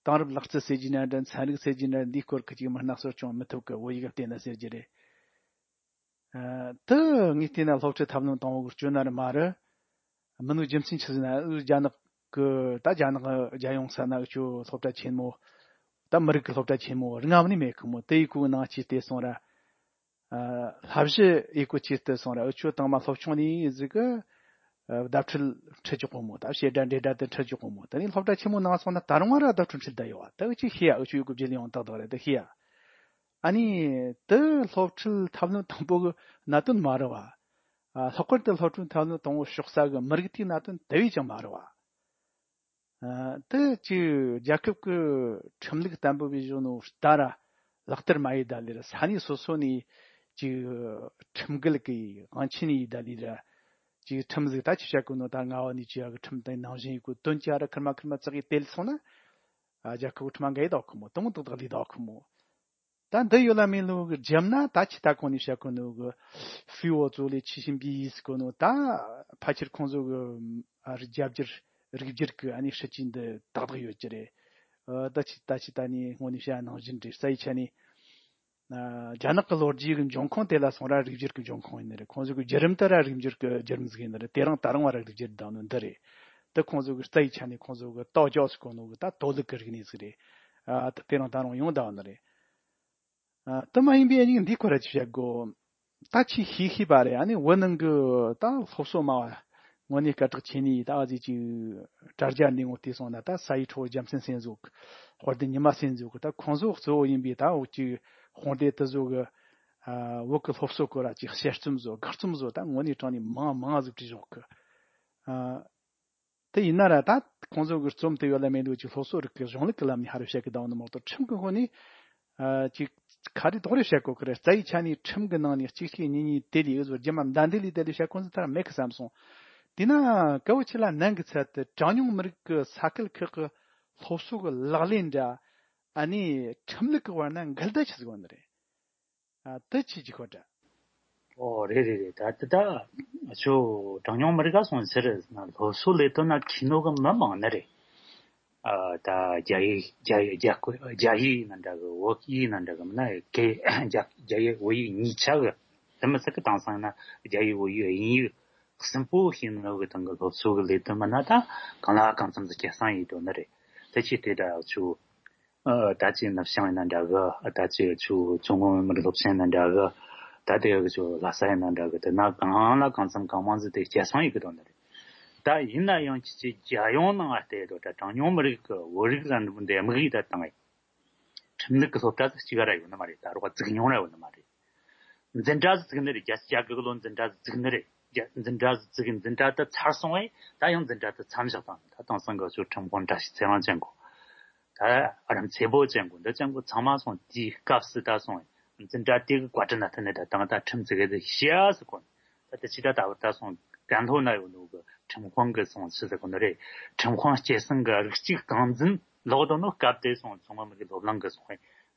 དེང་རབས་ལག་རྩལ་ཟེར་གྱི་ན་འདྲ། ཚན་རིག་ཟེར་གྱི་ན་འདྲ། འདིའི་སྐོར་གི་ཅིག་མི་སྣ་གསོ་སྐྱོང་མི་ཐུབ་གི། བོད་ཡིག་བལྟས་ན་ཟེར་གྱི་རེད། ཨ་དེ་ངས་བལྟས་ན་སློབ་ཁྲིད་ཐབས་ལམ་དང་པོ་གི་སྐྱོན་ན་རེད་མ་རེད། མིན་ནོ་རྒྱུ་མཚན་ཆི་ཟིག་ན་རྒྱ་ནག་གི་ད་རྒྱ་ནག་རྒྱལ་ཡོངས་ས་ན་འུ་ཆོ་སློབ་གྲྭ་ཆེན་མོ་ད་མི་རིགས་ཀྱི་སློབ་གྲྭ་ཆེན་མོ་རིག་རྔམ་ནི་མེད་གི་མོ། དེ་ཡི་གུ་ནང་ཆེ་བལྟས་སོང་ར། ཨ་བསླབ་གཞི་ཡི་གུ་ཆེ་བལྟས་སོང་ར། འུ་ཆོ་དང་མ་སློབ་ཆུང་ནས་ཟིག་གི་ཨ་བརྡ་འཕྲིན་ཁྲིད་ཆོག་གོ་མོ། ད་བཤད་སྒྲ་འབྲེལ་སྒྲ་དེ་ཁྲིད་ཆོག་གོ་མོ། དེ་ནས་སློབ་གྲྭ་ཆེན་མོ་ནང་སོང་ན་ད་རུང་ར་བརྡ་འཕྲིན་ཁྲིད་བསྡད་ཡོད་བ། ད་འུ་ཆོས་ཤེས་ཡ། འུ་ཆོ་ཡི་གུ་བརྗེ་ལེ་ཡོང་ཏག་ཏག་རེད། ད་ཤེས་ཡ། ཨ་ནི་དེ་སློབ་ཁྲིད་ཐབས་ལམ་དང་པོ་གི་གནད་དོན་མ་རེད་བ། ཨ་ལྷག་པར་དུ་སློབ་ཁྲིད་ཐབས་ལམ་དང་པོ་ཞོག་ས་གི་མི་རིགས་དེའི་གནད་དོན་དེ་བས་ཀྱང་མ་རེད་བ། ཨ་དེ་ཅིག་རྒྱལ་ཁབ་ཀྱི་ཁྲིམས་ལུགས་བརྟན་པོ་བའི་གཞུང་ནོ་ལྟར་ལག་བསྟར་མ་ཡེད་ད་ལེར་ས་གནས་སོ་སོ་ནས་ཅིག་ཁྲིམས་འགལ་གྱི་དབང་ཆེན་ཡེད་ད་ལེར་ཅིག་ཁྲིམས་ཟིག་ད་ཅི་བྱ་དགོས་ནོ། ད་རྔ་བ་ནས་ཅི་ཡ་གི་ཁྲིམས་དེ་ནང་བཞིན་ཡེད་དགོས་དོན་ཅི་ཡ་ར་ཁེར་མ་ཁེར་མ་ཙག་གི་དེ་ལ་སོང་ན། ཨ་རྒྱལ་ཁབ་ཀྱི་ཁྲིམས་འགལ་ཡེད་དོ་ཁོ་མོ། དེ་མོ་ཏག་ཏག་ལས་དོ་ཁོ་མོ། ད་འདི་ཡོད་ལ་མེད་ལུགས་ཀྱི་རྒྱབ་ན་ད་ཅི་ད་གོང་ནས་བཤད་གོ་ནོ་གི་ཧྥི་འོ་ཙོ་ལས་ཆི་ཤིན་པི་ཡིས་གོ་ནོ། ད་ཕལ་ཆེར་ཁོང་ཚོ་གི་ཨ་རི་རྒྱ་སྒྱུར་རིགས་སྒྱུར་གི་ཨ་ནི་སྲིད་ཇུས་འདི་ཏག་ཏག་ཡོད་ཀྱི་རེད། ཨ་ད་ཅི་ད་ཅི་ད་ནི་སྔོན་ནས་བཤད་ནང་བཞིན་རེད། རྩ་བའི་ཆ་ནས་ཨ་རྒྱ་ནག་གི་ལོ་རྒྱུས་ཀྱི་འབྱུང་ཁུངས་དེ་ལ་སོང་ར་རིགས་སྒྱུར་གི་འབྱུང་ཁུངས་ཡིན་ནི་རེད། ཁོང་ཚོ་གི་བརྒྱུད་རིམ་དེ་ར་རིགས་སྒྱུར་གི་བརྒྱུད་རིམ་ཟིག་ཡིན་ནི་རེད། དེ་རིང་ད་རུང་བ་ར་རིགས་སྒྱུར་བཏང་ནོ་འདི་རེད། ད་ཁོང་ཚོ་གི་རྩ་བའི་ཆ་ནས་ཁོང་ཚོ་གི་ཏའོ་ཅའོ་ཟེར་གོ་ནོ་གི་ད་ཏའོ་ལུགས་ཀྱི་རིག་གནས་ཟིག་རེད། ཨ་ད་དེ་རིང་ད་རུང་ཡོང་བསྡད་ནི་རེད། ཨ་དེ་མ་ཡིན་པའི་ཨ་ནི་འདི་ཁོ་ར་ཅིག་བཤད་དགོ། ད་ཆི་ཤེས་ཤེས་པ་རེད། ཨ་ནི་བོད་ནང་གི་ད་སློབ་གསོ་མ་བ་དངོས་གནས་སྐད་གྲགས་ཆེ་ནི་ད་ཨ་ཟི་ཅིག་དྲ་རྒྱ་འདི་ངོ་བལྟས་སོང་ན་ད་ས་ཡི་ཁྲོ་བོ་རྒྱལ་མཚན་སེན་ཟོག་དཔལ་ལྡན་ཉི་མ་སེན་ཟོག་གི་ད་ཁོང་ཚོ་གཙོ་བོ་ཡིན་པའི་ད་འུ་ཅིག་དཔུང་སྡེ་དེ་ཚོ་གི་ཨ་བོད་ཀྱི་སློབ་གསོ་སྐོར་ར་ཅིག་དཔྱད་རྩོམ་བཟོ་དགག་རྩོམ་བཟོ་ད་དངོས་གནས་དྲང་ནས་མང་མང་ཟིག་བྲིས་བཞག་གི། ཨ། དེ་ཡིན་ན་ར་ད་ཁོང་ཚོ་གི་རྩོམ་དེ་ཡོད་ལ་མེད་ལུགས་ཀྱི་སློབ་གསོ་རིག་གི་གཞུང་ལུགས་ཀྱི་ལམ་ནས་ཧ་རུ་བཤད་གི་བསྡད་ནི་མ་གཏོགས་ཁྲིམས་ཀྱི་སྒོ་ནས་ཨ་ཅིག་ཁ་རི་དོག་རི་བཤད་གོ་གི་རེད། རྩ་བའི་ཆ་ནས་ཁྲིམས་ཀྱི་ནང་ནས་གཅིག་གཅིག་གཉིས་གཉིས་དེ་ལས་འུ་ཟོ་རྒྱ་མ་མདའ་འདི་ལས་དེ་ལས་བཤད་ཁོང་ཚོ་ད་ར་མེད་གི་བསམ་སོང་། དེས་ན་གལ་བོ་ཆེ་ལ་ནན་གི་ཚད་དུ་གྲངས་ཉུང་མི་རིགས་ཀྱི་ས་ཁུལ་ཁག་གི་སློབ་གསོ་གི་ལག་ལེན་འདྲ་ཨ་ནི་ཁྲིམས་ལུགས་ཀྱི་བར་ན་འགལ་ཟླ་ཆི་ཟིག་ཡོད་ནི་རེད། ཨ་དེ་ཅི་ཅི་ཁོ་འདྲ། ཨོ་རེད་རེད་རེད། ད་ད་ད་ཁྱོད་གྲངས་ཉུང་མི་རིགས་ག་སོང་ཟེར་ན་སློབ་གསོ་ལས་དོན་ན་མཁས་ནོ་གི་མི་མང་ནི་རེད། ཨ་ད་རྒྱ་ཡིག་རྒྱ་ཡིག་རྒྱ་སྐོར་རྒྱ་ཡིག་ན་འདྲ་གི། བོད་ཡིག་ན་འདྲ་གི། མིན་ན་གི་རྒྱ་རྒྱ་ཡིག་བོད་ཡིག་གཉིས་ཆ་གི། དེ་མི་ཚད་གི་དེང་སང་ན་རྒྱ་ཡིག་བོད་ཡིག་དབྱིན་ཡིག་གསུམ་པོ་ཤེས་ནོ་གི་སྟེང་གི་སློབ་གསོ་གི་ལས་དོན་མིན་ན་ད་གང་ལ་གང་འཚམ་ཟིག་སྐྱེད་སྲིང་ཡེད་དོ་ནི་རེད། དེ་ཆེ་དེ་འདྲ་ཆུ། ཨ་ད་ཅི་ནུབ་བྱང་ཡིན་ན་འདྲ་གི། ཨ་ད་ཅི་ཆུ་མཚོ་སྔོན་མི་རིགས་སློབ་ཆེན་ཡིན་ན་འདྲ་གི། ད་དེ་གི་ཆུ་ལྷ་ས་ཡིན་ན་འདྲ་གི། དེ་ན་གང་ལ་གང་འཚམ་གང་མང་ཟིག་དེ་སྐྱེད་སྲིང་ཡེད་གི་དོ་ནི་རེད། ད་ཡིན་ན་ཡང་ཁྱེད་ཀྱི་རྒྱལ་ཡོངས་ནང་ང་བལྟས་དོ། ད་གྲངས་ཉུང་མི་རིགས་ཀྱི་བོད་རིགས་ལ་འདི་མི་གིས་ད་བཏང་ངས་ཁྲིམས་ལུགས་ཀྱི་སློབ་གྲྭ་ཟིག་གཅིག་ར་ཡོད་ནི་མ་རེད། ད་རོགས་བཙུགས་མྱོང་ར་ཡོད་ནི་མ་རེད། འཛིན་གྲྭ་ཟིག་བཙུགས་ནི་རེད། བརྒྱད་ཅུ་གྱ་དགུ་གི་ལོ་འཛིན་གྲྭ་ཟིག་བཙུགས་ནི་རེད། རྒྱ་འཛིན་གྲྭ་ཟིག་བཙུགས། འཛིན་གྲྭ་དེ་ཚར་སོང་བས་ད་ཡང་འཛིན་གྲྭ་དེ་མཚམས་བཞག་བཏང་ནི། ད་དེང་སང་གི་ཆོ་ཁྲིམས་དཔོན་བཀྲ་ཤིས་ཚེ་རིང་ཅན་གོ། ད་ཨ་རམ་ཚེ་བོ་ཅན་གོ། འདི་ཅན་གོ་ཚང་མ་སོང་དེའི་སྐབས་སུ་ད་སོང་འཛིན་གྲྭ་དེ་གི་བཀའ་དྲིན་ན་ཐུག་ནས་ད་དང་ད་ཁྲིམས་ཟིག་གི་ཟིག་ཤེས་ཟིག་གོ། ད་དེ་ཕྱི་ད་ད་བར་ད་སོང་ཀན་ལྷོ་ན་ཡོད་ནོ་གི་ཁྲིམས་དཔོན་གི་སོང་ཆི་ཟེར་གོ་ནི་རེད། ཁྲིམས་དཔོན་སྐྱེད་སྲིང་གི་རིགས་གཅིག་རྐང་འཛིན་ལོག་དོ་ནོ་སྐབས་དེ་སོང་མཚོ་སྔོན་མི་རིགས་སློབ་གླིང་གི་སོང་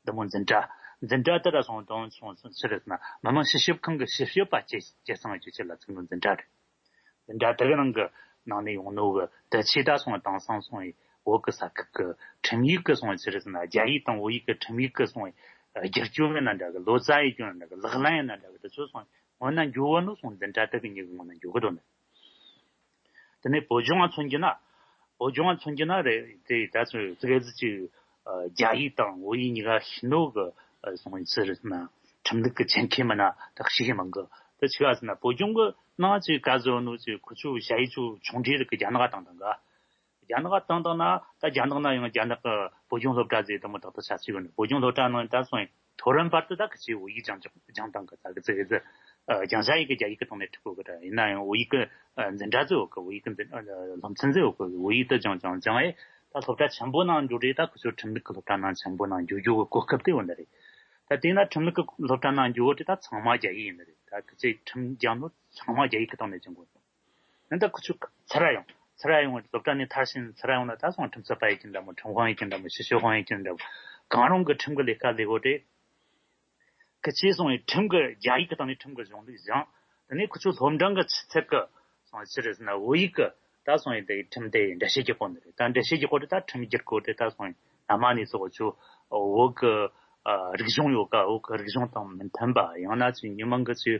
འདི་མོ་འཛིན་གྲྭ། འཛིན་གྲྭ་དེ་ར་སོང་དོན་སོང་ཆི་རེད་ཟེར་ན་མི་དམངས་སྤྱི་ཞབས་ཁང་གི་སྤྱི་ཞབས་པ་སྐྱེད་སྐྱེད་སྲིང་བྱེད་ཆེད་ལ་བཙུགས་ནོ་འཛིན་གྲྭ་རེད། འཛིན་གྲྭ་དེ་གི་ནང་གི་ནང་ནས་ཡོང་ནོ་གི་དེ་ཆེ་ད་སོང་དེང་སང་སོང་བོད་གི་ས་ཁུལ་གི་ཁྲིམས་ཡིག་གི་སོང་ཆི་རེད་ཟེར་ན་རྒྱ་ཡིག་དང་བོད་ཡིག་གི་ཁྲིམས་ཡིག་གི་སོང་བསྒྱུར་བཅོས་ཡིན་ན་འདྲ་གི། ལོ་ཙཱ་ཡི་སྐྱོན་ཡིན་ན་འདྲ་གི། ལག་ལེན་ཡིན་ན་འདྲ་གི། དེ་ཚོ་སོང་སྔོན་ན་འགྱུར་བ་ནོ་སོང་འཛིན་གྲྭ་དེ་གི་ཉིད་གི་སྔོན་ན་འགྱུར་གི་དོ་ནི། དེ་ནས་བོད་ལྗོངས་ང་མཚོན་རྒྱུ་ན། བོད་ལྗོངས་ང་མཚོན་རྒྱུ་ན་རེད་དེ་ད་ཚོ་ཙི་གེ་ཟིག་ཅིག་རྒྱ་ཡིག་དང་བོད་ཡིག་གཉིས་ཀ་ཤེས་ནོ་གི་སོང་ཡིན་ཚུལ་རེད་ན་ཁྲིམས་ལུགས་ཀྱི་ཆེད་མཁས་མི་སྣ་དག་ཞིག་ཡིན་མང་གི། དེ་ཆི་ག་ཟེར་ན་བོད་ལྗོངས་གི་ནང་ཅིག་ག་ཟེར་ནོ་ཅིག་ཁོ་ཚོ་ཞ་ཡི་ཚོ་ཆུང་འདྲིས་རིགས་ཀྱི་རྒྱ་ནག་དང་དང་ག་རྒྱ་ནག་དང་དང་ན་ད་རྒྱ་ནག་ན་ཡང་རྒྱ་ནག་གི་བོད་ལྗོངས་སློབ་གྲྭ་ཟེར་དེ་མོ་ཏག་ཏག་ཆ་ཚིག་ཡོད་ནི། བོད་ལྗོངས་སློབ་གྲྭ་ནང་ད་སོང་ཡིན། མཐོ་རིམ་བར་དུ་ད་གི་ཆེ་བོད་ཡིག་སྦྱང་སྦྱང་སྦྱང་སྟངས་གི་ད་གི་ཙི་གི་ཙི་ཨ་སྦྱང་བྱ་ཡིག་གི་རྒྱ་ཡིག་གི་ཐོག་ནས་ཁྲིད་གོ་གི་ར། ཡིན་ན་ཡང་བོད་ཡིག་གི་ཨ་འཛིན་གྲྭ་ཙི་ཡོད་གི། བོད་ཡིག་གི་འཛིན་ཨ་སློབ་ཚན་ཙི་ཡོད་གི། བོད་ཡིག་ཏུ་སྦྱང་སྦྱང་སྦྱང་ཨེ་ད་སློབ་གྲྭ་ཆེན་པོ་ནང་འགྱོ་རེད། ད་ཁོ་ཚོ་ཁྲིམས་ལུགས་གི་སློབ་གྲྭ་ནང་ཆེན་པོ་ནང་འགྱོ་རྒྱུ་གི་གོ་སྐབས་དེ་ཡོད་ནི་རེད། ད་དེ་ན་ཁྲིམས་ལུགས་གི་སློབ་གྲྭ་ནང་འགྱོ་གི་དེ་ད་ཚང་མ་རྒྱ་ཡིག་ཡིན་ནི་རེད། ད་གི་ཅིག་ཁྲིམས་སྦྱང་ནོ་ཚང་མ་རྒྱ་ཡིག་གི་ཐོག་ནས་སྦྱང་དགོས། ཡང་ད་ཁོ་ཚོ་ཚུར་ར་ཡོང་། ཚུར་ར་ཡོང་བའི་སློབ་གྲྭ་ནས་མཐར་ཕྱིན་ཚུར་ར་ཡོང་ན་ད་སོང་ཁྲིམས་རྩོད་པ་ཡིན་གྱི་འདྲ་མོ། ཁྲིམས་དཔོན་ཡིན་གྱི་འདྲ་མོ། སྤྱི་ཞབས་དཔོན་ཡིན་གྱི་འདྲ་མོ། གང་རུང་གི་ཁྲིམས་ཀྱི་ལས་ཀ་ལས་གོ་དེ། ཁི་ཆེ་སོང་བའི་ཁྲིམས་ཀྱི་རྒྱ་ཡིག་གི་སྟེང་ནས་ཁྲིམས་ཀྱི་གཞུང་ལུགས་སྦྱངས། དེ་ནས་ཁོ་ཚོ་སློབ་འབྲིང་གི་ཆུ་ཚད་ཀྱི་སོང་ཕྱིར་ཟེར་ན་བོད་ཡིག་གི་ད་སོང་བའི་དེ་ཁྲིམས་དེ་འགྲེལ་བཤད་རྒྱག་གོ་ནི་རེད། ད་འགྲེལ་བཤད་རྒྱག་གོ་དེ་ད་ཁྲིམས་བསྒྱུར་གོ་དེ་ད་སོང་བའི་སྔ་མ་ནས་སོགས་ཚོ་བོད་ཀྱི་ཨ་རིག་གཞུང་ཡོད་ཀ། བོད་ཀྱི་རིག་གཞུང་དང་མི་མཐུན་པ། ཡང་ན་ཅིག་མི་མང་གི་ཅིག་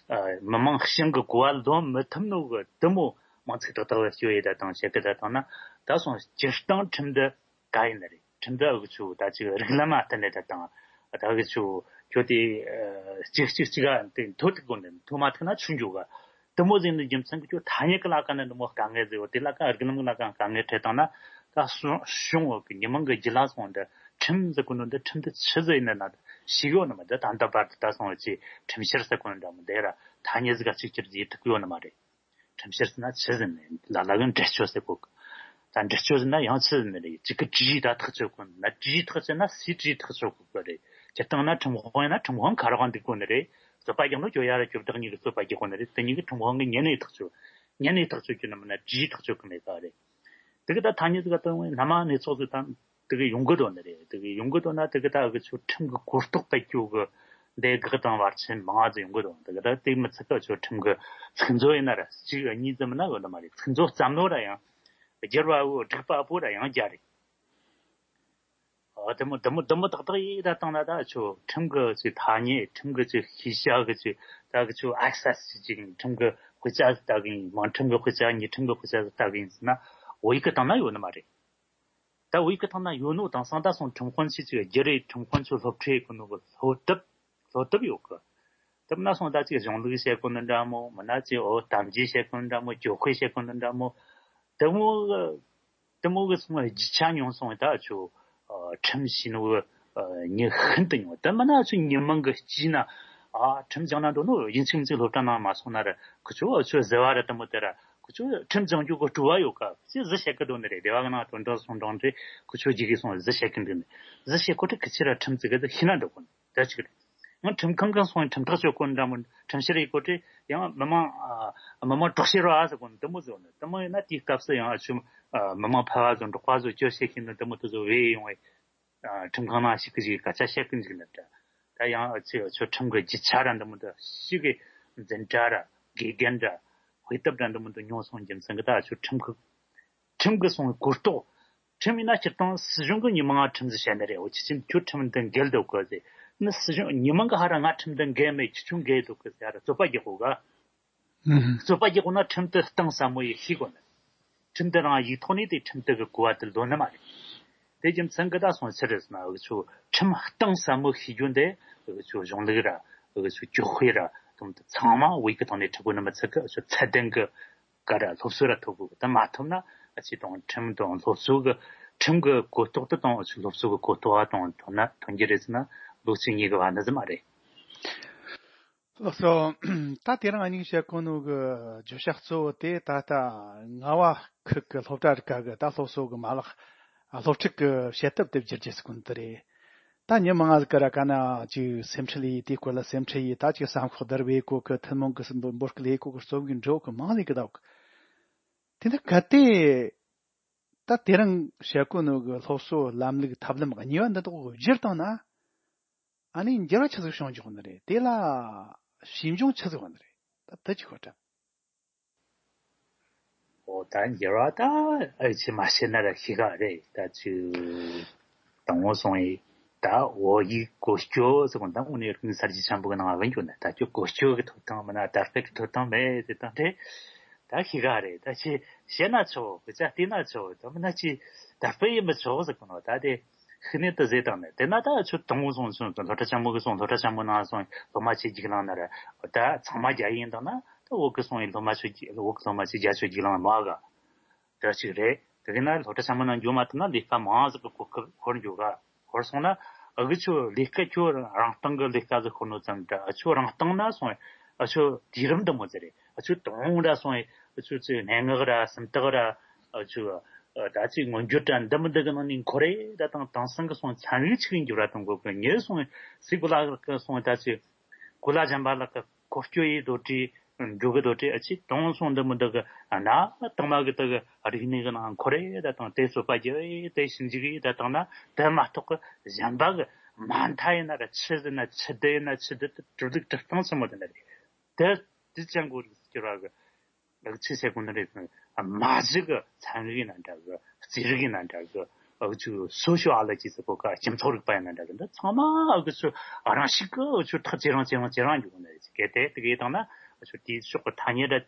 ཨ་མི་མང་ཤིང་གི་གོ་བ་ལོན་མི་ཐུབ་ནོ་གི་དེ་མོ་མང་ཚིག་ཏག་ཏག་བེད་སྤྱོད་ཡེ་ད་དང་བྱེད་གི་ད་དང་ན་ད་སོང་སྤྱིར་བཏང་ཁྲིམས་འདི་ག་ཡིན་ནི་རེད། ཁྲིམས་འདི་ཨུ་ཆུ་ད་ཅིག་རིགས་ལམ་མ་བསྟུན་ནས་ད་དང་ད་ཨུ་ཆུ་ཁྱོད་དེ་ཨ་གཅིག་གཅིག་གཅིག་ག་དེ་མཐོ་ཐུག་དགོས་ནི། མཐོ་མ་ཐུག་ན་ཆུ་འཇུག་ག་དེ་མོ་ཟིག་ནི་རྒྱུ་མཚན་གྱིས་ཁྱོད་ཐ་སྙད་ཀྱི་ལ་ཀ་ནི་འདི་མོ་དཀའ་ངལ་ཟིག་ཡོད། དེ་ལ་ཀ་རིགས་ལམ་གྱི་ལ་ཀ་དཀའ་ངལ་འཕྲད་བཏང་ན་ད་གཞུང་གཞུང་འོག་གི་མི་མང་གི་རྒྱུད་ལ་སོང་འདི་ཁྲིམས་ཟེར་གོ་ནོ་འདི་ཁྲིམས་འདི་ཆི་ཟིག་ཡིན་ན་ན་ཤེས་ཡོད་ནི་མ། འདི་ད་ལྟ་བར་དུ་ད་སོང་བ་ཅིག་ཁྲིམས་བཤེར་ཟེར་གོ་ནོ་འདྲ་མོ་འདི་ར་ཐ་སྙད་ཟིག་ག་གཅིག་གྱུར་ཟིག་ཐུག་ཡོད་ནི་མ་རེད། ཁྲིམས་བཤེར་ཟེར་ན་ཆི་ཟེར་ནས་ལ་ལ་གི་འདྲི་གཅོད་ཟེར་གོ་གི། ད་འདྲི་གཅོད་ཟེར་ན་ཡང་ཆི་ཟེར་ནས་རེད། གཅིག་གི་དྲི་ཡིག་ད་ཐག་གཅོད་གོ་ན་དྲི་ཡིག་ཐག་གཅོད་ན་སུས་དྲི་ཡིག་ཐག་གཅོད་གོ་གི་རེད། སྤྱིར་བཏང་ན་ཁྲིམས་དཔོན་ཡིན་ན་ཁྲིམས་དཔོན་ཁ་རོག་འདུག་གོ་ནི་རེད། རྩོད་པ་རྒྱག་ནོ་ཁྱོད་ཡ་ར་ཁྱོད་བདག་གཉིས་ཀྱི་རྩོད་པ་རྒྱག་གོ་ནི་རེད། དེ་གཉིས་ཀྱི་ཁྲིམས་དཔོན་གྱི་ཉེ་གནས་ཐག་གཅོད། ཉེ་གནས་ཐག་གཅོད་རྒྱུ་ན་མིན་ན་དྲི་ཡིག་ཐག་གཅོད་གི་མེད་པ་རེད། དེ་གི་ད་ཐ་སྙད་ཟིག་ག་དོན་ངོས་སྣ་མང་ནས་ཚོགས་ཟིག་དང་དེ་གི་ཡོང་གི་དོན་ནི་རེད། དེ་གི་ཡོང་གི་དོན་ན་དེ་གི་ད་གི་ཆོ་ཁྲིམས་གི་གོ་རྟོགས་སྤེལ་རྒྱུ་གི་འདི་གི་དང་བར་ཆད་མང་ང་ཟིག་ཡོང་གི་དོན། དེ་གི་ད་དེ་མི་ཚད་གི་ཆོ་ཁྲིམས་གི་ཚིག་མཛོད་ཡིན་ན་ར་གཅིག་གཉིས་ཙམ་མིན་ན་ཡོད་ནི་མ་རེད། ཚིག་མཛོད་ཙམ་ནོ་ར་ཡང་བསྒྱུར་བ་བོ་སྒྲིག་པ་བོ་ར་ཡང་རྒྱ་རེད། ཨ་དེ་མོ་དེ་མོ་དེ་མོ་ཏག་ཏག་ཡིན་ད་བཏང་ན་ད་ཆོ་ཁྲིམས་གི་ཅིག་ཐ་སྙད། ཁྲིམས་གི་ཅིག་ཤེས་བྱ་གི་ཅིག་ད་གི་ཆོ་ཨེག་སེ་སི་ཅིག་ཁྲིམས་གི་དཔེ་ཆ་ལྟ་གི་ཡིན། མིང་ཁྲིམས་གི་དཔེ་ཆ། དངོས་ཁྲིམས་གི་དཔེ་ཆ་ལྟ་གི་ཡིན་ཟེར་ན་བོད་ཡིག་གི་སྟེང་ན་ཡོད་ནི་མ་རེད། ད་བོད་ཡིག་གི་སྟེང་ན་ཡོད་ནོ་དེང་སང་ད་སོང་ཁྲིམས་དཔོན་ཆེ་ཅིག་བསྒྱུར་རེ་ཁྲིམས་དཔོན་ཚོ་སློབ་ཁྲིད་གི་ནོ་གི་སློབ་དེབ་སློབ་དེབ་ཡོད་གི། དེ་མིན་ན་སོང་ད་ཅིག་གཞུང་ལུགས་བཤད་གོ་ནི་འདྲ་མོ། མིན་ན་ཅིག་འོ་གཏམ་རྒྱུད་བཤད་གོ་ནི་འདྲ་མོ། གྱོད་དཔེ་བཤད་གོ་ནི་འདྲ་མོ། དེ་མོ་གི་དེ་མོ་གི་སོང་རྒྱུ་ཆ་ཉུང་སོང་བས་ད་ཆོ་ཨ་ཁྲིམས་ཤེས་ནོ་གི་ཨ་མྱི་ཤིན་ཏུ་ཉུང་། དེ་མིན་ན་ཆོ་མྱི་མང་གི་སྤྱི་ན་ཨ་ཁྲིམས་སྦྱང་ན་འདོད་ནོ་ཡིན་གཅིག་མིན་གཅིག་སློབ་གྲྭ་ནང་མ་སོང་ན་ར་ཁོ་ཆོ་ཨ་ཆོ་ཟེར་བ་ར་དེ་མོ་དེ་ར་ཁོ་ཆོ་ཁྲིམས་སྦྱང་རྒྱུ་གི་སྤྲོ་བ་ཡོད་ཀ་ཅི་ཟིག་བཤད་གི་འདོད་ནི་རེད། སྡེ་བ་གི་ནང་དོན་དག་སོང་དྲང་དེ་ཁོ་ཆོ་རྒྱུ་གི་སོང་ཟིག་བཤད་གི་འདུག་ནི་ཟིག་བཤད་གོ་དེ་གི་ཕྱིར་ར་ཁྲིམས་ཟིག་གི་ཤེས་ན་འདོད་གོ་ནི། ད་ཅིག་རེད། ཡང་ཁྲིམས་ཁང་གི་སོང་ཁྲིམས་ཐག་གཅོད་གོ་འདྲ་མོ། ཁྲིམས་བཤེར་ཡེད་གོ་དེ་ཡང་མི་མང་ཨ་མི་མང་དྲག་ཤེས་རོགས་ཨ་ཟེར་གོ་ནི་དེ་མོ་ཟེར་ནི། དེ་མོ་ཡིན་ན་དེའི་སྐབས་སུ་ཡང་ཨ་ཆུ་ཨ་མི་མང་ཕལ་བ་ཚོ་འབྲོག་པ་ཚོ་སྐྱོ་བཤད་ཤེས་ནི་དེ་མོ་དེ་ཚོ་བས་ཡོང་བས་ཨ་ཁྲིམས་ཁང་ནང་ཞིག་གི་ཞིག་སྐད་ཆ་བཤད་གི་འཇུག་ནི་འདྲ། ད་ཡང་ཨ་ཆུ་ཨ་ཆུ་ཁྲིམས་གི་རྒྱུ་ཆ་ར་འདི་མོ་འདྲ་ཞིག་གི་འཛིན་གྲྭ་ར་དགེ་རྒན་ར་དཔེ་དེབ་ར་འདི་མོ་འདྲ་ཉོ་སོང་རྒྱུ་མཚན་གི་ད་ཨ་ཆུ་ཁྲིམས་གི་ཁྲིམས་གི་སོང་གོ་རྟོགས། ཁྲིམས་ཡིན་ན་སྤྱིར་བཏང་སྲིད་གཞུང་གི་ཉི་མ་ང་ཁྲིམས་ཟིག་བཤད་ནི་རེད། འོ་ཁྱི་ཆེན་ཁྱོད་ཁྲིམས་འདི་འགལ་འདུག་གི་ཟེར། ནི་སྲིད་གཞུང་ཉི་མ་གི་ཧ་ར་ང་ཁྲིམས་འདི་འགལ་མེད། ཁྱི་ཆུང་འགལ་འདུག་གི་ཟེར་ར་རྩོད་པ་རྒྱག་གོ་ག་རྩོད་པ་རྒྱག་གོ་ན་ཁྲིམས་དེ་གཏིང་ཟབ་མོ་ཡིས་ཤེས་དགོས་ནི། ཁྲིམས་དེ་རང་ཡིག་ཐོག་ནས་དེ་ཁྲིམས་དེ་གི་གོ་བ་དེ་ལོན་ནི་མ་རེད། དེ་རྒྱུ་མཚན་གི་ད་སོང་ཕྱིར་རེད་ཟེར་ན། འུ་ཆོ་ཁྲིམས་གཏིང་ཟབ་མོ་ཤེས་རྒྱུ་འདི་འུ་ཆོ་གཞུང་ལུགས་ར་འུ་ཆོ་གྱོད་དཔེ་ར་དུམ་དུ་ཚང་མ་བོད་ཡིག་གི་ཐོག་ནས་ཁྲིད་དགོས་ནི་མི་ཚད་གི། འུ་ཆོ་ཚད་ལྡན་གི་ག་ར་སློབ་གསོ་ར་ཐོབ་དགོས་གི། ད་མ་ཐོབ་ན་ཨ་ཅེ་དང་ཁྲིམས་དང་སློབ་གསོ་གི་ཁྲིམས་གི་གོ་རྟོགས་དེ་དང་འུ་ཆོ་སློབ་གསོ་གི་གོ་རྟོགས་དང་ཐོན་ན་ཐོན་རྒྱུ་རེད་ཟེར་ན་ལོ་གཅིག་གཉིས་གི་བར་ན་ཟིག་མ་རེད། ལགས་སོ། ད་དེ་རིང་ཨ་ནིང་བཤད་གོ་ནོ་གི་བརྗོད་བྱ་གཙོ་བོ་དེ་ད་ལྟ་རྔ་བ་ཁུལ་གི་སློབ་གྲྭ་རིགས་ཀ་གི་ད་སློབ་གསོ་གི་མ་ལག་སློབ་ཁྲིད་གི་བྱེད་ཐབས་དེ་བསྒྱུར་རྒྱུ་ཟེར་གོ་ནོ་དེ་རེད། ད་ཉི་མ་ང་ཟིག་ག་ར་ག་ན་ཅིག་སེམས་ཁྲལ་ཡིས། དེའི་སྐོར་ལ་སེམས་ཁྲལ་ཡིས། ད་ཅིག་བསམ་ཤོག་བརྡར་བའི་སྐོར་གི། ཐུན་མོང་གི་འབོད་སྐུལ་ཡེ་སྐོར་གི་རྩོམ་གི་འབྲི་གི་མང་ལས་གི་ད་གི། དེ་འདྲ་གལ་ཏེ་ད་དེ་རིང་བཤད་གོ་ནོ་གི་སློབ་གསོ་ལམ་ལུགས་ཐབས་ལམ་གཉིས་པ་འདི་དག་བསྒྱུར་བཏང་ན། ཨ་ནི་འགྱུར་བ་ཆི་ཟིག་བྱུང་འཇུག་ནི་རེད། དེ་ལ་ཞིབ་འཇུག་ཆི་ཟིག་བ་ནི་རེད། ད་དེ་ཅིག་ཤོད་དྲ། འོ་ད་འགྱུར་བ་ད་ཨ་ཅེ་མ་བཤད་ན་ར་ཤི་ག་རེད། ད་ཅི་དང་བོ་སོང་ཡི་ད་བོད་ཡིག་གོ་སྐྱོ་ཟེར་གོ་ད་དངོས་གནས་རིག་གནས་གསར་བརྗེ་ཆེན་པོ་གི་ནང་ང་བན་རྒྱུ་ན། ད་ཅི་གོ་སྐྱོ་གི་ཐོབ་ཐང་མིན་ན་དར་སྤེལ་གི་ཐོབ་ཐང་མེད་ཟེར་ད་རེད། ད་ཤི་ག་རེད། ད་ཅི་བཤད་ན་ཆོག་གི་ཅག་བལྟས་ན་ཆོག་ད་མིན་ན་ཅི་དར་སྤེལ་ཡིན་མི་ཆོག་ཟེར་གོ་ནོ་ད་དེ། ཤི་ནས་དུ་ཟེར་དང་ནས་དེ་ན་ད་ཆུ་དང་བོ་སོང་སོང་སློབ་གྲྭ་ཆེན་མོ་གི་སོང་། སློབ་གྲྭ་ཆེན་མོ་ནང་སོང་སློབ་མ་ཆེ་རྒྱུགས་ལང་ན་ར་ད་ཚང་མ་རྒྱ་ཡིན་དང་ན་ད་བོད་གི་སོང་ཡི་སློབ་མ་ཆུ་བོད་གི་སློབ་མ་ཆེ་རྒྱ་ཆུ་རྒྱུགས་ལང་མ་ག་དེ་ཅིག་རེད། དེ་གི་ན་སློབ་གྲྭ་ཆེན་མོ་ནང་འགྱོ་མ་ཐུབ་ན་ལས་ཀ་མང་ཟིག་གི་གོ་སྐབས་ཧོར་འགྱོ་ག་ཧོར་སོང་ན་ཨ་གི་ཆུ་ལས་ཀ་ཁྱོད་རང་སྟེང་གི་ལས་ཀ་ཟིག་ཁོ་ནོ་ཙམ་འདྲ། ཨ་ཆུ་རང་སྟེང་ན་སོང་ཨ་ཆུ་དུས་རིམ་འདི་མོ་ཟེར་རེད། ཨ་ཆུ་དང་འདྲ་སོང་ཨ་ཆུ་ཚེ་སྙན་ངག་ར་སུམ་རྟགས་ར་ཨ་ཆུ་ད་ཅིག་མངོན་བརྗོད་དྲ་འདི་མི་འདི་གི་ནང་ནས་འཁོར་རེ་ད་དང་དེང་སང་གི་སོང་ཚན་རིག་ཅིག་འགྱུར་བ་གཏོང་དགོས་གི། ཉེ་སོང་སི་གུ་ལ་གི་སོང་ད་ཅིག་གུ་ལ་གཞན་པ་ལ་གི་འཁོར་སྐྱོད་ཡི་དོ་དྲི་འགྱུར་གི་དོ་དྲི་ཨ་ཅིག་དང་སོང་འདི་མི་འདི་གི་ན་དང་མ་གི་དི་གི་རིག་གནས་གི་ནང་འཁོར་རེ་ད་དང་དེ་རྩོད་པ་རྒྱབ་ཡི་དེ་ཞིབ་འཇུག་ཡི་ད་དང་ན་དེ་མ་གཏོགས་གི་གཞན་པ་གི་མ་མཐའ་ཡིན་ན་ར་ཆི་ཟིན་ན་ཆི་དི་ཡིན་ན་ཆི་དི་དེ་གྲུབ་ལུགས་གྲུབ་སྟངས་ཆི་མོ་དེ་འདྲ་རེད། དེ་དེ་ཅན་གོ་རིག་སྐྱོར་བ་གི་ལག་ཆི་ཟེར་གོ་ནི་རེད། མ་གཞི་གི་ཚན་རིག་ཡིན་ན་འདྲ་གི་རྩིས་རིག་ཡིན་ན་འདྲ་གི་ཨ་ཆུ་སོ་ཤོ་ཨོ་ལོ་ཇི་ཟེར་གོ་ག་སྤྱི་ཚོགས་རིག་པ་ཡིན་ན་འདྲ་གི་འདི་ཚང་མ་ཨ་གི་ཆུ་རང་ཤུགས་གི་ཨ་ཆུ་ཐག་ཇེ་རིང་ཇེ་རིང་ཇེ་རིང་འགྱུར་གོ་ནི་རེད། གལ་ཏེ་དེ་གི་བཏང་ན་ཨ་ཆུ་དེའི་ཕྱོགས་གི་ཐ་སྙད་འདྲ་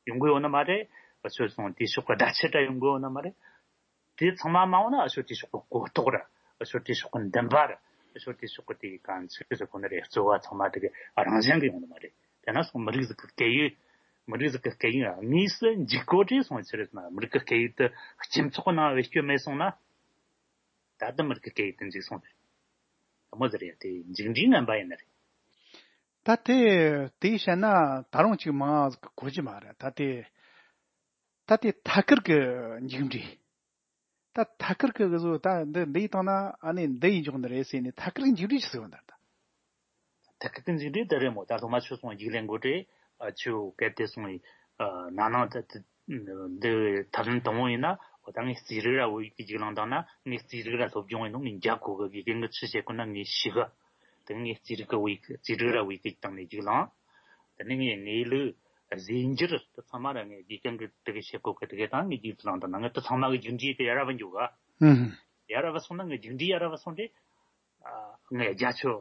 ཡོང་གི་ཡོད་ནི་མ་རེད། ཨ་ཆུ་སོང་དེའི་ཕྱོགས་གི་བརྡ་ཆད་འདྲ་ཡོང་གི་ཡོད་ནི་མ་རེད། དེ་ཚང་མ་མ་འོངས་ན་ཨ་ཤོ་དེ་ཕྱོགས་གི་གོ་རྟོགས་ར། ཨ་ཤོ་དེ་ཕྱོགས་གི་འདུན་པ་ར། ཨ་ཤོ་དེ་ཕྱོགས་གི་དེ་གང་ཚིག་ཟེར་གོ་ནི་རེད། གཙོ་བོ་ཚང་མ་དེ་གི་རང་བཞིན་གི་ཡོང་ནི་མ་རེད། དེ་ན་སོང་མི་རིགས་ཟིག་གི་སྐད་ཡིག་མི་རིགས་ཟིག་གི་སྐད་ཡིག་དངོས་སུ་འཇིག་གོ་དྲེ་སོང་ཆི་རེད་ན། མི་རིགས་གི་སྐད་ཡིག་དེ་སྤྱི་ཚོགས་ནང་བེད་སྤྱོད་མེད་སོང་ན། ད་ལྟ་མི་རིགས་གི་སྐད་ཡིག་དེ་འཇིག་སོང་རེད། དེ་མོ་ཟེར་ཡ་དེ་འཇིག་འདྲིའི་ངན་པ་ཡིན་ནི་རེད། ད་དེ་དེ་བཤད་ན་ད་རུང་ཅིག་མང་ཟིག་གི་གོ་རྒྱུ་མ་རེད། ད་དེ་ད་དེ་ཐད་ཀར་གི་འཇིག་འདྲི། ད་ཐད་ཀར་གི་གི་བཟོ་ད་འདི་འདི་ཡི་སྟེང་ན་ཨ་ནི་འདི་ཡི་འཇོག་ནི་རེད་ཟེར་ནས་ཐད་ཀར་གི་འཇིག་འདྲི་ཆི་ཟིག་ཡོད་འདི་ད། ཐད་ཀར་གི་འཇིག་འདྲི་འདི་རེད་མོ། ད་སློབ་མ་ཆོས་སོང་རྒྱུགས་ལེན་དགོས་རེད། ཨ་ཆོས་གལ་ཏེ་སོང་ཡི་ཨ་ན་ནང་ད་འདི་ཐབས་ལམ་དང་བོ་ཡིན་ན་འོ་ད་ངས་རྩིས་རིག་ར་བོད་ཡིག་གི་རྒྱུགས་ལེན་བཏང་ན་ངས་རྩིས་རིག་ར་སློབ་སྦྱོང་ཡིན་ནོ་ངས་འཇགས་དགོས་གི། དགེ་རྒན་གི་ཆི་བཤད་གོ་ན་ངས་ཤི་གི། དེ་ངས་རྩིས་རིག་གི་བོད་ཡིག་རྩིས་རིག་ར་བོད་ཡིག་གི་སྟེང་ནས་རྒྱུགས་ལེན། དེ་ནས་ངས་དངོས་ལུགས་རྫས་འགྱུར་དེ་ཚང་མ་ར་ངས་དགེ་རྒན་གི་དེ་གི་བཤད་གོ་གི་དེ་གི་དང་ངས་རྒྱུགས་ལེན་དང་ན་ངས་དེ་ཚང་མ་གི་རྒྱུགས་འདྲིས་དེ་ཡར་ར་བ་འཇུག་ག་ཧུམ། ཡར་ར་བ་སོང་ན་ངས་རྒྱུགས་འདྲིས་ཡར་ར་བ་སོང་དེ། ཨ་ངས་རྒྱ་ཆོ།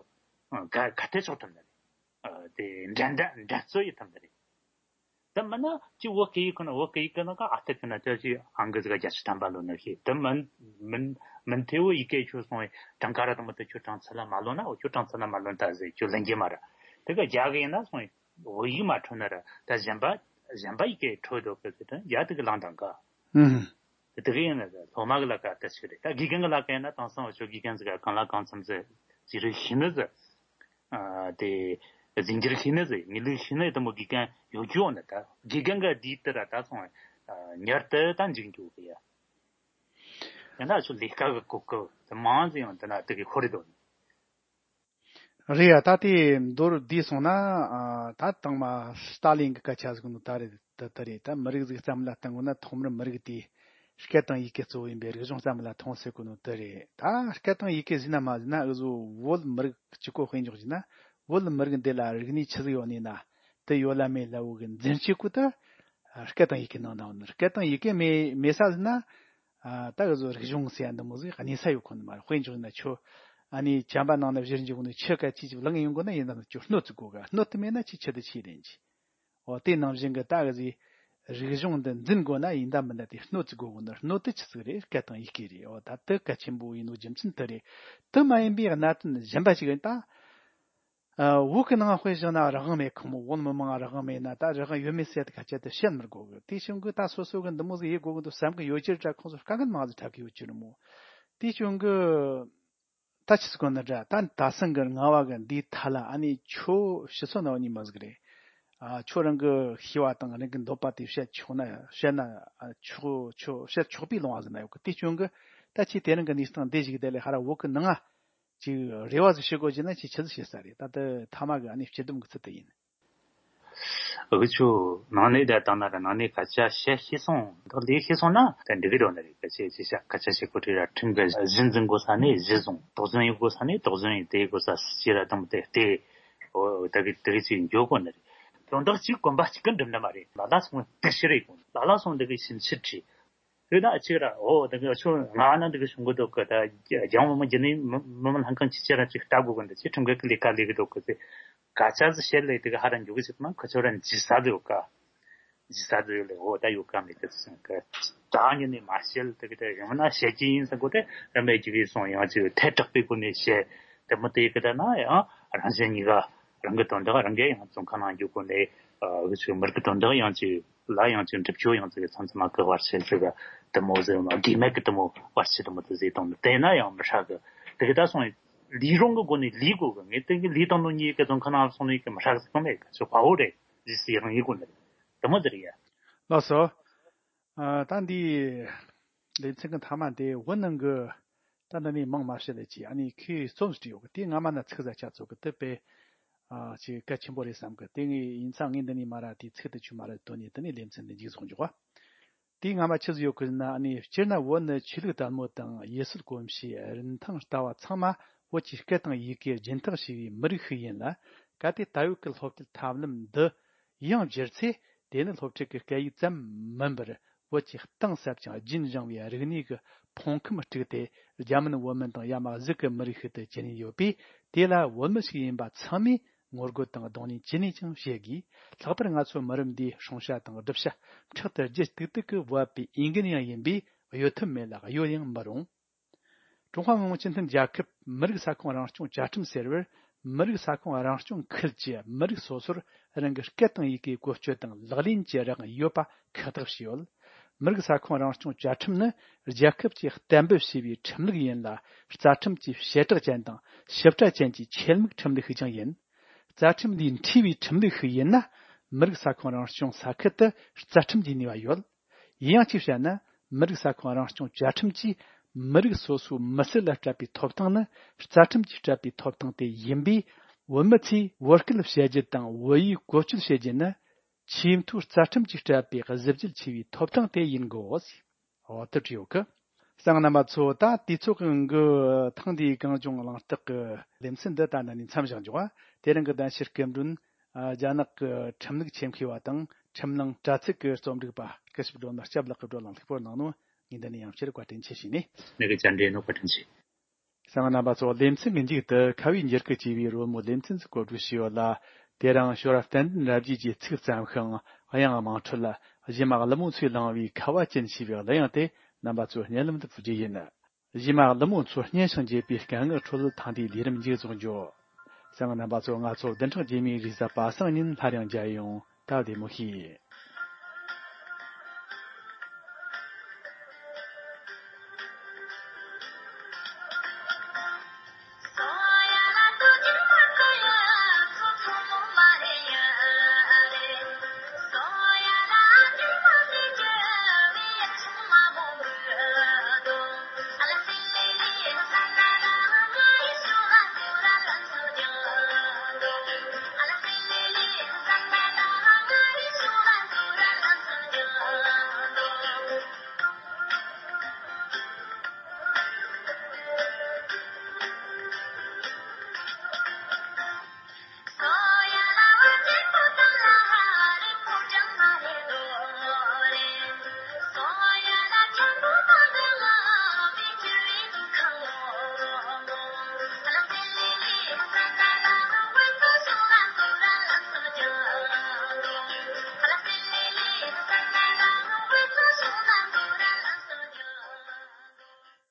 ཨ་ག་ག་ཐེ་ཆོག་ཐུབ་ནི་རེད། ཨ་དེ་འགྲན་ཟླ་འགྲན་རྩོད་ཡེད་ཐུབ་ནི་རེད། དེ་མིན་ན་ཅི་བོད་སྐད་ཡིག་ཁོ་ན་བོད་སྐད་ཡིག་གི་ནང་ག་ཨ་ཐེ་གི་ན་ཅི་ཨང་ཀི་ཟིག་ག་རྒྱ་ཆོ་ཐམ་པ་ལོན་ནི་ཤེས། དེ་མིན་མིན་མིན་ཐེ་བོ་ཡི་གེ་ཁྱོད་སོང་བའི་གྲངས་ཀ་ར་དེ་མོ་དེ་ཁྱོད་གྲངས་ཚད་ལ་མ་ལོན་ན་འོ་ཁྱོད་གྲངས་ཚད་ལ་མ་ལོན་ད་ཟེར་ཁྱོད་ལེན་གྱི་མ་ར། དེ་ག་རྒྱ་གི་ཡིན་ན་སོང་བའི་བོད་ཡིག་མ་འཕྲོད་ན་ར་ད་གཞན་པ་གཞན་པ་ཡི་གེ་འཕྲོད་འདུག་གི་ཟེར་དོན་རྒྱ་དེ་གི་ལང་དང་ག་ཧུམ། དེ་གི་ཡིན་ན་སློབ་མ་གི་ལ་ཀ་ལྟ་ཞིག་རེད། ད་དགེ་རྒན་གི་ལ་ཀ་ཡིན་ན་དེང་སང་འུ་ཆོ་དགེ་རྒན་ཟིག་ག་གང་ལ་གང་འཚམ་ཟིག་རྩིས་རིག་ཤེས་ནི་ཟིག་ཨ་དེ་རྫས་འགྱུར་ཤེས་ནི་ཟིག་དངོས་ལུགས་ཤེས་ནི་དེ་མོ་དགེ་རྒན་ཡོད་རྒྱུ་ཡོད་ནི། ད་དགེ་རྒན་གི་དུས་དེ་ར་ད་སོང་ཨ་ཉར་དུ་ད་འཇིག་འགྱོ་གི་ཡ། ཡང་ན་འུ་ཆོ་ལས་ཀ་གི་གོ་སྐབས་དེ་མང་ཟིག་ཡང་དེ་ན་དེ་གི་ཁོ་རེ་དོ། རེད་ཡ། ད་དེ་མདོར་བསྡུས་སོང་ན་ཨ་ད་དང་མ་སྟ་ལིན་གི་སྐད་ཆ་ཟིག་ནོ་ད་རེད། ད་ད་རེད། ད་མི་རིགས་ཟིག་བརྩམས་ལ་བཏང་དགོས་ན་ཐོག་མར་མི་རིགས་དེ་སྐད་དང་ཡི་གེ་གཙོ་བོ་ཡིན་པའི་རིག་གཞུང་བརྩམས་ལ་ཐོངས་ཟེར་གོ་ནོ་དེ་རེད། ད་སྐད་དང་ཡི་གེ་ཟིན་ན་མ་ཟིན་ན་འུ་ཟོ་བོད་མི་རིགས་གཅིག་པོ་དཔེ་འཇོག་བྱས་ན་བོད་མི་རིགས་འདི་ལ་རིག་གནས་ཆི་ཟིག་ཡོད་ནི་ན་དེ་ཡོད་ལ་མེད་ལ་བོ་གི་འཛིན་སྤྱོད་ཀུ་ད་སྐད་དང་ཡི་གེ་ནང་ན་ཡོད་ནི། སྐད་དང་ཡི་གེ་མེད་མེད་ས་ཟིན་ན། ཨ་ད་གི་ཟོ་རིག་གཞུང་ཟེར་ཡ་འདི་མོ་ཟིག་གནས་ས་ཡོད་ཁོ་ནི་མ་རེད། དཔེ་འཇོག་ན་ཁྱོད་ཨ་ནི་བྱམས་པ་ནང་ན་བཞུར་འཇུག་ནི་ཆུ་ག་ཅི་ཅི་ལང་ཡོང་གོ་ན་ཡིན་ན་ཁྱོད་སྣོད་ཙི་གོ་ག་སྣོད་དུ་མེད་ན་ཆི་ཆི་དུ་ཆི་རེད་ཅི། འོ་དེ་ནང་བཞིན་གི་ད་གི་ཟིག་རིག་གཞུང་འདི་འཛིན་དགོས་ན་ཡིན་ད་མིན་ད་དེ་སྣོད་ཙི་དགོས་གོ་ནི། སྣོད་དུ་ཆི་ཟིག་རེད། སྐད་དང་ཡི་གེ་རེད། འོ་ད་དུ་གལ་ཆེན་པོ་ཡིན་ནོ་རྒྱུ་མཚན་དུ་རེད། དུ་མ་ཡིན་པའི་གནད་དོན་གཞན་པ་ཞིག་ཡིན་ད། ཨ་བོད་གི་ནང་དཔེ་བཞག་ན་རང་དབང་མེད་ཁོ་མོ། བོད་མི་མང་རང་དབང་མེད་ན་ད་རང་དབང་ཡོད་མེད་ཟེར་ད་ཁ་ཆད་དུ་བཤད་མི་དགོས་གི། དེ་བྱུང་གི་ད་སོ་སོ་གི་འདི་མོ་ཟིག་ཡེད་དགོས་གི་འདུག་བསམ་གི་ཡོད་ཀྱི་ར་ཁོང་ཚོ་དཀའ་ངལ་མང་ཟིག་འཕྲད་གི་ཡོད་ཀྱི་རེད་མོ། དེ་བྱུང་གི་ད་ཆི་ཟིག་གོ་ནི་འདྲ། ད་ད་སང་གི་ང་བ་གི་འདིའི་ཐད་ལ་ཨ་ནི་ཁྱོད་ཕྱི་སོ་ནང་ཉིན་མ་ཟིག་རེད། ཨ་ཁྱོད་རང་གི་ཤེས་པ་དང་རང་གི་འདོད་པ་དེ་བཤད་ཆོག་ན་བཤད་ན་ཨ་ཆོག་ཆོག་བཤད་ཆོག་པའི་ལོང་བ་ཟིག་ན་ཡོད་གི། དེ་བྱུང་གི་ད་ཁྱེད་དེ་རིང་གི་གནས་སྟངས་འདི་ཞིག་དེ་ལས་ཧ་ར་བོད་གི་ནང་ང་ཅིག་རེ་བ་ཟིག་ཞུ་དགོས་ཀྱི་ན་ཅིག་ཆི་ཟིག་བཤད་ས་རེད། ད་ལྟ་ཐ་མ་གི་ཨ་ནི་སྤྱི་བསྡོམས་གི་ཚུལ་དུ་ཡིན། འུ་ཆོ་ནང་ནས་བསྡད་བཏང་ན་ར་ནང་ནས་སྐད་ཆ་བཤད་ཤེས་སོང་། ད་ལས་ཤེས་སོང་ན་ད་འགྲིག་གི་འགྲོ་ནི་རེད། སྐད་ཆ་ཅི་བཤད་སྐད་ཆ་བཤད་གོ་དུས་ར་ཁྲིམས་གི་གཞི་འཛིན་དགོས་ས་ནས་གཞི་བཟུང་། དོགས་ཟོན་ཡོད་དགོས་ས་ནས་དོགས་ཟོན་ཡོད། དེ་དགོས་ས་སུ་ཅི་ར་དང་དེ་ལྟས་འོ་ད་གི་དེ་གི་ཅིག་འགྱོ་གོ་ནི་རེད། དོན་དག་གཅིག་གོམ་པ་གཅིག་གི་འགྲིམ་ནི་མ་རེད། ལ་ལ་སོང་དེ་ཤི་རེད་གོ། ལ་ལ་སོང་དེ་གི་ཕྱིན་ཆད་བྲིས། དེ་ན་ཅིག་ར་འོ་དེ་གི་ཆོ་ང་ན་དེ་གི་བྱུང་གི་འདུག་གི། ད་རྒྱང་བུ་མོ་རྒྱུ་ནས་མི་མི་མི་ལྷན་ཁང་ཅི་ཅི་ར་ཅིག་ལྟ་དགོས་གི་འདུག་ཅི་ཁྲིམས་འགལ་གི་ལས་ཀ་ལས་གི་འདུག་གི་ཟེར། སྐད་ཆ་ཟིག་བཤད་ལས་དེ་གི་ཧ་ར་འཇུག་གི་ཅིག་ན་ཁི་ཆོ་ར་འཇིགས་ས་དེ་ཡོད་ཀ། འཇིགས་ས་དེ་ཡོད་ལས་འོ་ད་ཡོད་ཀ་མེད་གི་ཟེར་གི། ད་ཉིན་ནས་མ་བཤད་དེ་གི་དེ་ཡང་ན་བཤད་ཀྱི་ཡིན་ཟེར་གོ། དེ་ར་མེད་ཀྱི་གི་སོང་ཡང་ཅིག་ཐལ་དྲགས་པའི་སྒོ་ནས་བཤད། དེ་མི་དེ་གི་ད་ན་ཡང་རང་གཞན་གཉིས་ཀ་རང་གི་དོན་དག་རང་གིས་ཡང་བཙོན་ཁང་ནང་འཇུག་གོ་ནས་འུ་ཆོ་མི་རིགས་ཀྱི་དོན་དག་ཡང་ཅིག་ལ་ཡང་ཅིག་འགྲུབ་ཆོག་ཡང་ཅིག་མཚམས་མཚམས་མ་གི་བར་ཆད་ཟེར་གི་དེ་མོ་ཟེར་མ་དགོས་མེད་གི་དེ་མོ་བར་ཆད་དེ་མོ་དེ་ཟེར་བཏང་ནི་དེ་ན་ཡང་མི་ཧྲ་གི། དེ་གི་ད་སོང་ལས་རུང་གི་སྒོ་ནས་ལས་དགོས་གི། ངས་དེ་གི་ལས་བཏང་ནོ་གཉིས་ཀྱི་བཙོན་ཁང་ནང་སོང་ནས་གི་མི་ཧྲ་གི་ཟེར་གི་མེད་གི། ཆོ་དཔའ་བོ་རེད། རྗེས་སུ་ཡི་རང་ཡིན་དགོས་ནི་རེད། དེ་མོ་ཟེར་ཡ། ལགས་སོ། ཨ་ད་འདི་ལེ་ཚན་གི་མཐའ་མ་དེ་བོད་ནང་གི་ད་འདི་ནས་མང་མ་བཤད་ལས་ཀྱི་ཨ་ནི་ཁོས་རྩོམ་ཞིག་བྲིས་ཡོད་གི། དེ་སྔ་མ་ན་ཚིག་ཟ་ཆ་ཚོད་གི་དེ་དཔེ་ཨ་ཅིག་གལ་ཆེན་པོ་རེད་བསམ་གི། དེ་ངས་ཡིན་ཙང་ངས་འདི་ནས་མ་ར་དེའི་ཚིག་དེ་ཆུ་མ་ར་དོན་ནས་དེ་ནས་ལེ་ཚན་འདི་མཇུག་རྫོགས་འཇོག་ག། དེའི་སྔ་མ་ཆི་ཟིག་ཡོད་གི་ན་ཨ་ནི་སྤྱིར་ན་བོད་ནི་ཆོས་ལུགས་དར་མོ་དང་ཡུལ་སྲོལ་གོམས་གཤིས་རིན་ཐང་ལྟ་བ་ཚང་མ་བོད་ཀྱི་སྐད་དང་ཡི་གེ་སྦྱིན་བདག་བྱས་པའི་མི་རིགས་ཤིག་ཡིན་ལ། གལ་ཏེ་ད་ཡོད་ཀྱི་སློབ་ཁྲིད་ཐབས་ལམ་འདི་ཡང་བསྒྱུར་ཚེ་དེ་ནི་སློབ་ཁྲིད་ཀྱི་སྐད་ཡིག་ཙམ་མིན་པར་བོད་ཀྱི་གཏིང་ཟབ་ཅིང་རྒྱུན་བཞིན་པའི་རིག་གནས་ཀྱི་ཕུང་ཁམས་དཀྲུགས་ཏེ་རྒྱ་མིན་བོད་མིན་དང་ཡ་མ་གཟུགས་ཀྱི་མི་རིགས་ཤིག་ཏུ་གྱུར་ནས་ཡོད་པས། དེ་ལ་བོད་མི་ཞིག་ཡིན་པ་ཚང་མས་ངོ་རྒོལ་དང་གདོང་ལེན་ཇི་ནས་ཀྱང་བྱེད་དགོས། ལྷག་པར་ང་ཚོ་མི་རབས་འདིའི་སྲུང་བྱ་དང་སྒྲུབ་བྱ་ཕྲག་ཏུ་རྒྱུད་ཏིག་ཏིག་གི་བབས་པའི་འོས་འགན་ཡང་ཡིན་པས་གཡོལ་ཐབས་མེད་ལ་གཡོལ་ཡང་མི་རུང་། ཀྲུང་ཧྭ་མི་དམངས་སྤྱི་མཐུན་རྒྱལ་ཁབ་མི་རིགས་ས་ཁོངས་རང་སྐྱོང་བཅའ་ཁྲིམས་ཟེར་བར། མི་རིགས་ས་ཁོངས་རང་སྐྱོང་ཁུལ་གྱི་མི་རིགས་སོ་སོར་རང་གི་སྐད་དང་ཡི་གེའི་བཀོལ་སྤྱོད་དང་ལག་ལེན་གྱི་རང་དབང་ཡོད་པ་ཁག་ཐེག་བྱས་ཡོད། མི་རིགས་ས་ཁོངས་རང་སྐྱོང་བཅའ་ཁྲིམས་ནི་རྒྱལ་ཁབ་ཀྱིས་གཏན་འབེབས་བྱས་པའི་ཁྲིམས་ལུགས་ཡིན་ལ། རྩ་ཁྲིམས་ཀྱི་བྱེ་བྲག་ཅན་དང་ཞིབ་ཕྲ་ཅན་གྱི་ཆེད་དམིགས་ཁྲིམས་ལུགས་ཤིག་ཀྱང་ཡིན། རྩ་ཁྲིམས་ལས་འཕྲོས་པའི་ཁྲིམས་ལུགས་ཤིག་ཡིན་ན། མི་རིགས་ས་ཁོངས་རང་སྐྱོང་ས་ཁུལ་དུ་རྩ་ཁྲིམས་ཀྱི་ནུས་པ་ཡོད། ཡིན་ཡང་གཅིག་བཤད་ན། མི་རིགས་ས་ཁོངས་རང་སྐྱོང་བཅའ་ཁྲིམས་ཀྱིས་མི་རིགས་སོ་སོའི་མི་སེར་ལ་སྤྲད་པའི་ཐོབ་ཐང་ནི་རྩ་ཁྲིམས་ཀྱིས་སྤྲད་པའི་ཐོབ་ཐང་དེ་ཡིན་པས། བོད་མི་ཚོས་བོད་སྐད་བཤད་རྒྱུ་དང་བོད་ཡིག་བཀོལ་སྤྱོད་བྱེད་རྒྱུ་ནི། ཆེས་མཐོའི་རྩ་ཁྲིམས་ཀྱིས་སྤྲད་པའི་གཟི་བརྗིད་ཆེ་བའི་ཐོབ་ཐང་དེ་ཡིན་དགོས། འོ་དེ་བྲིས་ཡོད་གི། གསན་མཁན་རྣམ་པ་ཚོ། ད་དུས་ཚོད་ཀྱི་འགུལ་ཐང་འདིའི་གངས་ལྗོངས་གླེང་སྟེགས་ཀྱི་ལེ་ཚན་འདི་ད་ན་ནས་མཚམས་བཞག་འཇོག་པ། དེ་རིང་གི་གདན་ཞུ་སྐུ་མགྲོན། ཨ། རྒྱ་ནག་གི་ཁྲིམས་ལུགས་ཆེད་མཁས་པ་དང་ཁྲིམས་ནང་དྲ་ཚིགས་ཀྱི་རྩོམ་སྒྲིག་པ་སྐུ་ཞབས་སྒྲོལ་མ་སྐྱབས་ལགས་ཀྱིས་བགྲོ་གླེང་ལྷུག་པོར་གནང་ནོ། ངས་འདི་ནས་ཡང་བསྐྱར་བཀའ་དྲིན་ཆེ་ཞུས་ནས། ངས་ཀྱང་བཀའ་དྲིན་ཆེ། གསན་མཁན་རྣམ་པ་ཚོ། ལེ་ཚན་གྱི་མཇུག་ཏུ་ཁ་བའི་འགྱུར་གྱི་ཅེས་པའི་རོལ་མོ་ལེ་ཚན་ཞིག་གོ་སྒྲིག་ཞུས་ཡོད་ལ། དེ་རིང་ཞོར་བསྟན་འཛིན་རབ་རྒྱས་ཀྱིས་ཚིག་བརྩམས་ཤིང་དབྱངས་དམངས་ཁྲོད། གཞས་མ་ཀླུ་མོ་མཚོས་བླངས་པའི་ཁ་བ་ཅན་ཞེས་པའི་གླུ་དབྱངས་དེ་རྣམ་པ་ཚོའི་སྙན་ལམ་དུ་ཕུལ་རྒྱུ་ཡིན། གཞས་མ་ཀླུ་མོ་མཚོ་སྙན་ཞིང་འཇེབས་པའི་སྐད་ངག་ཁྲོད་ཐེངས་འདིའི་ལས་རིམ་མཇུག་རྫོགས་འགྱོ། གསན་མཁན་རྣམ་པ་ཚོ། ང་ཚོ་བདུན་ཕྲག་རྗེས་མའི་རེས་གཟའ་པ་སངས་ཉིན་སླར་ཡང་མཇལ་ཡོང་། ད་བདེ་མོ་བྱོས།